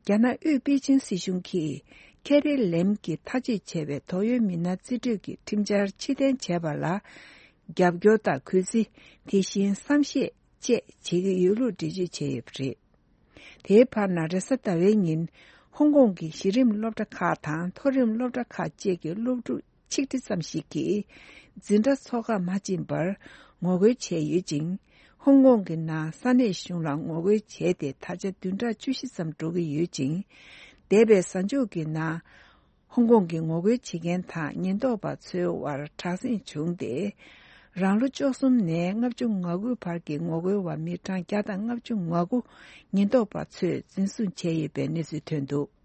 རྒྱ་ནག་དབུས་པེ་ཅིང་སྲིད་གཞུང་གིས་ཁེ་རི་ལེམ་གྱིས་ཐག་གཅོད་བྱས་པའི་དོགས་ཡོད་མི་སྣ་རྩིས་སྤྲོད་ཀྱི་ཁྲིམས་འཆར་ཕྱིར་འཐེན་བྱས་པ་ལ། རྒྱབ་སྐྱོར་དང་གུས་བརྩི། དེ་བཞིན་བསམ་ཤེས་བཅས་བྱེད་ཀྱི་ཡོད་ལུགས་འགྲེལ་བརྗོད་བྱས་ཡོད་པ་རེད། དེའི་བར་ན། རེས་གཟའ་ཟླ་བའི་ཉིན། ཧོང་ཀོང་གི་གཞི་རིམ་སློབ་གྲྭ་ཁག་དང་མཐོ་རིམ་སློབ་གྲྭ་ཁག་བཅས་ཀྱི་སློབ་ཕྲུག་ཆིག་ཁྲི་ཙམ་ཞིག་གིས། འཛིན་གྲྭ་འཚོགས་ཁ་མ་ཕྱིན་པར་ངོ་རྒོལ་བྱས་ཡོད་ཅིང་། ཧོང་ཀོང་གི་ནང་ས་གནས་གཞུང་ལ་ངོ་རྒོལ་བྱས་ཏེ། ད་ཆ་བདུན་ཕྲག་བཅུ་བཞི་ཙམ་འགྲོ་གི་ཡོད་ཅིང་། འདས་པའི་གཟའ་མཇུག་གི་ནང་། ཧོང་ཀོང་གི་ངོ་རྒོལ་བྱེད་མཁན་དང་ཉེན་རྟོག་པ་ཚོའི་དབར་དྲག་ཟིང་བྱུང་སྟེ། རང་ལོ་བཅུ་གསུམ་ནས་ལྔ་བཅུ་ང་དགུ་བར་གྱི་ངོ་རྒོལ་བ་མི་གྲངས་བརྒྱ་དང་ལྔ་བཅུ་ང་དགུ་ཉེན་རྟོག་པ་ཚོས་འཛིན་བཟུང་བྱས་ཡོད་པའི་གནས་ཚུལ་ཐོན་འདུག།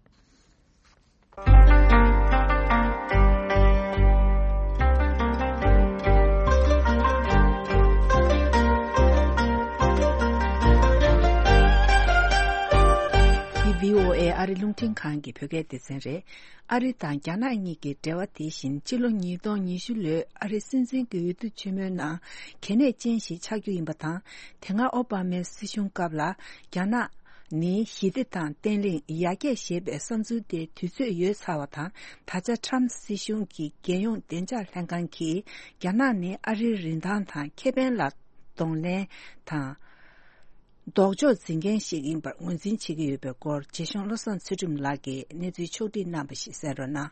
འདི་བྷི་ཨོ་ཨེ་ཨ་རི་རླུང་འཕྲིན་ཁང་གི་བོད་སྐད་སྡེ་ཚན་རེད། ཨ་རི་དང་རྒྱ་ནག་གཉིས་ཀྱི་འབྲེལ་བ་དེ་བཞིན། ཕྱི་ལོ་ཉིས་སྟོང་ཉི་ཤུ་ལོའི་ཨ་རི་སྲིད་འཛིན་གྱི་འོས་བསྡུ་ཆེན་མོའི་ནང་གལ་གནད་ཅན་ཞིག་ཆགས་རྒྱུ་ཡིན་པ་དང་། དེ་སྔ་ཨོ་བྷ་མའི་སྲིད་གཞུང་སྐབས་ལ། རྒྱ་ནག་ནི་ཞི་བདེ་དང་བརྟན་ལྷིང་ཡར་རྒྱས་ཞེས་པའི་བསམ་ཚུལ་དེ་དུས་ཚོད་ཡོལ་ཚར་བ་དང་། ད་ཆ་ཁྲམ་སྲིད་གཞུང་གི་རྒྱལ་ཡོངས་བདེ་འཇགས་ལྷན་ཁང་གིས། རྒྱ་ནག་ནི་ཨ་རིའི་རིན་ཐང་དང་ཁེ་ཕན་ལ་གདོང་ལེན་དང་། ལྡོག་ཕྱོགས་འཛིན་མཁན་ཞིག་ཡིན་པར་ངོས་འཛིན་བྱེད་ཀྱི་ཡོད་པའི་སྐོར། རྗེ་གཞུང་བློ་བཟང་ཚུལ་ཁྲིམས་ལགས་ཀྱིས་གནས་ཚུལ་ཕྱོགས་བསྒྲིགས་གནང་བ་ཞིག་གསན་རོགས་གནང་།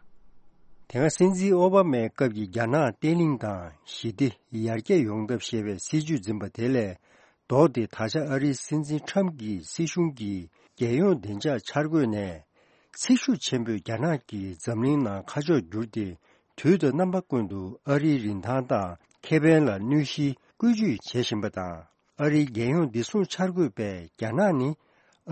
དེ་སྔ་སྲིད་འཛིན་ཨོ་བྷ་མའི་སྐབས་ཀྱི་རྒྱ་ནག་བརྟན་ལྷིང་དང་ཞི་བདེ་ཡར་རྒྱས་ཡོང་ཐབས་ཞེས་པའི་སྲིད་ཇུས་འཛིན་པ་དེ་ལས་ལྡོག་སྟེ། ད་ཆ་ཨ་རིའི་སྲིད་འཛིན་ཁྲམ་གྱི་སྲིད་གཞུང་གིས་རྒྱལ་ཡོངས་བདེ་འཇགས་འཆར་འགོད་ནས། ཚེགས་ཤུགས་ཆེན་པོས་རྒྱ་ནག་གིས་འཛམ་གླིང་ནང་ཁ་ཕྱོགས་བསྒྱུར་ཏེ། དུས་དང་རྣམ་པ་ཀུན་ཏུ་ཨ་རིའི་རིན་ཐང་དང་ཁེ་ཕན་ལ་གནོད་གཞི་བཀོལ་སྤྱོད་བྱེད་བཞིན་པ་དང་། ཨ་རིའི་རྒྱལ་ཡོངས་བདེ་སྲུང་འཆར་འགོད་པས་རྒྱ་ནག་ནི་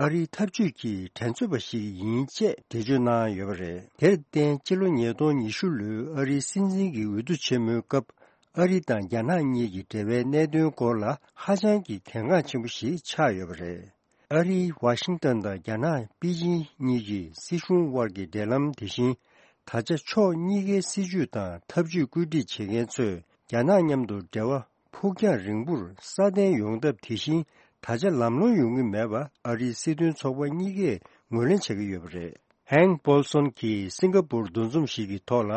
ཨ་རིའི་འཐབ་ཇུས་ཀྱི་འགྲན་རྩོད་པ་ཞིག་ཡིན་ཅེས་འགྲེལ་བརྗོད་གནང་ཡོད་པ་རེད། དེར་བརྟེན། སྤྱི་ལོ་ཉིས་སྟོང་ཉི་ཤུ་ལོའི་ཨ་རིའི་སྲིད་འཛིན་གྱི་འོས་བསྡུ་ཆེན་མོའི་སྐབས། ཨ་རི་དང་རྒྱ་ནག་གཉིས་ཀྱི་འབྲེལ་བའི་གནད་དོན་སྐོར་ལ་ཧ་ཅང་གི་གལ་འགངས་ཆེན་པོ་ཞིག་ཆགས་ཡོད་པ་རེད། ཨ་རིའི་ཝ་ཤིང་ཏན་དང་རྒྱ་ནག་པེ་ཅིང་གཉིས་ཀྱི་སྲིད་གཞུང་དབར་གྱི་འབྲེལ་ལམ་དེ་བཞིན། ད་ཆ་ཕྱོགས་གཉིས་ཀའི་སྲིད་ཇུས་དང་ཐབས་ཇུས་བཀོད་སྒྲིག་བྱེད་མཁན་ཚོས་རྒྱ་ནག་མཉམ་དུ་འབྲེལ་བ་ཕུགས་རྒྱང་རིང་པོར་སྲ་བརྟན་ཡོང་ཐབས་དེ་བཞིན། ད་ཆ་ལམ་ལྷོང་ཡོང་གི་མེད་པ་ཨ་རིའི་སྲིད་དོན་ཚོགས་པ་གཉིས་ཀས་ངོས་ལེན་བྱ་གི་ཡོད་པ་རེད། ཧན་པོལ་སོན་གྱིས་སིང་ག་པུར་འདུ་འཛོམས་ཤིག་གི་ཐོག་ལ།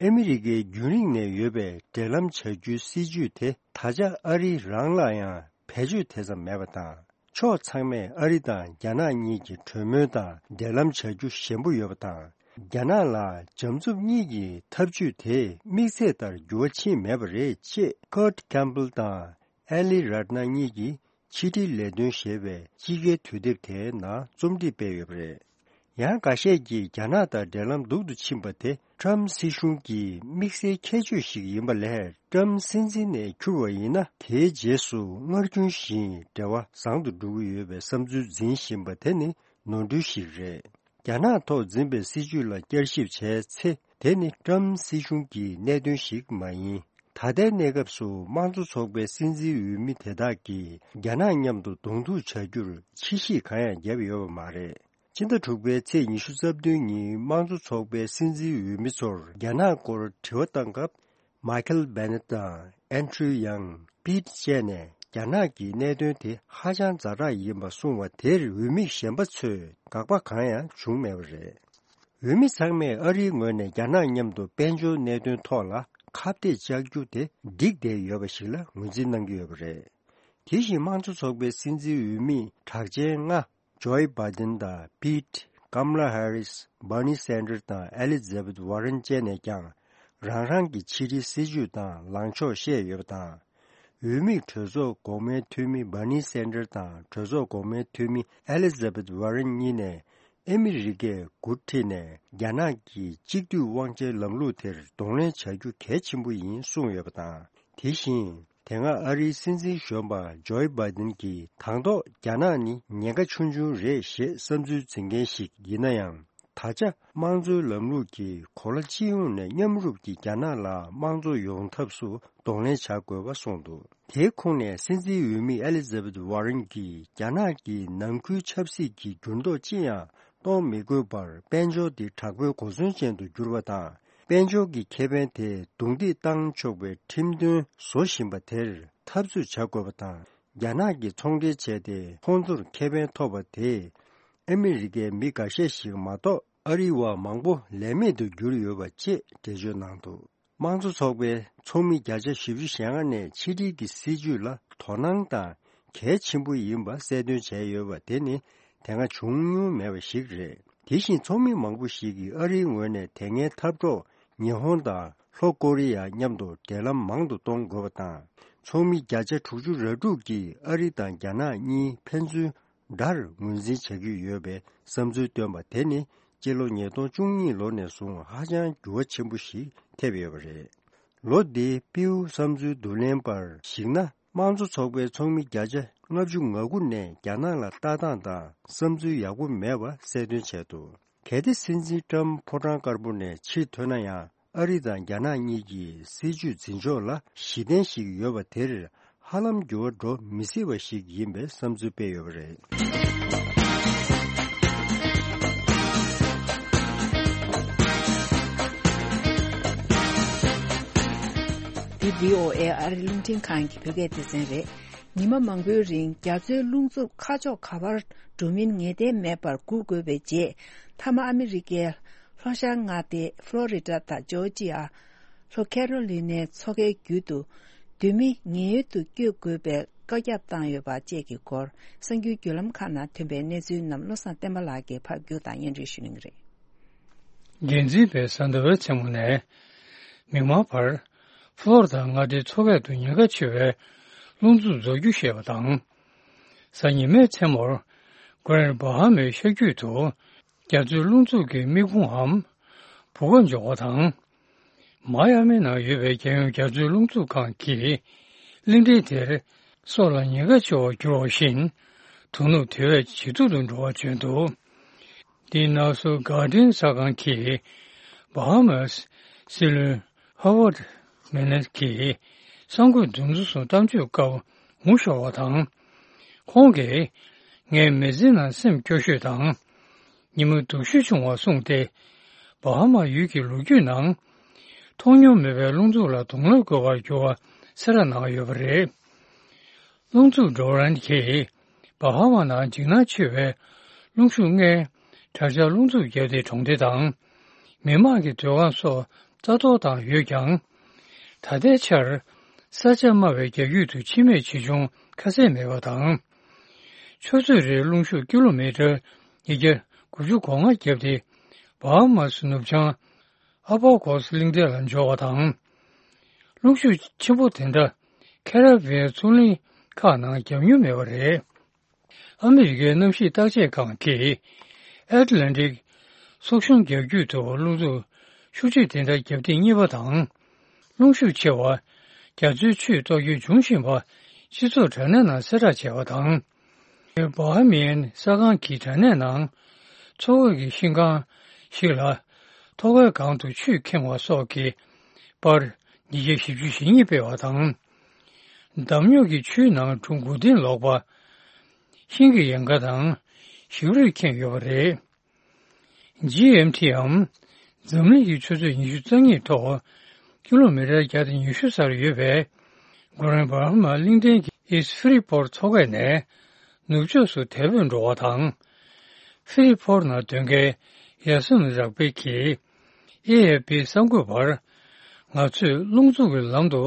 ཨ་མི་རི་ཀའི་རྒྱུན་རིང་ནས་ཡོད་པའི་འབྲེལ་ལམ་བྱ་རྒྱུའི་སྲིད་ཇུས་དེ་ད་ཆ་ཨ་རི་རང་ལ་ཡང་བེད་སྤྱོད་དེ་ཙམ་མེད་པ་དང་། ཕྱོགས་ཚང་མས་ཨ་རི་དང་རྒྱ་ནག་གཉིས་ཀྱི་གྲོས་མོལ་དང་འབྲེལ་ལམ་བྱ་རྒྱུ་ཞན་པོ་ཡོད་པ་དང་། རྒྱ་ནག་ལ་འཇམ་རྩུབ་གཉིས་ཀྱི་ཐབས་ཇུས་དེས་དམིགས་ཚད་ལྟར་འགྱུར་བ་ཕྱིན་མེད་པ་རེད་ཅེས་ཀར་ཊི་ཀེམ་པལ་དང་ཨེ་ལི་རཏ་ན་གཉིས་ཀྱིས་ཕྱི་དྲིལ་ལས་དོན་ཞེས་པའི་དཔྱིད་ཀའི་དུས་དེབ་དེའི་ནང་རྩོམ་སྒྲིག་སྤེལ་ཡོད་པ་རེད། ཡང་འགའ་ཤས་ཀྱིས་རྒྱ་ནག་དང་འབྲེལ་ལམ་སྡུག་ཏུ་ཕྱིན་པ་དེ་ཀྲམ་སྲིད་གཞུང་གི་དམིགས་བསལ་ཁྱད་ཆོས་ཤིག་ཡིན་པ་ལས། ཀྲམ་སྲིད་འཛིན་ནས་འཁྱུར་བ་ཡིན་ན། དེའི་རྗེས་སུ་སྔར་རྒྱུན་བཞིན་འབྲེལ་བ་བཟང་དུ་འགྲོ་གི་ཡོད་པའི་བསམ་ཚུལ་འཛིན་བཞིན་པ་དེ་ནི་ནོར་འཁྲུལ་ཞིག་རེད། རྒྱ་ནག་ཐོག་འཛིན་པའི་སྲིད་ཇུས་ལ་བསྐྱར་ཞིབ་བྱས་ཚེ། དེ་ནི་ཀྲམ་སྲིད་གཞུང་གི་གནད་དོན་ཞིག་མ་ཡིན། ད་ལྟའི་གནས་སྐབས་སུ་དམངས་གཙོ་ཚོགས་པའི་སྲིད་འཛིན་འོས་མི་དེ་དག་གིས་རྒྱ་ནག་མཉམ་དུ་གདོང་ཐུག་བྱ་རྒྱུར་ཕྱི་བཤིག་གང་ཡང་བརྒྱབ་ཡོད་པ་མ་རེད། ཕྱི་ཟླ་དྲུག་པའི་ཚེས་ཉི་ཤུ་རྩ་བདུན་ཉིན་དམངས་གཙོ་ཚོགས་པའི་སྲིད་འཛིན་འོས་མི་ཚོར་རྒྱ་ནག་སྐོར་དྲི་བ་བཏང་སྐབས། མའི་ཁལ་བྷེ་ནེ་ཊི་དང་ཨན་ཌྲུ་ཡང་པིད་བཅས་ནས་རྒྱ་ནག་གི་གནད་དོན་དེ་ཧ་ཅང་ཛ་དྲག་ཡིན་པ་གསུངས་པ་དེར་འོས་མི་གཞན་པ་ཚོས་དགག་པ་གང་ཡང་བྱུང་མེད་པ་རེད། འོས་མི་ཚང་མས་ཨ་རིའི་ངོས་ནས་རྒྱ་ནག་མཉམ་དུ་དཔལ་འབྱོར་གནད་དོན་ཐོག་ལ་ཁ་གཏད་བཅག་རྒྱུ་དེ་འགྲིག་བསྡད་ཡོད་པ་ཞིག་ལ་ངོས་འཛིན་གནང་གི་ཡོད་པ་རེད། དེ་བཞིན་དམངས་གཙོ་ཚོགས་པའི་སྲིད་འཛིན་འོས་མི་གྲགས་ཅན་ལྔ། ཇོ་ཡི་བྷའི་ཌེན་དང་པིད། ཀམ་ལ་ཧེ་རིས། བྷར་ནི་སན་ཌར་དང་ཨེ་ལི་ཛ་བེད་ཝར་རན་བཅས་ནས་ཀྱང་རང་རང་གི་ཕྱི་དྲིལ་སྲིད་ཇུས་དང་ལངས་ཕྱོགས་བཤད་ཡོད་པ་དང་། འོས་མིས་གྲོས་ཚོགས་འགོག་སྨན་འཐུས་མི་བྷར་ནི་སན་ཌར་དང་གྲོས་ཚོགས་འགོག་སྨན་འཐུས་མི་ཨེ་ལི་ཛ་བེད་ཝར་རན་གཉིས་ནས་ཨ་མི་རི་ཀས་འགོ་ཁྲིད་ནས་རྒྱ་ནག་གི་གཅིག་སྡུད་དབང་ཆའི་ལམ་ལུགས་དེར་གདོང་ལེན་བྱ་རྒྱུ་གལ་ཆེན་པོ་ཡིན་གསུངས་ཡོད་པ་དང་། དེ་བཞིན། དེ་སྔ་ཨ་རིའི་སྲིད་འཛིན་གཞོན་པ་ཇོ་ཡི་བྷའི་ཌེན་གྱིས་དང་ཐོག་རྒྱ་ནག་ནི་ཉེན་ཁ་ཆུང་ཆུང་རེད་ཞེས་བསམ་ཚུལ་འཛིན་མཁན་ཞིག་ཡིན་ན་ཡང་། ད་ཆ་དམངས་གཙོའི་ལམ་ལུགས་ཀྱིས་གོ་ལ་སྤྱི་ཡོངས་ནས་མཉམ་རུབ་ཀྱིས་རྒྱ་ནག་ལ་དམངས་གཙོ་ཡོང་ཐབས་སུ་གདོང་ལེན་བྱ་དགོས་པ་གསུངས་འདུག་དེའི་ཁོངས་ནས་སྲིད་འཛིན་འོས་མི་ཨེ་ལི་ཛ་བེད་ཝར་རན་གྱིས་རྒྱ་ནག་གི་ནང་ཁུལ་ཆབ་སྲིད་ཀྱི་འགྱུར་ལྡོག་ཅི་ཡང་གཏོང་མི་དགོས་པར་དཔལ་འབྱོར་འདི་དྲག་པོའི་གོ་མཚོན་ཅན་དུ་གྱུར་པ་དང་། དཔལ་འབྱོར་གྱི་ཁེ་ཕན་དེ་རྡུང་རྡེག་བཏང་ཆོག་པའི་ཁྲིམས་དོན་བཟོ་བཞིན་པ་དེར་འཐབ་རྩོད་བྱ་དགོས་པ་དང་། རྒྱ་ནག་གིས་ཚོང་འབྲེལ་བྱས་ཏེ་ཁོང་ཚོར་ཁེ་ཕན་ཐོབ་པ་དེས། ཨ་མི་རི་ཀའི་མི་འགའ་ཤས་ཤིག་མ་གཏོགས་ཨ་རིའི་བ་མང་པོ་ལས་མེད་དུ་གྱུར་ཡོད་པ་ཅེས་འགྲེལ་བརྗོད་གནང་འདུག་དམངས་གཙོ་ཚོགས་པའི་ཚོགས་མི་བརྒྱ་ཆ་བཞི་བཅུ་ཞེ་ལྔ་ནས་ཕྱི་དྲིལ་གྱི་སྲིད་ཇུས་ལ་དོ་སྣང་དང་གལ་ཆེན་པོ་ཡིན་པ་གསལ་སྟོན་བྱས་ཡོད་པ་དེ་ནི་དེ་སྔ་བྱུང་མྱོང་མེད་པ་ཞིག་རེད། དེ་བཞིན་ཚོགས་མི་མང་པོ་ཞིག་གིས་ཨ་རིའི་ངོས་ནས་དེ་སྔའི་འཐབ་གྲོགས་ཉི་ཧོང་དང་ལྷོ་ཀོ་རི་ཡ་མཉམ་དུ་འབྲེལ་ལམ་མང་དུ་གཏོང་དགོས་པ་དང་། ཚོགས་མི་བརྒྱ་ཆ་དྲུག་ཅུ་རེ་དྲུག་གིས་ཨ་རི་དང་རྒྱ་ནག་གཉིས་ཕན་ཚུན་དགྲར་ངོས་འཛིན་བྱ་རྒྱུ་ཡོད་པའི་བསམ་ཚུལ་བཏོན་པ་དེ་ནི་སྤྱི་ལོ་ཉིས་སྟོང་བཅུ་གཉིས་ལོ་ནས་བཟུང་ཧ་ཅང་འགྱུར་བ་ཆེན་པོ་ཞིག་ཐེབས་ཡོད་པ་རེད། ལོ་འདིའི་པིའུ་བསམ་ཚུལ་བསྡུ་ལེན་པར་གཞིགས་ན། དམངས་གཙོ་ཚོགས་པའི་ཚོགས་མི་བརྒྱ་ཆ་ལྔ་བཅུ་ང་དགུ་ནས་རྒྱ་ནག་ལ་ལྟ་སྟངས་དང་བསམ་ཚུལ་ཡག་པོ་མེད་པ་གསལ་སྟོན་བྱས་འདུག་གལ་ཏེ་སྲིད་འཛིན་ཀྲམ་ཕོ་བྲང་དཀར་པོ་ནས་ཕྱིར་ཐོན་ན་ཡང་། ཨ་རི་དང་རྒྱ་ནག་གཉིས་ཀྱི་སྲིད་ཇུས་འཛིན་ཕྱོགས་ལ་གཞི་རྟེན་ཞིག་ཡོད་པ་དེར་ཧ་ལམ་འགྱུར་བ་འགྲོ་མི་སྲིད་པ་ཞིག་ཡིན་པའི་བསམ་ཚུལ་སྤེལ་ཡོད་པ་རེད། འདི་བྷི་ཨོ་ཨེ་ཨ་རི་རླུང་འཕྲིན་ཁང་གི་བོད་སྐད་སྡེ་ཚན་རེད། ཉི་མ་མང་པོའི་རིང་རྒྱ་མཚོའི་རླུང་འཚུབ་ཁ་ཕྱོགས་ག་པར་འགྲོ་མིན་ངེས་གཏན་མེད་པར་སྒུག་དགོས་པའི་རྗེས། མཐའ་མ་ཨ་མི་རི་ཀའི་ལྷོ་ཤར་མངའ་སྡེ་ཕློ་རི་ཌ་དང་ཇོར་ཇི་ཡ། ལྷོ་ཁེ་རོ་ལི་ནའི་མཚོ་ཁའི་རྒྱུད་དུ་བསྡུས་མི་ཉེན་གཡོལ་དུ་བསྐྱོད་དགོས་པའི་བཀའ་ཁྱབ་བཏང་ཡོད་པ་བཅས་ཀྱི་སྐོར། གསར་འགྱུར་བརྒྱུད་ལམ་ཁག་ནང་ཐོན་པའི་གནས་ཚུལ་རྣམས་བློ་བཟང་བསྟན་པ་ལགས་ཀྱིས་ཕབ་སྒྱུར་དང་སྙན་སྒྲོན་ཞུ་གནང་གི་རེད། འགན་འཛིན་པས་གཟའ་ཟླ་བའི་མཚན་མོ་ནས་མིག་དམར་བར་ཕློ་རི་ཌ་མངའ་སྡེའི་མཚོ་ཁ་དུ་ཉེན་ཁ་ཆེ་བའི་རླུང་འཚུབ་རྫོགས་རྒྱུ་ཞེས་པ་དང་། གཟའ་ཉི་མའི་མཚན་མོར་གྷ་རན་ཌ་བྷ་ཧ་མའི་ཤར་རྒྱུད་དུ་རྒྱ་མཚོའི་རླུང་འཚུབ་ཀྱི་མིག་ཁུང་འམ་བུ་ག་འཇོག་པ་དང་། མ་ཡ་མི་ནང་ཡོད་པའི་རྒྱལ་ཡོངས་རྒྱ་མཚོའི་རླུང་འཚུབ་ཁང་གིས་གླིང་ཕྲན་དེར་སྲོག་ལ་ཉེན་ཁ་ཆེ་བར་གྱུར་བ་བཞིན་དོ་ནུབ་དེ་བས་ཇེ་སྡུག་ཏུ་འགྲོ་བར་བརྗོད་འདུག་འདི་ནག་སུ་གྷར་ཌེན་གསར་ཁང་གི་བྷ་ཧ་མཱས་སྲིད་བློན་ཧ་ཝར་ཌ་མེ་ནེ་ཀྱིས་གསར་འགོད་འདུ་འཛོམས་སུ་གཏམ་བརྗོད་སྐབས་ངོ་ཤོར་བ་དང་། ཁོང་གིས་ ངའི་མི་ཚེ་ནང་སེམས་སྐྱོ་ཤོས་དང་། ཉི་མ་སྡུག་ཤོས་བྱུང་བ་གསུངས་ཏེ། བྷ་ཧ་མ་ཡུལ་གྱི་ལོ་རྒྱུས་ནང་། མཐོང་མྱོང་མེད་པའི་རླུང་འཚུབ་ལ་གདོང་ལེན་དགོས་པར་གྱུར་བ་གསལ་བསྒྲགས་གནང་ཡོད་པ་རེད། རླུང་འཚུབ་ཌོ་རན་གྱིས་བྷ་ཧ་མ་ནང་འཇིགས་སྣང་ཆེ་བའི་རླུང་ཤུགས་ལྔའི་དྲག་ཆར་རླུང་འཚུབ་བརྒྱབ་སྟེ་གྲོང་སྡེ་དང་། མི་མང་གི་སྡོད་ཁང་སོགས་རྩ་གཏོར་བཏང་ཡོད་ཀྱང་། ད་ལྟའི་ཆར་ས་ཆ་དམའ་བའི་རྒྱ་ཁྱོན་དུ་འཆི་རྨས་ཆེ་ཆུང་ཁ་གསལ་མེད་པ་དང་། ཆུ་ཚོད་རེའི་རླུང་ཤུགས་ཀི་ལོ་མི་ཊར་ཉིས་བརྒྱ་དགུ་བཅུ་གོ་ལྔ་བརྒྱབ་སྟེ། བྷ་ཧ་མ་སི་ནུབ་བྱང་ཨ་བྷ་གོ་སི་གླིང་ཕྲན་ལ་འབྱོར་བ་དང་། རླུང་ཤུགས་ཆེན་པོ་དེ་འདྲ་ཁེ་ར་བྷི་ཡན་མཚོ་གླིང་ཁག་ནང་བརྒྱབ་མྱོང་མེད་པ་རེད། ཨ་མི་རི་ཀའི་གནམ་གཤིས་བརྟག་དཔྱད་ཁང་གིས་ཨེཊ་ལན་ཊིག་སོག་གཞུང་རྒྱ་ཁྱོན་དུ་རླུང་འཚུབ་ཤུགས་ཆེ་དེ་འདྲ་བརྒྱབ་ཐེངས་གཉིས་པ་དང་། རླུང་ཤུགས་ཆེ་བ་རྒྱ་མཚོའི་ཆུས་གཏོར་རྒྱུ་འབྱུང་བཞིན་པ་སྤྱི་ཚོགས་དྲ་གནས་ནང་གསལ་བསྒྲགས་བྱས་པ་དང་། བྷ་ཧ་མི་ཡན་གསར་ཁང་གི་དྲ་གནས་ནང་མཚོ་ཁ་གི་ཤིང་སྒང་ཞིག་ལ་ཐོག་ཁའི་སྒང་དུ་ཆུས་ཁེངས་པ་སོགས་ཀྱི་པར་ཉིས་བརྒྱ་བཞི་བཅུ་ཞེ་གཉིས་སྤེལ་བ་དང་། འདམ་རྙོག་གིས་ཆུའི་ནང་གྲུ་དགུ་སྟེང་ལོག་པ། ཤིང་གི་ཡལ་ག་དང་ཞིག་རུས་ཁེངས་ཡོད་པ་རེད། ཇི་ཨེམ་ཊི་འམ་འཛམ་གླིང་གི་ཆུ་ཚོད་ཉི་ཤུ་རྩ་གཉིས་ཐོག་ཀི་ལོ་མི་ཊར་བརྒྱ་དང་ཉི་ཤུ་སར་ཡོད་པའི་གྷོ་རན་བྷ་ཧ་མ་གླིང་ཕྲན་གྱི་ཨིསཊ་ཧྥི་རི་པོར་མཚོ་ཁ་ནས་ནུབ་ཕྱོགས་སུ་དལ་བུས་འགྲོ་བ་དང་། ཧྥི་རི་པོར་ནང་སྡོད་མཁན་ཡ་སུན་རག་པེ་གིས་ཨེ་ཨེ་ཕི་གསར་འགོད་པར། ང་ཚོས་རླུང་འཚུབ་ཀྱི་ལམ་དུ་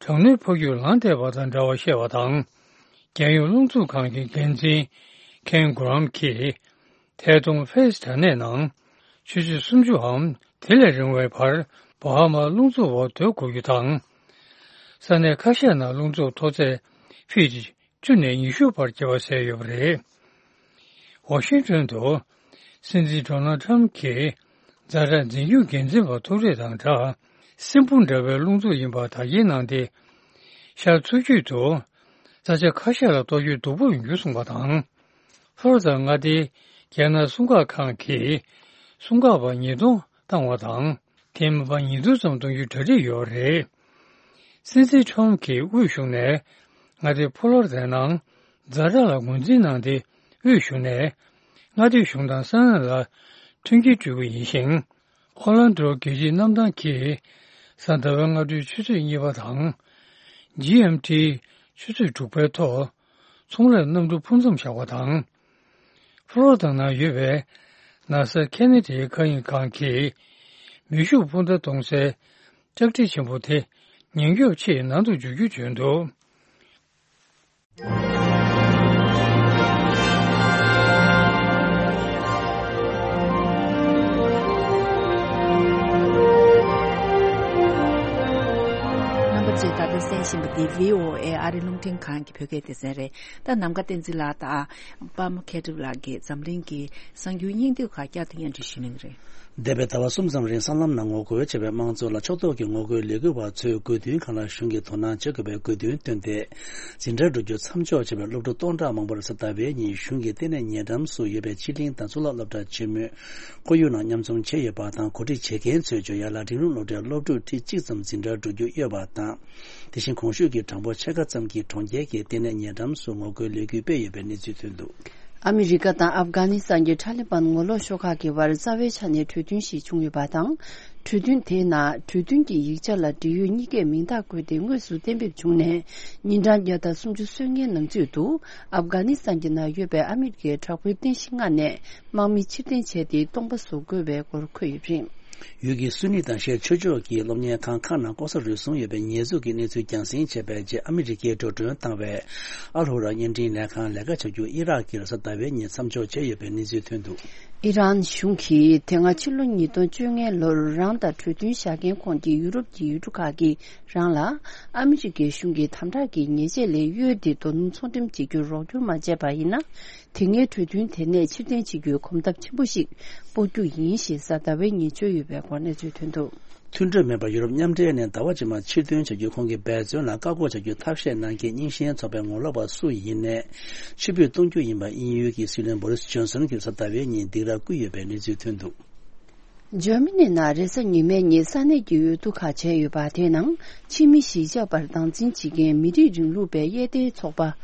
གྲང་ནུས་འཕོ་འགྱུར་ལངས་བསྡད་པ་དང་འདྲ་བ་བཤད་པ་དང་། རྒྱལ་ཡོངས་རླུང་འཚུབ་ཁང་གི་འགན་འཛིན་ཁེན་གྷོ་རམ་གྱིས། ཐད་གཏོང་ཕེ་སི་དྲ་གནས་ནང་ཆུ་ཚོད་སུམ་ཅུའམ་དེ་ལས་རིང་བའི་བར་བྷ་ཧ་མར་རླུང་འཚུབ་འོག་སྡོད་དགོས་རྒྱུ་དང་། ས་གནས་ཁ་ཤས་ནང་རླུང་འཚུབ་མཐོ་ཚད་ཕིཊ་བཅུ་ནས་ཉི་ཤུ་བར་སྐྱེ་བ་གསལ་ཡོད་པ་རེད། ཝ་ཤིང་ཊོན་དུ་སྲིད་འཛིན་ཌོ་ནལ་ཊམ་གྱིས་ཛ་དྲག་འཛིན་སྐྱོང་འགན་འཛིན་པ་ཐུག་འཕྲད་དང་སྦྲགས། སྲིན་འབུ་འདྲ་བའི་རླུང་འཚུབ་ཡིན་པ་བདག་རྐྱེན་གནང་སྟེ། ཤར་མཚོ་རྒྱུད་དུ་ས་ཆ་ཁ་ཤས་ལ་གཏོར་སྐྱོན་སྡུག་པོ་ཡོང་རྒྱུ་གསུངས་པ་དང་། ཧྥོ་རོ་དང་མངའ་སྡེའི་རྒྱལ་ནང་སྲུང་སྐར་ཁང་གིས་སྲུང་སྐར་པ་ཉིས་སྟོང་བཏང་བ་དང་། དེ་མིན་པ་ཉིས་སྟོང་ཙམ་གཏོང་རྒྱུའི་གྲ་སྒྲིག་ཡོད་རེད། སྲིད་འཛིན་ཁྲོམ་གྱིས་དབུས་གཞུང་ནས་མངའ་སྡེ་ཕོ་ལོ་རི་དའི་ནང་ཛ་དྲག་ལ་ངོས་འཛིན་གནང་སྟེ། དབུས་གཞུང་ནས་མངའ་སྡེ་གཞུང་དང་ས་གནས་ལ་མཐུན་རྐྱེན་སྤྲོད་ཀྱི་ཡིན་ཞིང་། ཨོ་ལན་ཌོ་རྒྱལ་སྤྱིའི་གནམ་ཐང་གིས་གཟའ་ཟླ་བའི་སྔ་དྲོའི་ཆུ་ཚོད་གཉིས་པ་དང་། ཇི་ཨེམ་ཊི་ཆུ་ཚོད་དྲུག་པའི་ཐོག་ཚོང་ལས་གནམ་གྲུ་འཕུར་མཚམས་བཞག་པ་དང་། ཕོ་ལོ་རི་དཱ་ནང་ཡོད་པའི་ནཱ་སཱ་ཁེ་ནེ་ཌིའི་མཁའ་དབྱིངས་ཁང་གིས་མེ་ཤུགས་འཕུར་མདའ་གཏོང་སའི་ལྕགས་ཁྲི་ཆེན་པོ་དེ་ཉེན་སྐྱོབ་ཆེད་ནང་དུ་འཇུག་རྒྱུ་བརྗོད་འདུག། རྣམ་པ་ཚོས་ད་ལྟ་གསན་བཞིན་པ་འདི་བྷི་ཨོ་ཨེ་ཨ་རི་རླུང་འཕྲིན་ཁང་གི་བོད་སྐད་སྡེ་ཚན་རེད། ད་ནམ་མཁའ་བསྟན་འཛིན་ལགས་དང་པདྨ་མཁས་གྲུབ་ལགས་ཀྱིས་འཛམ་གླིང་གི་གསར་འགྱུར་སྙིང་བསྡུས་ཁག་བསྐྱར་དུ་སྙན་སྒྲོན་ཞུ་གནང་གི་རེད། འདས་པའི་ཟླ་བ་གསུམ་ཙམ་རིང་སྲང་ལམ་ནང་ངོ་རྒོལ་བྱས་པའི་དམངས་གཙོ་ལ་ཕྱོགས་གཏོགས་ཀྱི་ངོ་རྒོལ་ལས་འགུལ་བ་ཚོས་དགོས་འདུན་སྒང་ལ་གཞུང་གིས་དོ་སྣང་བྱེད་དགོས་པའི་དགོས་འདུན་བཏོན་ཏེ། འཛིན་གྲྭ་འགྲོ་རྒྱུ་མཚམས་འཇོག་བྱས་པའི་སློབ་ཕྲུག་སྟོང་ཕྲག་མང་པོར་གཟའ་ཟླ་བའི་ཉིན་གཞུང་གི་ལྟེ་གནས་ཉེ་འགྲམ་སུ་ཡོད་པའི་ཕྱི་གླིང་དང་གཙུག་ལག་སློབ་གྲྭ་ཆེན་མོའི་ཁོར་ཡུག་ནང་མཉམ་འཛོམས་བྱས་ཡོད་པ་དང་། གོ་སྒྲིག་བྱེད་མཁན་ཚོས་བརྗོད་ཡག་ལ། འབྲིང་རིམ་སློབ་གྲྭའི་སློབ་ཕྲུག་ཁྲི་གཅིག་ཙམ་འཛིན་གྲྭར་འགྲོ་རྒྱུ་ཡོད་པ་དང་། དེ་བཞིན་གོང་ཞུས་ཀྱི་གྲངས་འབོར་ཕྱེད་ཀ་ཙམ་གྱིས་གྲོང་ཁྱེར་གྱི་ལྟེ་གནས་ཉེ་འགྲམ་སུ་ངོ་རྒོལ་ལས་འགུལ་སྤེལ་ཡོད་པའི་གནས་ཚུལ་ཐོན་འདུག། ཨ་མི་རི་ཀ་དང་ཨབ་གྷ་ནི་སི་ཐན་གྱི་ཐ་ལི་བན་ངོ་ལོག་ཤོག་ཁག་གི་བར་རྩ་བའི་ཆ་ནས་གྲོས་མཐུན་ཞིག་བྱུང་ཡོད་པ་དང་། གྲོས་མཐུན་དེའི་ནང་གྲོས་མཐུན་གྱི་ཡིག་ཆ་ལ་འབྲེལ་ཡོད་གཉིས་ཀས་མིང་རྟགས་བཀོད་དེ་དངོས་སུ་གཏན་འབེབས་བྱུང་ནས། ཉིན་གྲངས་བརྒྱ་དང་སུམ་ཅུ་སོན་མཁན་ནང་ཚུད་དུ་ཨབ་གྷ་ནི་སི་ཐན་གྱི་ནང་ཡོད་པའི་ཨ་མི་རི་ཀའི་དྲག་པོའི་རྟེན་གཞི་ལྔ་ནས་དམག་མི་ཕྱིར་འཐེན་བྱས་ཏེ་སྟོང་པ་བཟོ་དགོས་པའི་སྐོར་འཁོད་ཡོད་པ་རེད། ཡུལ་གྱི་སུ་ནི་དང་ཤར་ཆོས་ཕྱོགས་ཀྱི་སློབ་གཉེར་ཁང་ཁག་ནང་ལྐོག་ཟ་རུལ་སུངས་ཡོད་པའི་ཉེས་འཛུགས་ཀྱི་གནས་ཚུལ་རྒྱང་སྲིང་བྱས་པའི་རྗེས། ཨ་མི་རི་ཀས་འགྲོ་གྲོན་བཏང་བའི་ཨལ་ཧུ་ར་བརྙན་འཕྲིན་ལས་ཁང་ལས་ཀ་བྱ་རྒྱུ་ཨི་རག་གིར་གཟའ་ཟླ་བའི་ཉིན་མཚམས་འཇོག་བྱས་ཡོད་པའི་གནས་ཚུལ་ཐོན་འདུག། ཨི་རན་གཞུང་གིས་དེ་སྔ་ཕྱི་ལོ་ཉིས་སྟོང་བཅོ་ལྔ་ལོར་རང་དང་གྲོས་མཐུན་བཞག་མཁན་ཁོངས་ཀྱི་ཡུ་རོབ་ཀྱི་ཡུལ་གྲུ་ཁག་གིས་རང་ལ་ཨ་མི་རི་ཀའི་གཞུང་གིས་དམ་དྲག་གི་ཉེས་ཆད་ལས་གཡོལ་ཏེ་རྡོ་སྣུམ་ཚོང་འགྲེམས་བྱེད་རྒྱུར་རོགས་སྐྱོར་མ་བྱས་པ་ཡིན་ན། དེ་སྔའི་གྲོས་མཐུན་དེ་ནས་ཕྱིར་འཐེན་བྱེད་རྒྱུའི་གོམ་སྟབས་ཆེན་པོ་ཞིག་སྤོ་རྒྱུ་ཡིན་ཞེས་གཟའ་ཟླ་བའི་ཉིན་བརྗོད་ཡོད་པའི་སྐོར་གནས་ཚུལ་ཐོན་འདུག། མཐུན་གྲོས་མེད་པར་ཡུ་རོབ་མཉམ་འབྲེལ་ནས་ཟླ་བ་རྗེས་མར་ཕྱིར་འདོན་བྱ་རྒྱུ་ཁོང་གིས་འབད་བརྩོན་ལ་བཀག་འགོག་བྱ་རྒྱུ་ཐབས་ཤེས་གནང་མཁན་རྙིང་ཞེན་ཚོགས་པའི་ངོ་ལོག་པ་སུ་ཡིན་ནའི་ཕྱིར་འབུད་གཏོང་རྒྱུ་ཡིན་པ་དབྱིན་ཡུལ་གྱི་སྲིད་བློན་བོ་རིས་ཇོན་སོན་གྱིས་གཟའ་ཟླ་བའི་ཉིན་སྡིགས་ར་བསྐུལ་ཡོད་པའི་གནས་ཚུལ་ཐོན་འདུག། འཇར་མ་ནི་ནང་རེས་གཟའ་ཉི་མའི་ཉིན་ས་གནས་ཀྱི་འོས་བསྡུ་ཁག་བྱས་ཡོད་པ། དེའི་ནང་ཕྱི་མི་གཞིས་ཆགས་པར་སྡང་འཛིན་བྱེད་མཁན་མི་རིགས་རིང་ལུགས་པའི་དབྱེ་ལྡན་ཚོགས་པ་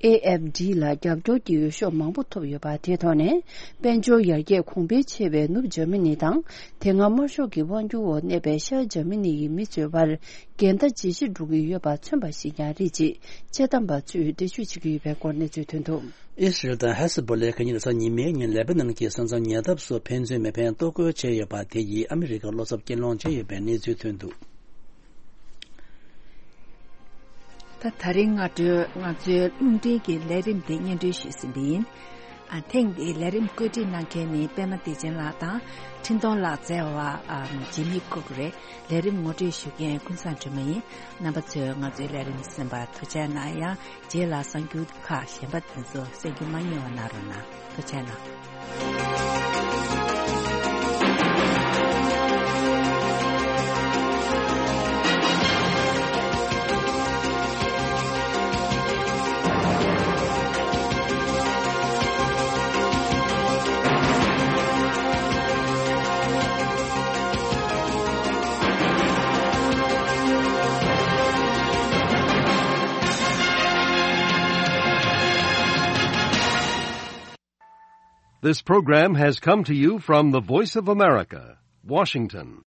ཨེ་ཨེཕ་ཌི་ལ་རྒྱབ་སྐྱོར་གྱི་འོས་ཤོག་མང་པོ་ཐོབ་ཡོད་པ་དེའི་ཐོག་ནས། དཔལ་འབྱོར་ཡར་རྒྱས་གོང་འཕེལ་ཆེ་བའི་ནུབ་འཇར་མ་ནི་དང་། དེ་སྔ་དམར་ཤོག་གི་དབང་སྒྱུར་འོག་གནས་པའི་ཤར་འཇར་མ་ནི་ཡི་མི་ཚོའི་བར་འགལ་ཟླ་ཇེ་ཆེར་འགྲོ་གི་ཡོད་པ་མཚོན་པ་ཞིག་ཀྱང་རེད་ཅེས་དཔྱད་གཏམ་པ་ཚོས་འགྲེལ་བརྗོད་བྱེད་ཀྱི་ཡོད་པའི་སྐོར་གནས་ཚུལ་ཐོན་འདུག། ཨི་སི་རལ་དང་ཧེ་ས་བོ་ལས་ཁ་གཉིས་ལ་གཟའ་ཉི་མའི་ཉིན་ལེ་པ་ནན་གྱི་ས་མཚམས་ཉེ་འདབས་སུ་ཕན་ཚུན་མི་ཕན་གཏོར་རྒོལ་བྱས་ཡོད་པ་དེ་ཡིས་ཨ་མི་རི་ཀར་བློ་འཚབ་སྐྱེ་སློང་བྱས་ཡོད་པའི་གནས་ཚུལ་ཐོན་འདུག། ད་ད་རིང་སྔ་དྲོའི་ང་ཚོའི་རླུང་འཕྲིན་གྱི་ལས་རིམ་དེ་སྙན་སྒྲོན་ཞུས་ཟིན་པ་ཡིན། ཨ། ཐེངས་འདིའི་ལས་རིམ་བཀོད་སྒྲིག་གནང་མཁན་ནི་པད་མ་བདེ་ཆེན་ལགས་དང་འཕྲིན་གཏོང་ལག་རྩལ་བ་ཨ་ཇི་མི་ཀུག་རེད། ལས་རིམ་ངོ་སྤྲོད་ཞུ་མཁན་ཀུན་བཟང་སྒྲོལ་མ་ཡིན། རྣམ་པ་ཚོས་ང་ཚོའི་ལས་རིམ་གསན་པར་ཐུགས་རྗེ་གནང་ཡང་། རྗེས་ལ་གསར་འགྱུར་ཁག་གཞན་པ་དེ་ཚོ་གསན་རྒྱུ་མ་བསྙེལ་བ་གནང་རོགས་གནང་། ཐུགས་རྗེ་གནང་། This program has come to you from the Voice of America, Washington.